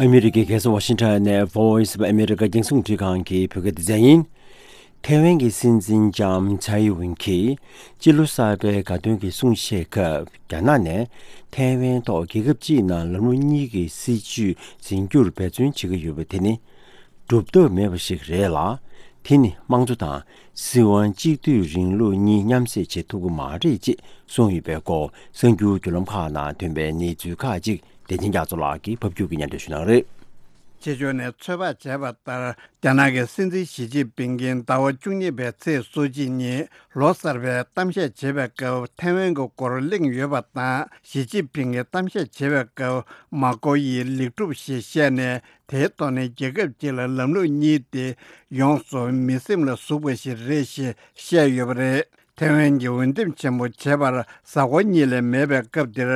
ཨ་མི་རི་ཀའི་རྒྱལ་ས་ཝ་ཤིང་ཊོན་ནས་Voice of America རྒྱང་སྲིང་རླུང་འཕྲིན་ཁང་གི་བོད་སྐད་སྡེ་ཚན་ཡིན། ཐའེ་ཝན་གྱི་སྲིད་འཛིན་ལྕམ་ཚའེ་ཝུན་གྱིས་སྤྱི་ལོ་གསར་པའི་དགའ་སྟོན་གྱི་གསུང་བཤད་སྐབས། རྒྱ་ནག་ནས་ཐའེ་ཝན་ཐོག་རྒྱལ་ཁབ་གཅིག་ནང་ལམ་ལུགས་གཉིས་ཀྱི་སྲིད་བྱུས་འཛིན་རྒྱུར་འབད་བརྩོན་བྱེད་ཀྱི་ཡོད་པ་དེ་ནི། སྒྲུབ་ཐབས་མེད་པ་ཞིག་རེད་ལ། དེ་ནི་དམངས་གཙོ་དང་སྲིད་དབང་གཅིག་སྡུད་རིང་ལུགས་གཉིས་མཉམ་བསྲེས་བྱེད་ཐུབ་ཀྱི་མ་རེད་ཅེས་གསུངས་ཡོད་པའི་སྐོར། གསར་འགྱུར་བརྒྱུད་ལམ་ཁག་ནང་ཐོན་པའི་གནས་ཚུལ་ཁག་ཅིག་བདེ་ཆེན་རྒྱ་མཚོ་ལགས་ཀྱིས་ཕབ་སྒྱུར་གྱིས་སྙན་སྒྲོན་ཞུ་གནང་རེད། ཕྱི་ཕྱོགས་ནས་ཚོད་དཔག་བྱས་པ་ལྟར། རྒྱ་ནག་གི་སྲིད་འཛིན་ཞི་ཅིན་ཕིང་གིས་ཟླ་བ་བཅུ་གཉིས་པའི་ཚེས་སོ་གཅིག་ཉིན་ལོ་གསར་པའི་གཏམ་བཤད་བྱེད་པའི་སྐབས། ཐའེ་ཝན་གྱི་སྐོར་གླེང་ཡོད་པ་དང་། ཞི་ཅིན་ཕིང་གིས་གཏམ་བཤད་བྱེད་པའི་སྐབས། མ་ཀོ་ཡི་ལེགས་གྲུབ་ཞེས་བཤད་ནས། དེའི་ཐོག་ནས་རྒྱལ་ཁབ་གཅིག་ལ་ལམ་ལུགས་གཉིས་དེ་ཡོངས་སུ་མི་སེམས་ལ་ཟུག་པ་ཞིག་རེད་ཞེས་བཤད་ཡོད་པ་རེད། ཐའེ་ཝན་གྱི་འོས་འདེམས་ཆེན་མོ་བྱེད་པར་གཟའ་འཁོར་གཉིས་ལས་མེད་པའི་སྐབས་འདིར།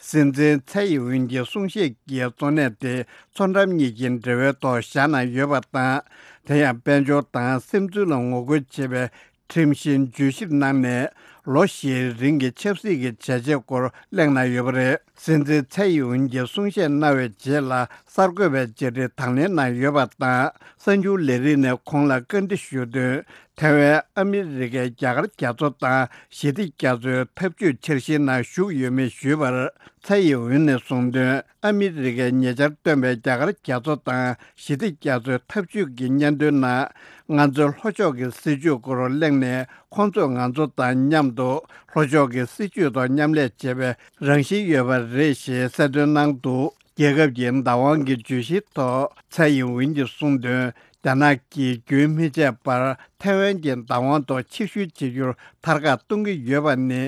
སྲིད་འཛིན་ཚའེ་ཡིན་ཝུན་གྱི་གསུང་བཤད་ཀྱི་གཙོ་གནད་དེ། མཚོ་འགྲམ་གཉིས་ཀྱི་འབྲེལ་བའི་ཐོག་བཞག་གནང་ཡོད་པ་དང་། དེ་ཡང་དཔལ་འབྱོར་དང་སིམ་འཛུལ་ལ་ངོ་རྒོལ་བྱེད་པའི་ཁྲིམས་གཞི་བརྗོད་ཞིབ་གནང་ནས། ལོ་བཞིའི་རིང་གི་ཆབ་སྲིད་ཀྱི་བྱས་རྗེས་སྐོར་གླེང་གནང་ཡོད་པ་རེད། སྲིད་འཛིན་ཚའེ་ཡིན་ཝུན་གྱིས་གསུང་བཤད་གནང་བའི་རྗེས་ལ། གསར་འགོད་པའི་བཅར་འདྲི་དང་ལེན་གནང་ཡོད་པ་དང་། གསར་འགྱུར་ལས་རིགས་ནས་ཁོང་ལ་བཀའ་འདྲི་ཞུས་དོན། ཐའེ་ཝན་ཨ་མི་རི་ཀའི་རྒྱ་གར་རྒྱ་མཚོ་དང་ཞི་བདེ་རྒྱ་མཚོའི་འཐབ་ཇུས་འཆར་གཞིའི་ནང་ཞུགས་ཡོད་མེད་ཞུས་པར། ཚའེ་ཡིན་ཝུན་ནས་གསུངས་དོན། ཨ་མི་རི་ཀས་ཉེ་ཆར་བཏོན་པའི་རྒྱ་གར་རྒྱ་མཚོ་དང་ཞི་བདེ་རྒྱ་མཚོའི་འཐབ་ཇུས་ཀྱི་སྙན་ཐོའི་ནང་། ང་ཚོའི་ལྷོ་ཕྱོགས་ཀྱི་སྲིད་བྱུས་སྐོར་གླེང་ནས། ཁོང་ཚོས་ང་ཚོ་དང་མཉམ་དུ་ལྷོ་ཕྱོགས་ཀྱི་སྲིད་བྱུས་ཐོག་མཉམ་ལས་བྱེད་པའི་རང་བཞིན་ཡོད་པ་རེད་ཞེས་གསལ་སྟོན་གནང་འདུག་རྒྱལ་ཁབ་ཀྱི་བདག་དབང་གི་བརྗོད་གཞིའི་ཐོག་ཚའེ་ཡིན་ཝུན་གྱིས་གསུངས་དོན། རྒྱ་ནག་གིས་རྒྱུན་མི་ཆད་པར་ཐའེ་ཝན་གྱི་བདག་དབང་ཐོག་ཕྱིར་བཤོལ་བྱེད་རྒྱུར་ཐར་ཁག་གཏོང་གི་ཡོད་པ་ནི།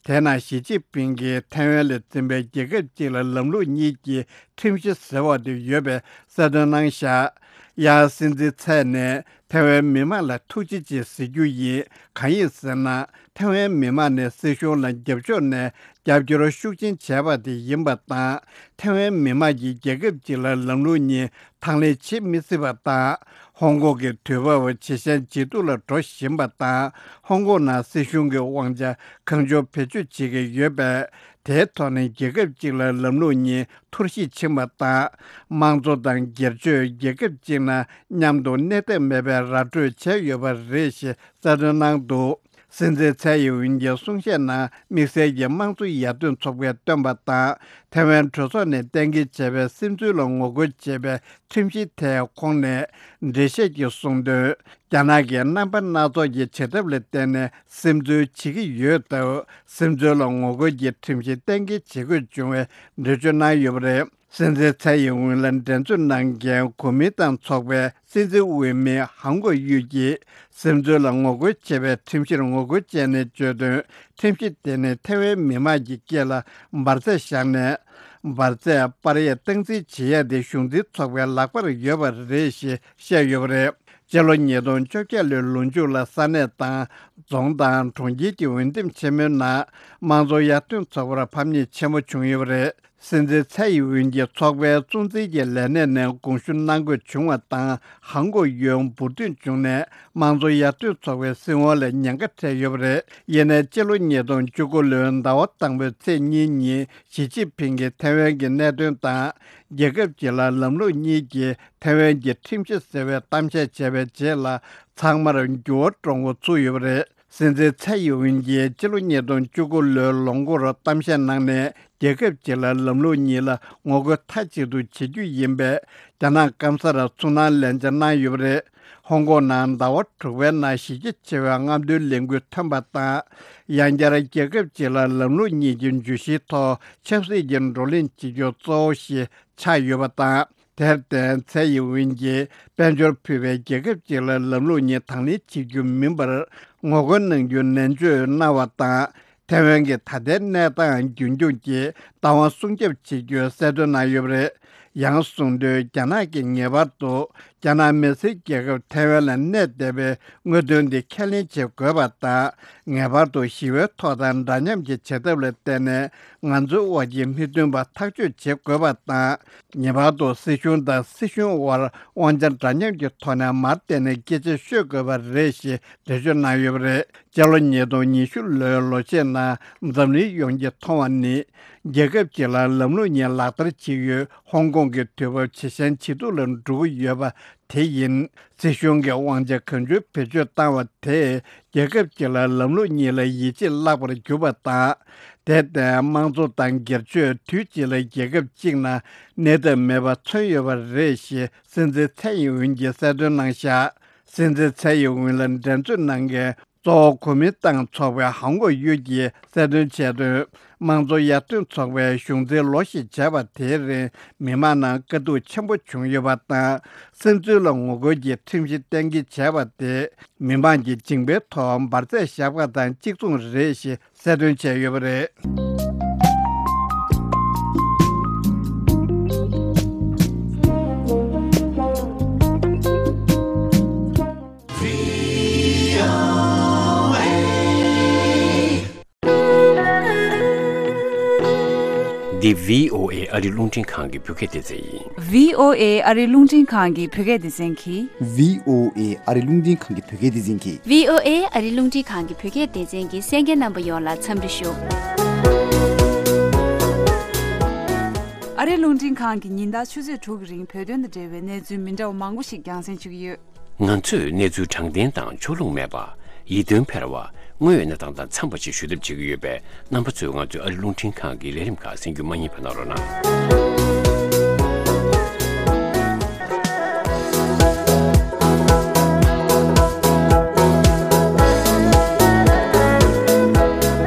དེས་ན་ཞི་ཅིན་ཕིང་གིས་ཐའེ་ཝན་ལ་འཛིན་པའི་རྒྱལ་ཁབ་གཅིག་ལ་ལམ་ལུགས་གཉིས་ཀྱི་ཁྲིམས་གཞི་ཟེར་བ་དེ་ཡོད་པའི་གསལ་སྟོན་གནང་བཞག་ཡང་སྲིད་འཛིན་ཚའེ་ནས། ཐའེ་ཝན་མི་མང་ལ་ཐུགས་རྗེ་ཆེ་ཟེར་རྒྱུ་ཡིན། གང་ཡིན་ཟེར་ན། ཐའེ་ཝན་མི་མང་ནས་སྲིད་གཞུང་ལ་རྒྱབ་ཕྱོགས་ནས་རྒྱབ་སྐྱོར་ཤུགས་ཆེན་བྱས་པ་དེ་ཡིན་པ་དང་། ཐའེ་ཝན་མི་མང་གིས་རྒྱལ་ཁབ་གཅིག་ལ་ལམ་ལུགས་གཉིས་དང་ལེན་བྱེད་མི་སྲིད་པ་དང་། ཧོང་ཀོང་གི་དུས་བབ་ཇེ་ཞན་ཇེ་སྡུག་ལ་འགྲོ་བཞིན་པ་དང་། ཧོང་ཀོང་ནང་སྲིད་གཞུང་གི་དབང་ཆ་གང་བྱུང་བེད་སྤྱོད་བྱེད་ཀྱི་ཡོད་པས། དེའི་ཐོག་ནས་རྒྱལ་ཁབ་གཅིག་ལ་ལམ་ལུགས་གཉིས་འཐོར་བཤིག་ཕྱིན་པ་དང་། དམངས་གཙོ་དང་སྒེར་གཅོད་རྒྱལ་ཁབ་གཅིག་ནང་མཉམ་དུ་གནས་ཐབས་མེད་པའི་ར་སྤྲོད་བྱས་ཡོད་པ་རེད་ཞེས་གསལ་སྟོན་གནང་འདུག་སྲིད་འཛིན་ཚའེ་ཡིན་ཝུན་གྱི་གསུང་བཤད་ནང་དམིགས་བསལ་གྱི་དམངས་གཙོ་ཡར་ཐོན་ཚོགས་པས་བཏོན་པ་དང་། ཐའེ་ཝན་གྲོས་ཚོགས་ནས་གཏན་འཁེལ་བྱས་པའི་སིམ་འཛུལ་ལ་ངོ་རྒོལ་བྱེད་པའི་ཁྲིམས་གཞི་ཐད་ཁོང་ནས་འགྲེལ་བཤད་ཀྱིས་གསུངས་དོན། རྒྱ་ནག་གིས་རྣམ་པ་སྣ་ཚོགས་ཀྱི་བྱེད་ཐབས་ལ་བརྟེན་ནས་སིམ་འཛུལ་བྱེད་ཀྱི་ཡོད་སྟབས། སིམ་འཛུལ་ལ་ངོ་རྒོལ་གྱི་ཁྲིམས་གཞི་གཏན་འཁེལ་བྱེད་དགོས་བྱུང་བའི་འགྲེལ་བརྗོད་གནང་ཡོད་པ་རེད། སྲིད་འཛིན་ཚའེ་ཡིན་ཝུན་ལ་འགྲན་རྩོད་གནང་མཁན་གོ་མིན་ཏང་ཚོགས་པའི་སྲིད་འཛིན་འོས་མི་ཧང་གོ་ཡུས་ཀྱིས་སིམ་འཛུལ་ལ་ངོ་རྒོལ་བྱེད་པའི་ཁྲིམས་གཞིར་ངོ་རྒོལ་བྱས་ནས་བརྗོད་དོན། ཁྲིམས་གཞི་དེ་ནི་ཐའེ་ཝན་མི་དམངས་ཀྱི་སྐད་ལ་འབར་རྫས་བཞག་ནས། འབར་རྫས་སྤར་ཡས་སྟངས་འཛིན་བྱེད་ཡས་དེ་གཞུང་འཛིན་ཚོགས་པའི་ལག་པར་ཡོད་པ་རེད་ཞེས་བཤད་ཡོད་པ་རེད། སྤྱི་ལོ་ཉིས་སྟོང་བཅོ་བརྒྱད་ལོའི་ལོ་མཇུག་ལ་ས་གནས་དང་རྫོང་དང་གྲོང་ཁྱེར་གྱི་འོས་འདེམས་ཆེན་མོའི་ནང་དམངས་གཙོ་ཡར་ཐོན་ཚོགས་པར་ཕམ་ཉེས་ཆེན་པོ་བྱུང་ཡོད་པ་རེད། སྲིད་འཛིན་ཚའེ་ཡིན་ཝུན་གྱིས་ཚོགས་པའི་གཙོ་འཛིན་གྱི་ལས་གནས་ནས་དགོངས་ཞུ་གནང་དགོས་བྱུང་བ་དང་། ཧང་གོ་ཡུས་འབུར་ཐོན་བྱུང་ནས་དམངས་གཙོ་ཡར་ཐོན་ཚོགས་པའི་སྲིད་དབང་ལ་ཉེན་ཁ་འཕྲད་ཡོད་པ་རེད། ཡིན་ནའི་སྤྱི་ལོ་ཉིས་སྟོང་བཅུ་དགུ་ལོའི་ཟླ་བ་དང་པོའི་ཚེས་གཉིས་ཉིན་ཞི་ཅིན་ཕིང་གིས་ཐའེ་ཝན་གྱི་གནད་དོན་དང་། རྒྱལ་ཁབ་གཅིག་ལ་ལམ་ལུགས་གཉིས་ཀྱི་ཐའེ་ཝན་གྱི་ཁྲིམས་གཞི་ཟེར་བའི་གཏམ་བཤད་བྱས་པའི་རྗེས་ལ། ཚང་མར་འགྱུར་བ་འགྲོ་འགོ་ཚུགས་ཡོད་པ་རེད། སྲིད་འཛིན་ཚའེ་ཡིན་ཝུན་གྱིས་སྤྱི་ལོ་ཉིས་སྟོང་བཅུ་དགུ་ལོའི་ལོ་འགོར་གཏམ་བཤད་གནང་ནས། རྒྱལ་ཁབ་གཅིག་ལ་ལམ་ལུགས་གཉིས་ལ་ངོ་རྒོལ་མཐའ་གཅིག་ཏུ་བྱེད་རྒྱུ་ཡིན་པས། རྒྱ་ནག་སྐམ་སར་ཚུར་སྣང་ལན་ཆ་གནང་ཡོད་པ་རེད། ཧོང་ཀོང་ནང་ཟླ་བ་དྲུག་པའི་ནང་གཞི་རྒྱ་ཆེ་བའི་རྔམ་སྟོན་ལས་འགུལ་ཐོན་པ་དང་། ཡང་བསྐྱར་རྒྱལ་ཁབ་གཅིག་ལ་ལམ་ལུགས་གཉིས་ཀྱི་བརྗོད་གཞིའི་ཐོག་ཆབ་སྲིད་ཀྱི་བགྲོ་གླེང་བྱེད་རྒྱུ་གཙོ་བོ་ཞིག་ཆགས་ཡོད་པ་དང་། དེར་བརྟེན་ཚའེ་ཡིན་ཝུན་གྱིས་དཔལ་འབྱོར་ཕུད་པའི་རྒྱལ་ཁབ་ཅིག་ལ་ལམ་ལུགས་གཉིས་དང་ལེན་བྱེད་རྒྱུ་མིན་པར་ངོ་རྒོལ་གནང་རྒྱུ་ནན་བརྗོད་གནང་བ་དང་། ཐའེ་ཝན་གྱི་ད་ལྟའི་གནས་སྟངས་རྒྱུན་འཁྱོངས་ཀྱིས་བདག་དབང་སྲུང་སྐྱོབ་བྱེད་རྒྱུའི་གསལ་སྟོན་གནང་ཡོད་པ་རེད། ཡང་གསུངས་དོན། རྒྱ་ནག་གིས་ངེས་པར་དུ་རྒྱ་ནག་མི་སེར་རྒྱལ་ཁབ་ཐའེ་ཝན་ལ་གནས་བསྡད་པའི་དངོས་དོན་དེ་ཁས་ལེན་བྱེད་དགོས་པ་དང་། ངེས་པར་དུ་ཞི་བའི་ཐོག་དང་འདྲ་མཉམ་གྱི་བྱེད་ཐབས་ལ་བརྟེན་ནས་ང་ཚོའི་དབར་གྱི་མི་མཐུན་པ་ཐག་གཅོད་བྱེད་དགོས་པ་དང་། ངེས་པར་དུ་སྲིད་གཞུང་དང་སྲིད་གཞུང་དབར་དབང་ཆ་འདྲ་མཉམ་གྱི་ཐོག་ནས་མར་བལྟས་ནས་སྐད་ཆ་ཤོད་དགོས་པ་རེད་ཞེས་འགྲེལ་བརྗོད་གནང་ཡོད་པ་རེད། སྤྱི་ལོ་ཉིས་སྟོང་ཉི་ཤུ་ལོའི་ལོ་ཤས་ནང་འཛམ་གླིང་ཡོངས་ཀྱིས་མཐོང་བ་ནི། རྒྱལ་ཁབ་ཅིག་ལ་ལམ་ལུགས་གཉིས་ལག་བསྟར་བྱེད་ཡུལ་ཧོང་ཀོང་གི་དུས་བབ་ཇེ་ཞན་ཇེ་སྡུག་ལ་འགྲོ་གི་ཡོད་པ་དེ་ཡིན། སྲིད་གཞུང་གིས་དབང་ཆ་གང་བྱུང་བེད་སྤྱོད་བཏང་བ་དེས་རྒྱལ་ཁབ་ཅིག་ལ་ལམ་ལུགས་གཉིས་ལ་ཡིད་ཆེས་བརླག་པར་གྱུར་པ་དང་། དེར་བརྟེན་དམངས་གཙོ་དང་སྒེར་གཅོད། དུས་གཅིག་ལ་རྒྱལ་ཁབ་གཅིག་ནང་གནས་ཐབས་མེད་པ་མཚོན་ཡོད་པ་རེད་ཞེས་སྲིད་འཛིན་ཚའེ་ཡིན་ཝུན་གྱིས་གསལ་སྟོན་གནང་བཞག་སྲིད་འཛིན་ཚའེ་ཡིན་ཝུན་ལ་འགྲན་རྩོད་གནང་མཁན་གཙོ་བོ་གོ་མིན་ཏང་ཚོགས་པའི་ཧོང་ཀོང་ཡུལ་གྱིས་གསལ་སྟོན་བྱས་དོན། དམངས་གཙོ་ཡར་ཐོན་ཚོགས་པའི་གཞུང་འཛིན་ལོ་ཞིག་བྱས་པ་དེའི་རིང་མི་མང་ནང་དཀའ་སྡུག་ཆེན་པོ་བྱུང་ཡོད་པ་དང་། སིམ་འཛུལ་ལ་ངོ་རྒོལ་གྱི་ཁྲིམས་གཞི་གཏན་འཁེལ་བྱས་པ་དེ་མི་མང་གི་མཇིང་པའི་ཐོག་འབར་རྫས་བཞག་པ་དང་གཅིག་མཚུངས་རེད་ཞེས་གསལ་སྟོན་བྱས་ཡོད་པ་རེད། འདི་བྷི་ཨོ་ཨེ་ཨ་རི་རླུང་འཕྲིན་ཁང་གི་བོད་སྐད་སྡེ་ཚན་ཡིན། བྷི་ཨོ་ཨེ་ཨ་རི་རླུང་འཕྲིན་ཁང་གི་བོད་སྐད་སྡེ་ཚན་གྱིས། བྷི་ཨོ་ཨེ་ཨ་རི་རླུང་འཕྲིན་ཁང་གི་བོད་སྐད་སྡེ་ཚན་གྱིས། བྷི་ཨོ་ཨེ་ཨ་རི་རླུང་འཕྲིན་ཁང་གི་བོད་སྐད་སྡེ་ཚན་གྱི་གསན་མཁན་རྣམ་པ་ཡོངས་ལ་འཚམས་འདྲི་ཞུ། ཨ་རི་རླུང་འཕྲིན་ཁང་གིས་ཉིན་ལྟར་ཆུ་ཚོད་དྲུག་གི་རིང་བོད་དོན་དང་འབྲེལ་བའི་གནས་ཚུལ་མི་འདྲ་བ་མང་པོ་ཞིག་རྒྱང་སྲིང་ཞུ་གི་ཡོད། ང་ཚོས་གནས་ཚུལ་དྲང་བདེན་དང་ཕྱོགས་ལྷུང་མེད་པ། ཡིད་རྟོན་འཕེར་བ། དངོས་ཡོད་གནས་སྟངས་དང་འཚམས་པ་ཞིག་ཞུ་ཐབས་བྱེད་ཀྱི་ཡོད་པས། རྣམ་པ་ཚོས་ང་ཚོའི་ཨ་རི་རླུང་འཕྲིན་ཁང་གི་ལས་རིམ་ཁག་གསན་རྒྱུ་མ་བསྙེལ་བ་གནང་རོགས་གནང་།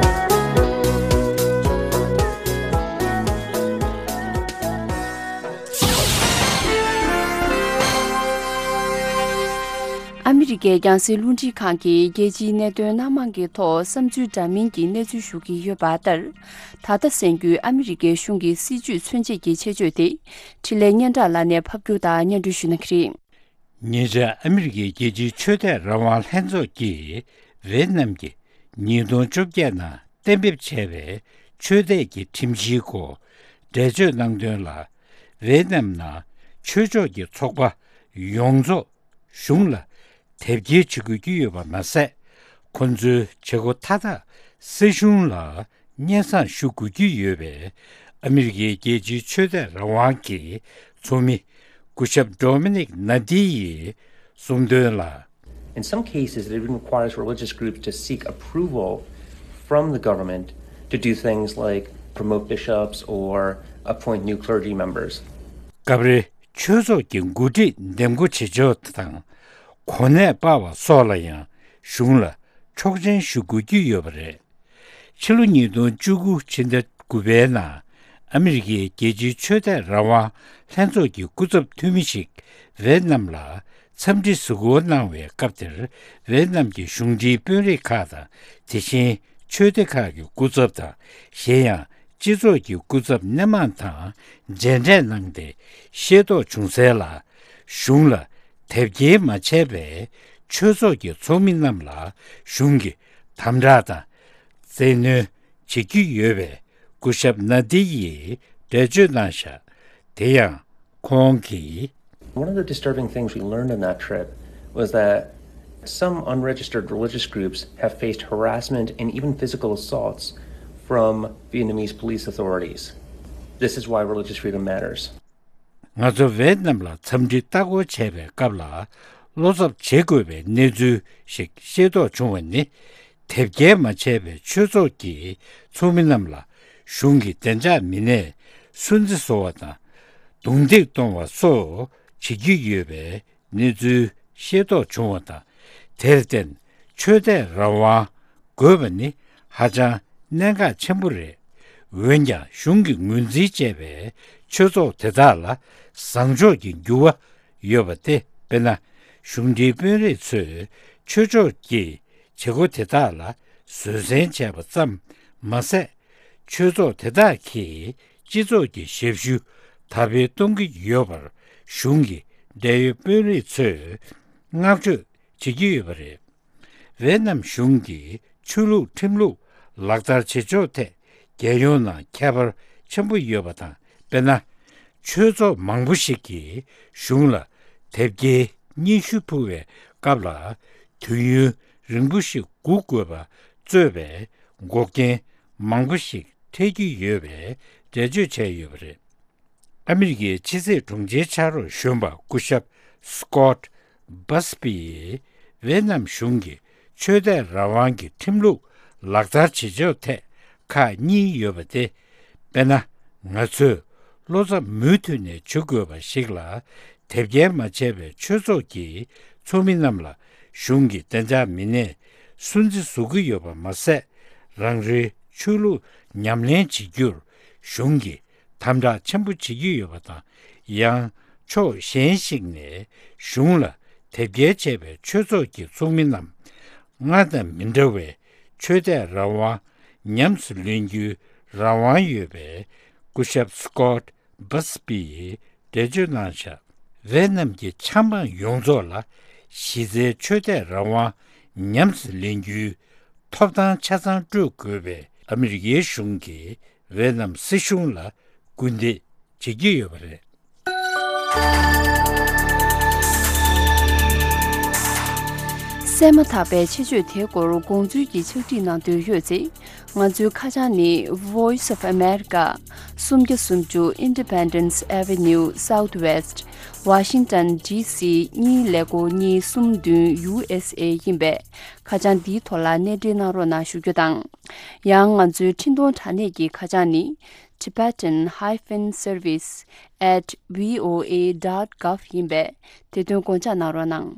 ཨ་མི་རི་ཀའི་རྒྱང་སྲིང་རླུང་འཕྲིན་ཁང་གིས་རྒྱལ་སྤྱིའི་གནད་དོན་སྣ་མང་གི་ཐོག་བསམ་ཚུལ་འདྲ་མིན་གྱི་གནས་ཚུལ་ཞུ་གི་ཡོད་པ་ལྟར། ད་ལྟ་གསན་རྒྱུའི་ཨ་མི་རི་ཀའི་གཞུང་གི་སྲིད་ཇུས་མཚོན་བྱེད་ཀྱི་ཆེད་བརྗོད་དེ། འཕྲིན་ལས་སྙན་གྲགས་ལགས་ནས་ཕབ་སྒྱུར་དང་སྙན་སྒྲོན་ཞུ་གནང་གི་རེད། ཉེ་ཆར་ཨ་མི་རི་ཀའི་རྒྱལ་སྤྱིའི་ཆོས་དད་རང་དབང་ལྷན་ཚོགས་ཀྱིས་ཝེ་ཏི་ནམ་གྱི་ཉིས་སྟོང་བཅོ་བརྒྱད་ནང་གཏན་འབེབས་བྱས་པའི་ཆོས་དད་ཀྱི་ཁྲིམས་གཞིའི་སྐོར་འགྲེལ་བརྗོད་གནང་དོན་ལ། ཝེ་ཏི་ནམ་ནང་ཆོས་ཕྱོགས་ཀྱི་ཚོགས་པ་ཡོངས་རྫོགས་གཞུང་ལ་དེབ་སྐྱེལ་བྱེད་དགོས་ཀྱི་ཡོད་པ་མ་ཟད། ཁོ་ཚོའི་བྱེད་སྒོ་མཐའ་དག་སྲིད་གཞུང་ལ་སྙན་སེང་ཞུ་དགོས་ཀྱི་ཡོད་པའི་ཨ་མི་རི་ཀའི་རྒྱལ་སྤྱིའི་ཆོས་དད་རང་དབང་གི་ཚོགས་མི་སྐུ་ཞབས་ཌོ་མི་ནིག་ན་ཏི་ཡིས་གསུངས་དོན་ལ། In some cases, it even requires religious groups to seek approval from the government to do things like promote bishops or appoint new clergy members. སྐབས་རེ་ཆོས་ཚོགས་ཀྱི་འགོ་ཁྲིད་འདེམས་བསྐོ་བྱེད་ཕྱོགས་དང་གོ་གནས་སྤར་བ་སོགས་ལ་ཡང་གཞུང་ལ་ཆོག་མཆན་ཞུ་དགོས་ཀྱི་ཡོད་པ་རེད། ཕྱི་ལོ་ཉིས་སྟོང་བཅུ་དགུ་ཕྱི་ཟླ་དགུ་པའི་ནང་ཨ་མི་རི་ཀའི་རྒྱལ་སྤྱིའི་ཆོས་དད་རང་དབང་ལྷན་ཚོགས་ཀྱི་སྐུ་ཚབ་འཐུས་མི་ཞིག་ཝེ་ཏི་ནམ་ལ་འཚམས་འདྲི་གཟིགས་སྐོར་གནང་བའི་སྐབས་དེར། ཝེ་ཏི་ནམ་གྱི་གཞུང་འབྲེལ་དཔོན་རིགས་ཁག་དང་། དེ་བཞིན་ཆོས་སྡེ་ཁག་གི་སྐུ་ཚབ་དང་། གཞན་ཡང་སྤྱི་ཚོགས་ཀྱི་སྐུ་ཚབ་སྣེ་མང་དང་མཇལ་འཕྲད་གནང་སྟེ་ཤེས་རྟོགས་བྱུང་གསལ་ལ། གཞུང་ལ་དེབ་སྐྱེལ་མ་བྱས་པའི་ཆོས་ཚོགས་ཀྱི་ཚོགས་མི་རྣམས་ལ་གཞུང་གིས་དམ་དྲག་དང་བཙན་གནོན་བྱེད་ཀྱི་ཡོད་པའི་སྐུ་ཞབས་ན་ཏི་ཡིས་འགྲེལ་བརྗོད་གནང་བཞག་དེ་ཡང་ཁོང་གིས། One of the disturbing things we learned on that trip was that some unregistered religious groups have faced harassment and even physical assaults from Vietnamese police authorities. This is why religious freedom matters. ང་ཚོ་ཝེ་ཏི་ནམ་ལ་འཚམས་འདྲི་ལྟ་སྐོར་བྱས་པའི་སྐབས་ལ། བློ་འཚབ་བྱེད་དགོས་པའི་གནས་ཚུལ་ཞིག་ཤེས་རྟོགས་བྱུང་བ་ནི། དེབ་སྐྱེལ་མ་བྱས་པའི་ཆོས་ཚོགས་ཀྱི་ཚོགས་མི་རྣམས་ལ་གཞུང་གི་བདེ་འཇགས་མི་སྣས་སུན་གཙེར་བཟོ་བ་དང་། རྡུང་རྡེག་གཏོང་བ་སོགས་བྱེད་ཀྱི་ཡོད་པའི་གནས་ཚུལ་ཤེས་རྟོགས་བྱུང་བ་དང་། དེར་བརྟེན་ཆོས་དད་རང་དབང་དགོས་པ་ནི་ཧ་ཅང་གནད་འགག་ཆེན་པོ་རེད། འོན་ཀྱང་གཞུང་གིས་ངོས་འཛིན་བྱས་པའི་ཆོས་ཚོགས་དེ་དག་ལ་བཟང་ཕྱོགས་ཀྱི་འགྱུར་བ་ཡོད་པ་སྟེ། དཔེར་ན། གཞུང་འབྲེལ་དཔོན་རིགས་ཚོས་ཆོས་ཕྱོགས་ཀྱི་བྱེད་སྒོ་དེ་དག་ལ་བཟོད་བསྲན་བྱས་པ་ཙམ་ མ་ཟད། ཆོས་ཚོགས་དེ་དག་གིས་སྤྱི་ཚོགས་ཀྱི་ཞབས་ཞུ་དར་སྤེལ་གཏོང་གི་ཡོད་པར་གཞུང་གི་འབྲེལ་ཡོད་དཔོན་རིགས་ཚོས་བསྔགས་བརྗོད་བྱེད་ཀྱི་ཡོད་པ་རེད། ཝེ་ནམ་གཞུང་གིས་ཆོས་ལུགས་ཁྲིམས་ལུགས་ལག་བསྟར་བྱེད་ཕྱོགས་ཐད་རྒྱལ་ཡོངས་ནང་ཁྱད་པར་ཆེན་པོ་ཡོད་པ་དང་། དཔེར་ན། ཆོས་ཚོགས་མང་པོ་ཞིག་གིས་གཞུང་ལ་དེབ་སྐྱེལ་སྙན་ཞུ་ཕུལ་བའི་སྐབས་ལ། དུས་ཡུན་རིང་པོ་ཞིག་སྒུག་དགོས་པ་གཙོས་པའི་འགོག་རྐྱེན་མང་པོ་ཞིག་འཕྲད་ཀྱི་ཡོད་པའི་འགྲེལ་བརྗོད་བྱས་ཡོད་པ་རེད། ཨ་མི་རི་ཀའི་ཕྱི་སྲིད་དྲུང་ཆེའི་ཕྱག་རོགས་གཞོན་པ་སྐུ་ཞབས་Scott Buzbee ཡིས་ཝེ་ནམ་གཞུང་གིས་ཆོས་དད་རང་དབང་གི་ཁྲིམས་ལུགས་ལག་བསྟར་བྱེད་ཕྱོགས་ཐད་ཁག་གཉིས་ཡོད་པ་སྟེ། དཔེར་ན། ང་ཚོས་བློ་འཚབ་མུ་མཐུད་ནས་བྱེད་དགོས་པ་ཞིག་ལ། དེབ་སྐྱེལ་མ་བྱས་པའི་ཆོས་ཚོགས་ཀྱི་ཚོགས་མི་རྣམས་ལ་གཞུང་གི་བདེ་འཇགས་མི་སྣས་སུན་གཙེར་བཟོ་གི་ཡོད་པ་མ་ཟད། རང་རེའི་ཆོས་ལུགས་ཉམས་ལེན་བྱེད་རྒྱུར་གཞུང་གིས་དམ་དྲག་ཆེན་པོ་བྱེད་ཀྱི་ཡོད་པ་དང་། ཡང་ཕྱོགས་གཞན་ཞིག་ནས་གཞུང་ལ་དེབ་སྐྱེལ་བྱས་པའི་ཆོས་ཚོགས་ཀྱི་ཚོགས་མི་རྣམས་སྔར་དང་མི་འདྲ་བའི་ཆོས་དད་རང་དབང་ཉམས་སུ་ལེན་རྒྱུའི་རང་དབང་ཡོད་པས། སྐུ་ཞབས་Scott Buzbee ཡིས་འགྲེལ་བརྗོད་གནང་བཞག་ཝེ་ནམ་གྱི་ཆབ་འབངས་ཡོངས་རྫོགས་ལ་གཞི་རྩའི་ཆོས་དད་རང་དབང་ཉམས་སུ་ལེན་རྒྱུའི་ཐོབ་ཐང་ཆ་ཚང་སྤྲོད་དགོས་པའི་ཨ་མི་རི་ཀའི་གཞུང་གིས་ཝེ་ནམ་སྲིད་གཞུང་ལ་སྐུལ་འདེད་བྱེད་ཀྱི་ཡོད་པ་རེད། གསན་མ་ཐག་པའི་ཆེད་བརྗོད་དེའི་སྐོར་དགོངས་ཚུལ་གྱི་ཕྱག་བྲིས་གནང་འདོད་ཡོད་ཚེ། ང་ཚོའི་ཁ་བྱང་ནི། Voice of America, སུམ་བརྒྱ་སུམ་ཅུ་Independence Avenue Southwest, Washington D C གཉིས་ཀླད་ཀོར་གཉིས་གསུམ་བདུན། U S A ཡིན་པས། ཁ་བྱང་འདིའི་ཐོག་ལ་གནས་འབྲེལ་གནང་རོགས་གནང་ཞུ་རྒྱུ་དང་། ཡང་ང་ཚོའི་འཕྲིན་གཏོང་དྲ་གནས་ཀྱི་ཁ་བྱང་ནི། Tibetan hyphen service at V O A dot gov ཡིན་པས། དེ་དོན་དགོངས་འཇགས་གནང་རོགས་གནང་།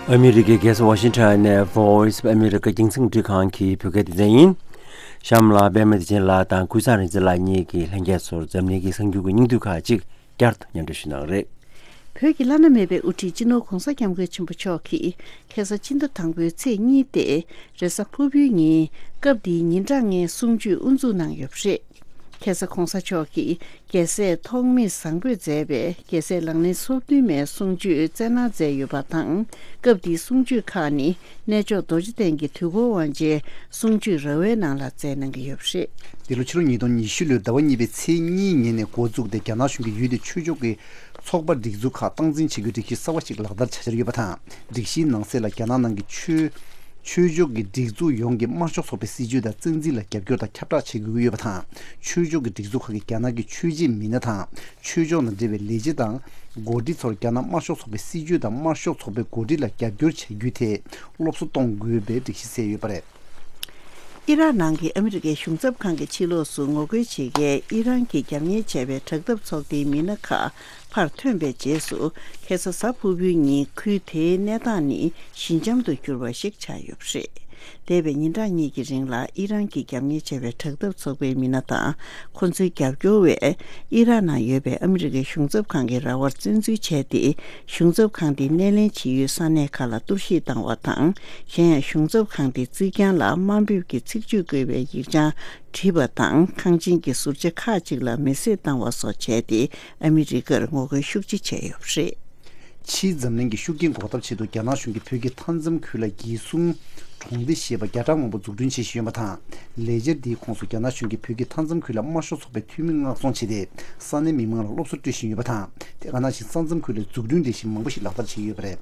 ཨ་མི་རི་ཀའི་རྒྱལ་ས་ཝ་ཤིང་ཊོན་ནས་Voice of America རྒྱང་སྲིང་འཕྲིན་ཁང་གི་བོད་སྐད་སྡེ་ཚན་ཡིན། གཤམ་ལ་པད་མ་བདེ་ཆེན་ལགས་དང་ཀུན་བཟང་རིག་འཛིན་ལགས་གཉིས་ཀྱིས་ལྷན་རྒྱས་ཚོར་འཛམ་གླིང་གི་གསར་འགྱུར་གྱི་སྙིང་བསྡུས་ཁག་ཅིག་བསྐྱར་དུ་སྙན་སྒྲོན་ཞུ་གནང་རེད། བོད་ཀྱི་བླ་ན་མེད་པའི་དབུ་ཁྲིད་སྤྱི་ནོར་༧གོང་ས་༧སྐྱབས་མགོན་ཆེན་པོ་མཆོག་གིས་ཁ་སང་སྤྱི་ཟླ་དང་པོའི་ཚེས་གཉིས་ཏེ་རེས་གཟའ་ཕུར་བུའི་ཉིན་སྐབས་འདིའི་ཉིན་གྲངས་ལྔའི་གསུང་ཆོས་དབུ་འཛུགས་གནང་ཡོད་པ་རེད། ཁ་སང་༧གོང་ས་མཆོག་གིས་རྒྱལ་སྲས་ཐོགས་མེད་བཟང་པོས་མཛད་པའི་རྒྱལ་སྲས་ལག་ལེན་སོ་བདུན་མའི་གསུང་ཆོས་སྩལ་གནང་མཛད་ཡོད་པ་དང་། སྐབས་འདིའི་གསུང་ཆོས་ཁག་ནི་གནས་མཆོག་རྡོ་རྗེ་གདན་གྱི་དུས་འཁོར་དབང་ཆེན་གསུང་ཆོས་ར་བའི་ནང་ལ་མཛད་གནང་གི་ཡོད་པ་རེད། འདི་ལོ་ཕྱི་ལོ་ཉིས་སྟོང་ཉི་ཤུ་ལོའི་ཟླ་བ་གཉིས་པའི་ཚེས་གཉིས་ཉིན་ནས་འགོ་བཙུགས་ཏེ་རྒྱ་ནག་གཞུང་གིས་ཡུལ་དེའི་ཆོས་ཕྱོགས་ཀྱི་ཚོགས་པ་སྒྲིག་འཛུགས་ཁག་སྟངས་འཛིན་བྱེད་རྒྱུའི་སྒྲིག་གཞི་གསར་བ་ཞིག་ལག་བསྟར་བྱ་འཆར་ཡོད་པ་དང་། སྒྲིག་གཞིའི་ནང་གསལ་ལ་རྒྱ་ནག་ནང་གི་ཆོས་ཆོས་ཕྱོགས་ཀྱི་སྒྲིག་འཛུགས་ཡོངས་ཀྱིས་དམར་ཤོག་ཚོགས་པའི་སྲིད་བྱུས་དང་བཙན་འཛུལ་ལ་རྒྱབ་སྐྱོར་དང་ཁྱབ་བསྒྲགས་བྱེད་དགོས་ཀྱི་ཡོད་པ་དང་། ཆོས་ཕྱོགས་ཀྱི་སྒྲིག་འཛུགས་ཁག་གིས་རྒྱ་ནག་གི་ཆོས་བྱེད་མི་སྣ་དང་ཆོས་ཕྱོགས་དང་འབྲེལ་བའི་ལས་བྱེད་དང་འགོ་ཁྲིད་ཚོར་རྒྱ་ནག་དམར་ཤོག་ཚོགས་པའི་སྲིད་བྱུས་དང་དམར་ཤོག་ཚོགས་པའི་འགོ་ཁྲིད་ལ་རྒྱབ་སྐྱོར་བྱ་རྒྱུའི་ཐད་སློབ་གསོ་གཏོང་དགོས་པའི་སྒྲིག་གཞི་གསལ་ཡོད་པ་རེད། ཨི་རག་ནང་གི་ཨ་མི་རི་ཀའི་གཞུང་ཚབ་ཁང་གི་ཕྱི་ལོགས་སུ་ངོ་རྒོལ་བྱེད་མཁན་ཨི་རན་གྱིས་རྒྱབ་གཉེར་བྱས་པའི་དྲག་འཐབ་ཚོགས་སྡེའི་མི་སྣ་ཁག་ཕར་ཐོན་པའི་རྗེས་སུ། ཁ་སང་གཟའ་ཕུར་བུའི་ཉིན་ཁུལ་དེའི་གནས་སྟངས་ནི་ཞི་འཇམ་དུ་གྱུར་བ་ཞིག་ཆགས་ཡོད་པ་རེད། འདས་པའི་ཉིན་གྲངས་གཉིས་ཀྱི་རིང་ལ་ཨི་རན་གྱིས་རྒྱབ་གཉེར་བྱས་པའི་དྲག་འཐབ་ཚོགས་པའི་མི་སྣ་དང་། ཁོ་ཚོའི་རྒྱབ་སྐྱོར་བས་ཨི་རག་ནང་ཡོད་པའི་ཨ་མི་རི་ཀའི་གཞུང་ཚབ་ཁང་གི་ར་བར་བཙན་འཛུལ་བྱས་ཏེ། གཞུང་ཚབ་ཁང་དེ་སྣེ་ལེན་བྱེད་ཡུལ་ས་གནས་ཁག་ལ་གཏོར་བཤིག་བཏང་བ་དང་། གཞན་ཡང་གཞུང་ཚབ་ཁང་དེའི་རྩིག་གྱང་ལ་དམའ་འབེབས་ཀྱི་ཚིག་བརྗོད་བཀོད་པའི་ཡིག་བྱང་བྲིས་པ་དང་། ཁང་ཆེན་གྱི་ཟུར་ཆ་ཁག་ཅིག་ལ་མེ་བསྲེགས་བཏང་བ་སོགས་བྱས་ཏེ། ཨ་མི་རི་ཀར་ངོ་རྒོལ་ཤུགས་ཆེ་བྱས་ཡོད་པ་རེད། ཕྱིའི་འཛམ་གླིང་གི་ཤུགས་རྐྱེན་འགོག་ཐབས་ཆེད་དུ་རྒྱ་ནག་གཞུང་གིས་བོད་ཀྱི་མཐའ་མཚམས་ཁུལ་ལ་རྒྱལ་སྲུང་གྲོང་སྡེ་ཞེས་པ་བརྒྱ་ཕྲག་མང་པོ་འཛུགས་སྐྲུན་བྱེད་བཞིན་ཡོད་པ་དང་། ལས་འཆར་འདིའི་ཁོངས་སུ་རྒྱ་ནག་གཞུང་གིས་བོད་ཀྱི་མཐའ་མཚམས་ཁུལ་ལ་དམར་ཤོག་ཚོགས་པའི་འཐུས་མི་མངགས་ཚོང་བྱས་ཏེ། ས་གནས་མི་མང་ལ་སློབ་གསོ་སྤྲོད་བཞིན་ཡོད་པ་དང་། དེ་ག་ནང་བཞིན་ས་མཚམས་ཁུལ་ལ་འཛུགས་སྐྲུན་ལས་གཞི་མང་པོ་ཞིག་ལག་བསྟར་བྱས་ཡོད་པ་རེད།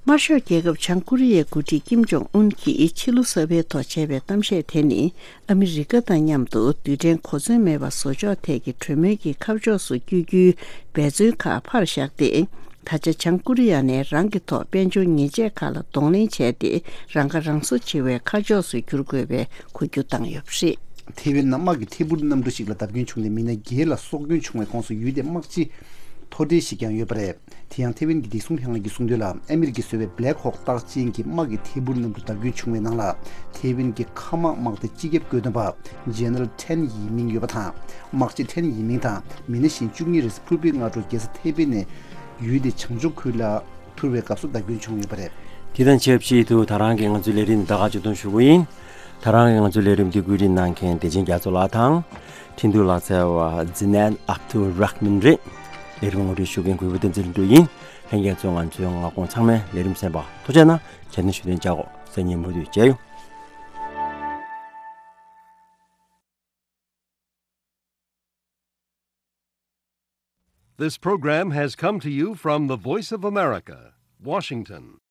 དམར་ཤོག་རྒྱལ་ཁབ་བྱང་ཀོ་རི་ཡའི་འགོ་ཁྲིད་ཀིམ་ཇོང་ཨུན་གྱིས་ཕྱི་ལོ་གསར་པའི་ཐོག་བྱས་པའི་གཏམ་བཤད་དེ་ནི། ཨ་མི་རི་ཀ་དང་མཉམ་དུ་རྡུལ་ཕྲན་གོ་མཚོན་མེད་པ་བཟོ་ཕྱོགས་ཐད་ཀྱི་གྲོས་མོལ་གྱི་ཁ་ཕྱོགས་སུ་བསྐྱོད་རྒྱུའི་འབད་བརྩོན་ཁག་ཕར་བཞག་སྟེ། ད་ཆ་བྱང་ཀོ་རི་ཡ་ནས་རང་གི་ཐོག་དཔལ་འབྱོར་ཉེས་ཆད་ཁག་ལ་གདོང་ལེན་བྱས་ཏེ། རང་ཁ་རང་གསོ་བྱེད་པའི་ཁ་ཕྱོགས་སུ་བསྒྱུར་དགོས་པའི་འགུལ་སྐྱོད་བཏང་ཡོད་པ་རེད། ཐེ་ཝན་ནང་དམག་གི་ཐད་འཕུར་གནམ་གྲུ་ཞིག་ལ་བརྡབ་སྐྱོན་བྱུང་སྟེ། མི་སྣ་བརྒྱད་ལ་སྲོག་སྐྱོན་བྱུང་བའི་ཁོངས་སུ་ཡུལ་དེའི་དམག་སྤྱི་མཐོ་གྲས་ཤིག་ཀྱང་ཡོད་པ་རེད། དེ་ཡང་ཐེ་ཝན་གྱི་བདེ་སྲུང་ལྷན་ཁང་གིས་གསུངས་དོན་ལ། ཨ་མི་རི་ཀས་བཟོས་པའི་Black Hawk རྟགས་ཅན་གྱི་དམག་གི་ཐད་འཕུར་གནམ་གྲུ་བརྡབ་སྐྱོན་བྱུང་བའི་ནང་ལ། ཐེ་ཝན་གྱི་མཁའ་དམག་དམག་སྡེ་སྤྱི་ཁྱབ་བཀོད་འདོམས་པ་General Tan Yiming ཡོད་པ་དང་། དམག་སྤྱི་Tan Yiming དང་མི་སྣ་གཞན་བཅུ་གཉིས་རེས་གཟའ་ཕུར་བུའི་སྔ་དྲོ་རྒྱལ་ས་ཐེ་པེ་ནས་ཡུལ་དེའི་བྱང་ཕྱོགས་ཁུལ་ལ་འཕུར་བའི་སྐབས་སུ་བརྡབ་སྐྱོན་བྱུང་ཡོད་པ་རེད། དེ་དང་ཆབས་ཅིག་ཏུ་ད་རང་གི་ང་ཚོའི་ལས་རིམ་ད་ག་ཅིག་གཏོང་ཞུ་གི་ཡིན། ད་རང་གི་ང་ཚོའི་ལས་རིམ་འདི་བཀོད་སྒྲིག་གནང་མཁན་བདེ་ཆེན་རྒྱ་མཚོ་ལགས་དང་། འཕྲིན་གཏོང་ལག་རྩལ་བ་ཛི་ནན་ཨབ་ཏུ་ར་ཧ་མན་རེད། ལས་རིམ་ངོ་སྤྲོད་ཞུ་མཁན་གུས་པ་བསྟན་འཛིན་ལྷུན་གྲུབ་ཡིན། ལྷན་རྒྱས་ཚོ་ང་ཚོའི་ངག་གོང་ཚང་མའི་ལས་རིམ་གསན་པ་ཐུགས་རྗེ་གནང་། བྱས་ན་ཞུ་དོན་བྱ་གོ་སེ་ཉིན་མུ་མཐུད་མཇལ་ཡོང་། This program has come to you from the Voice of America, Washington.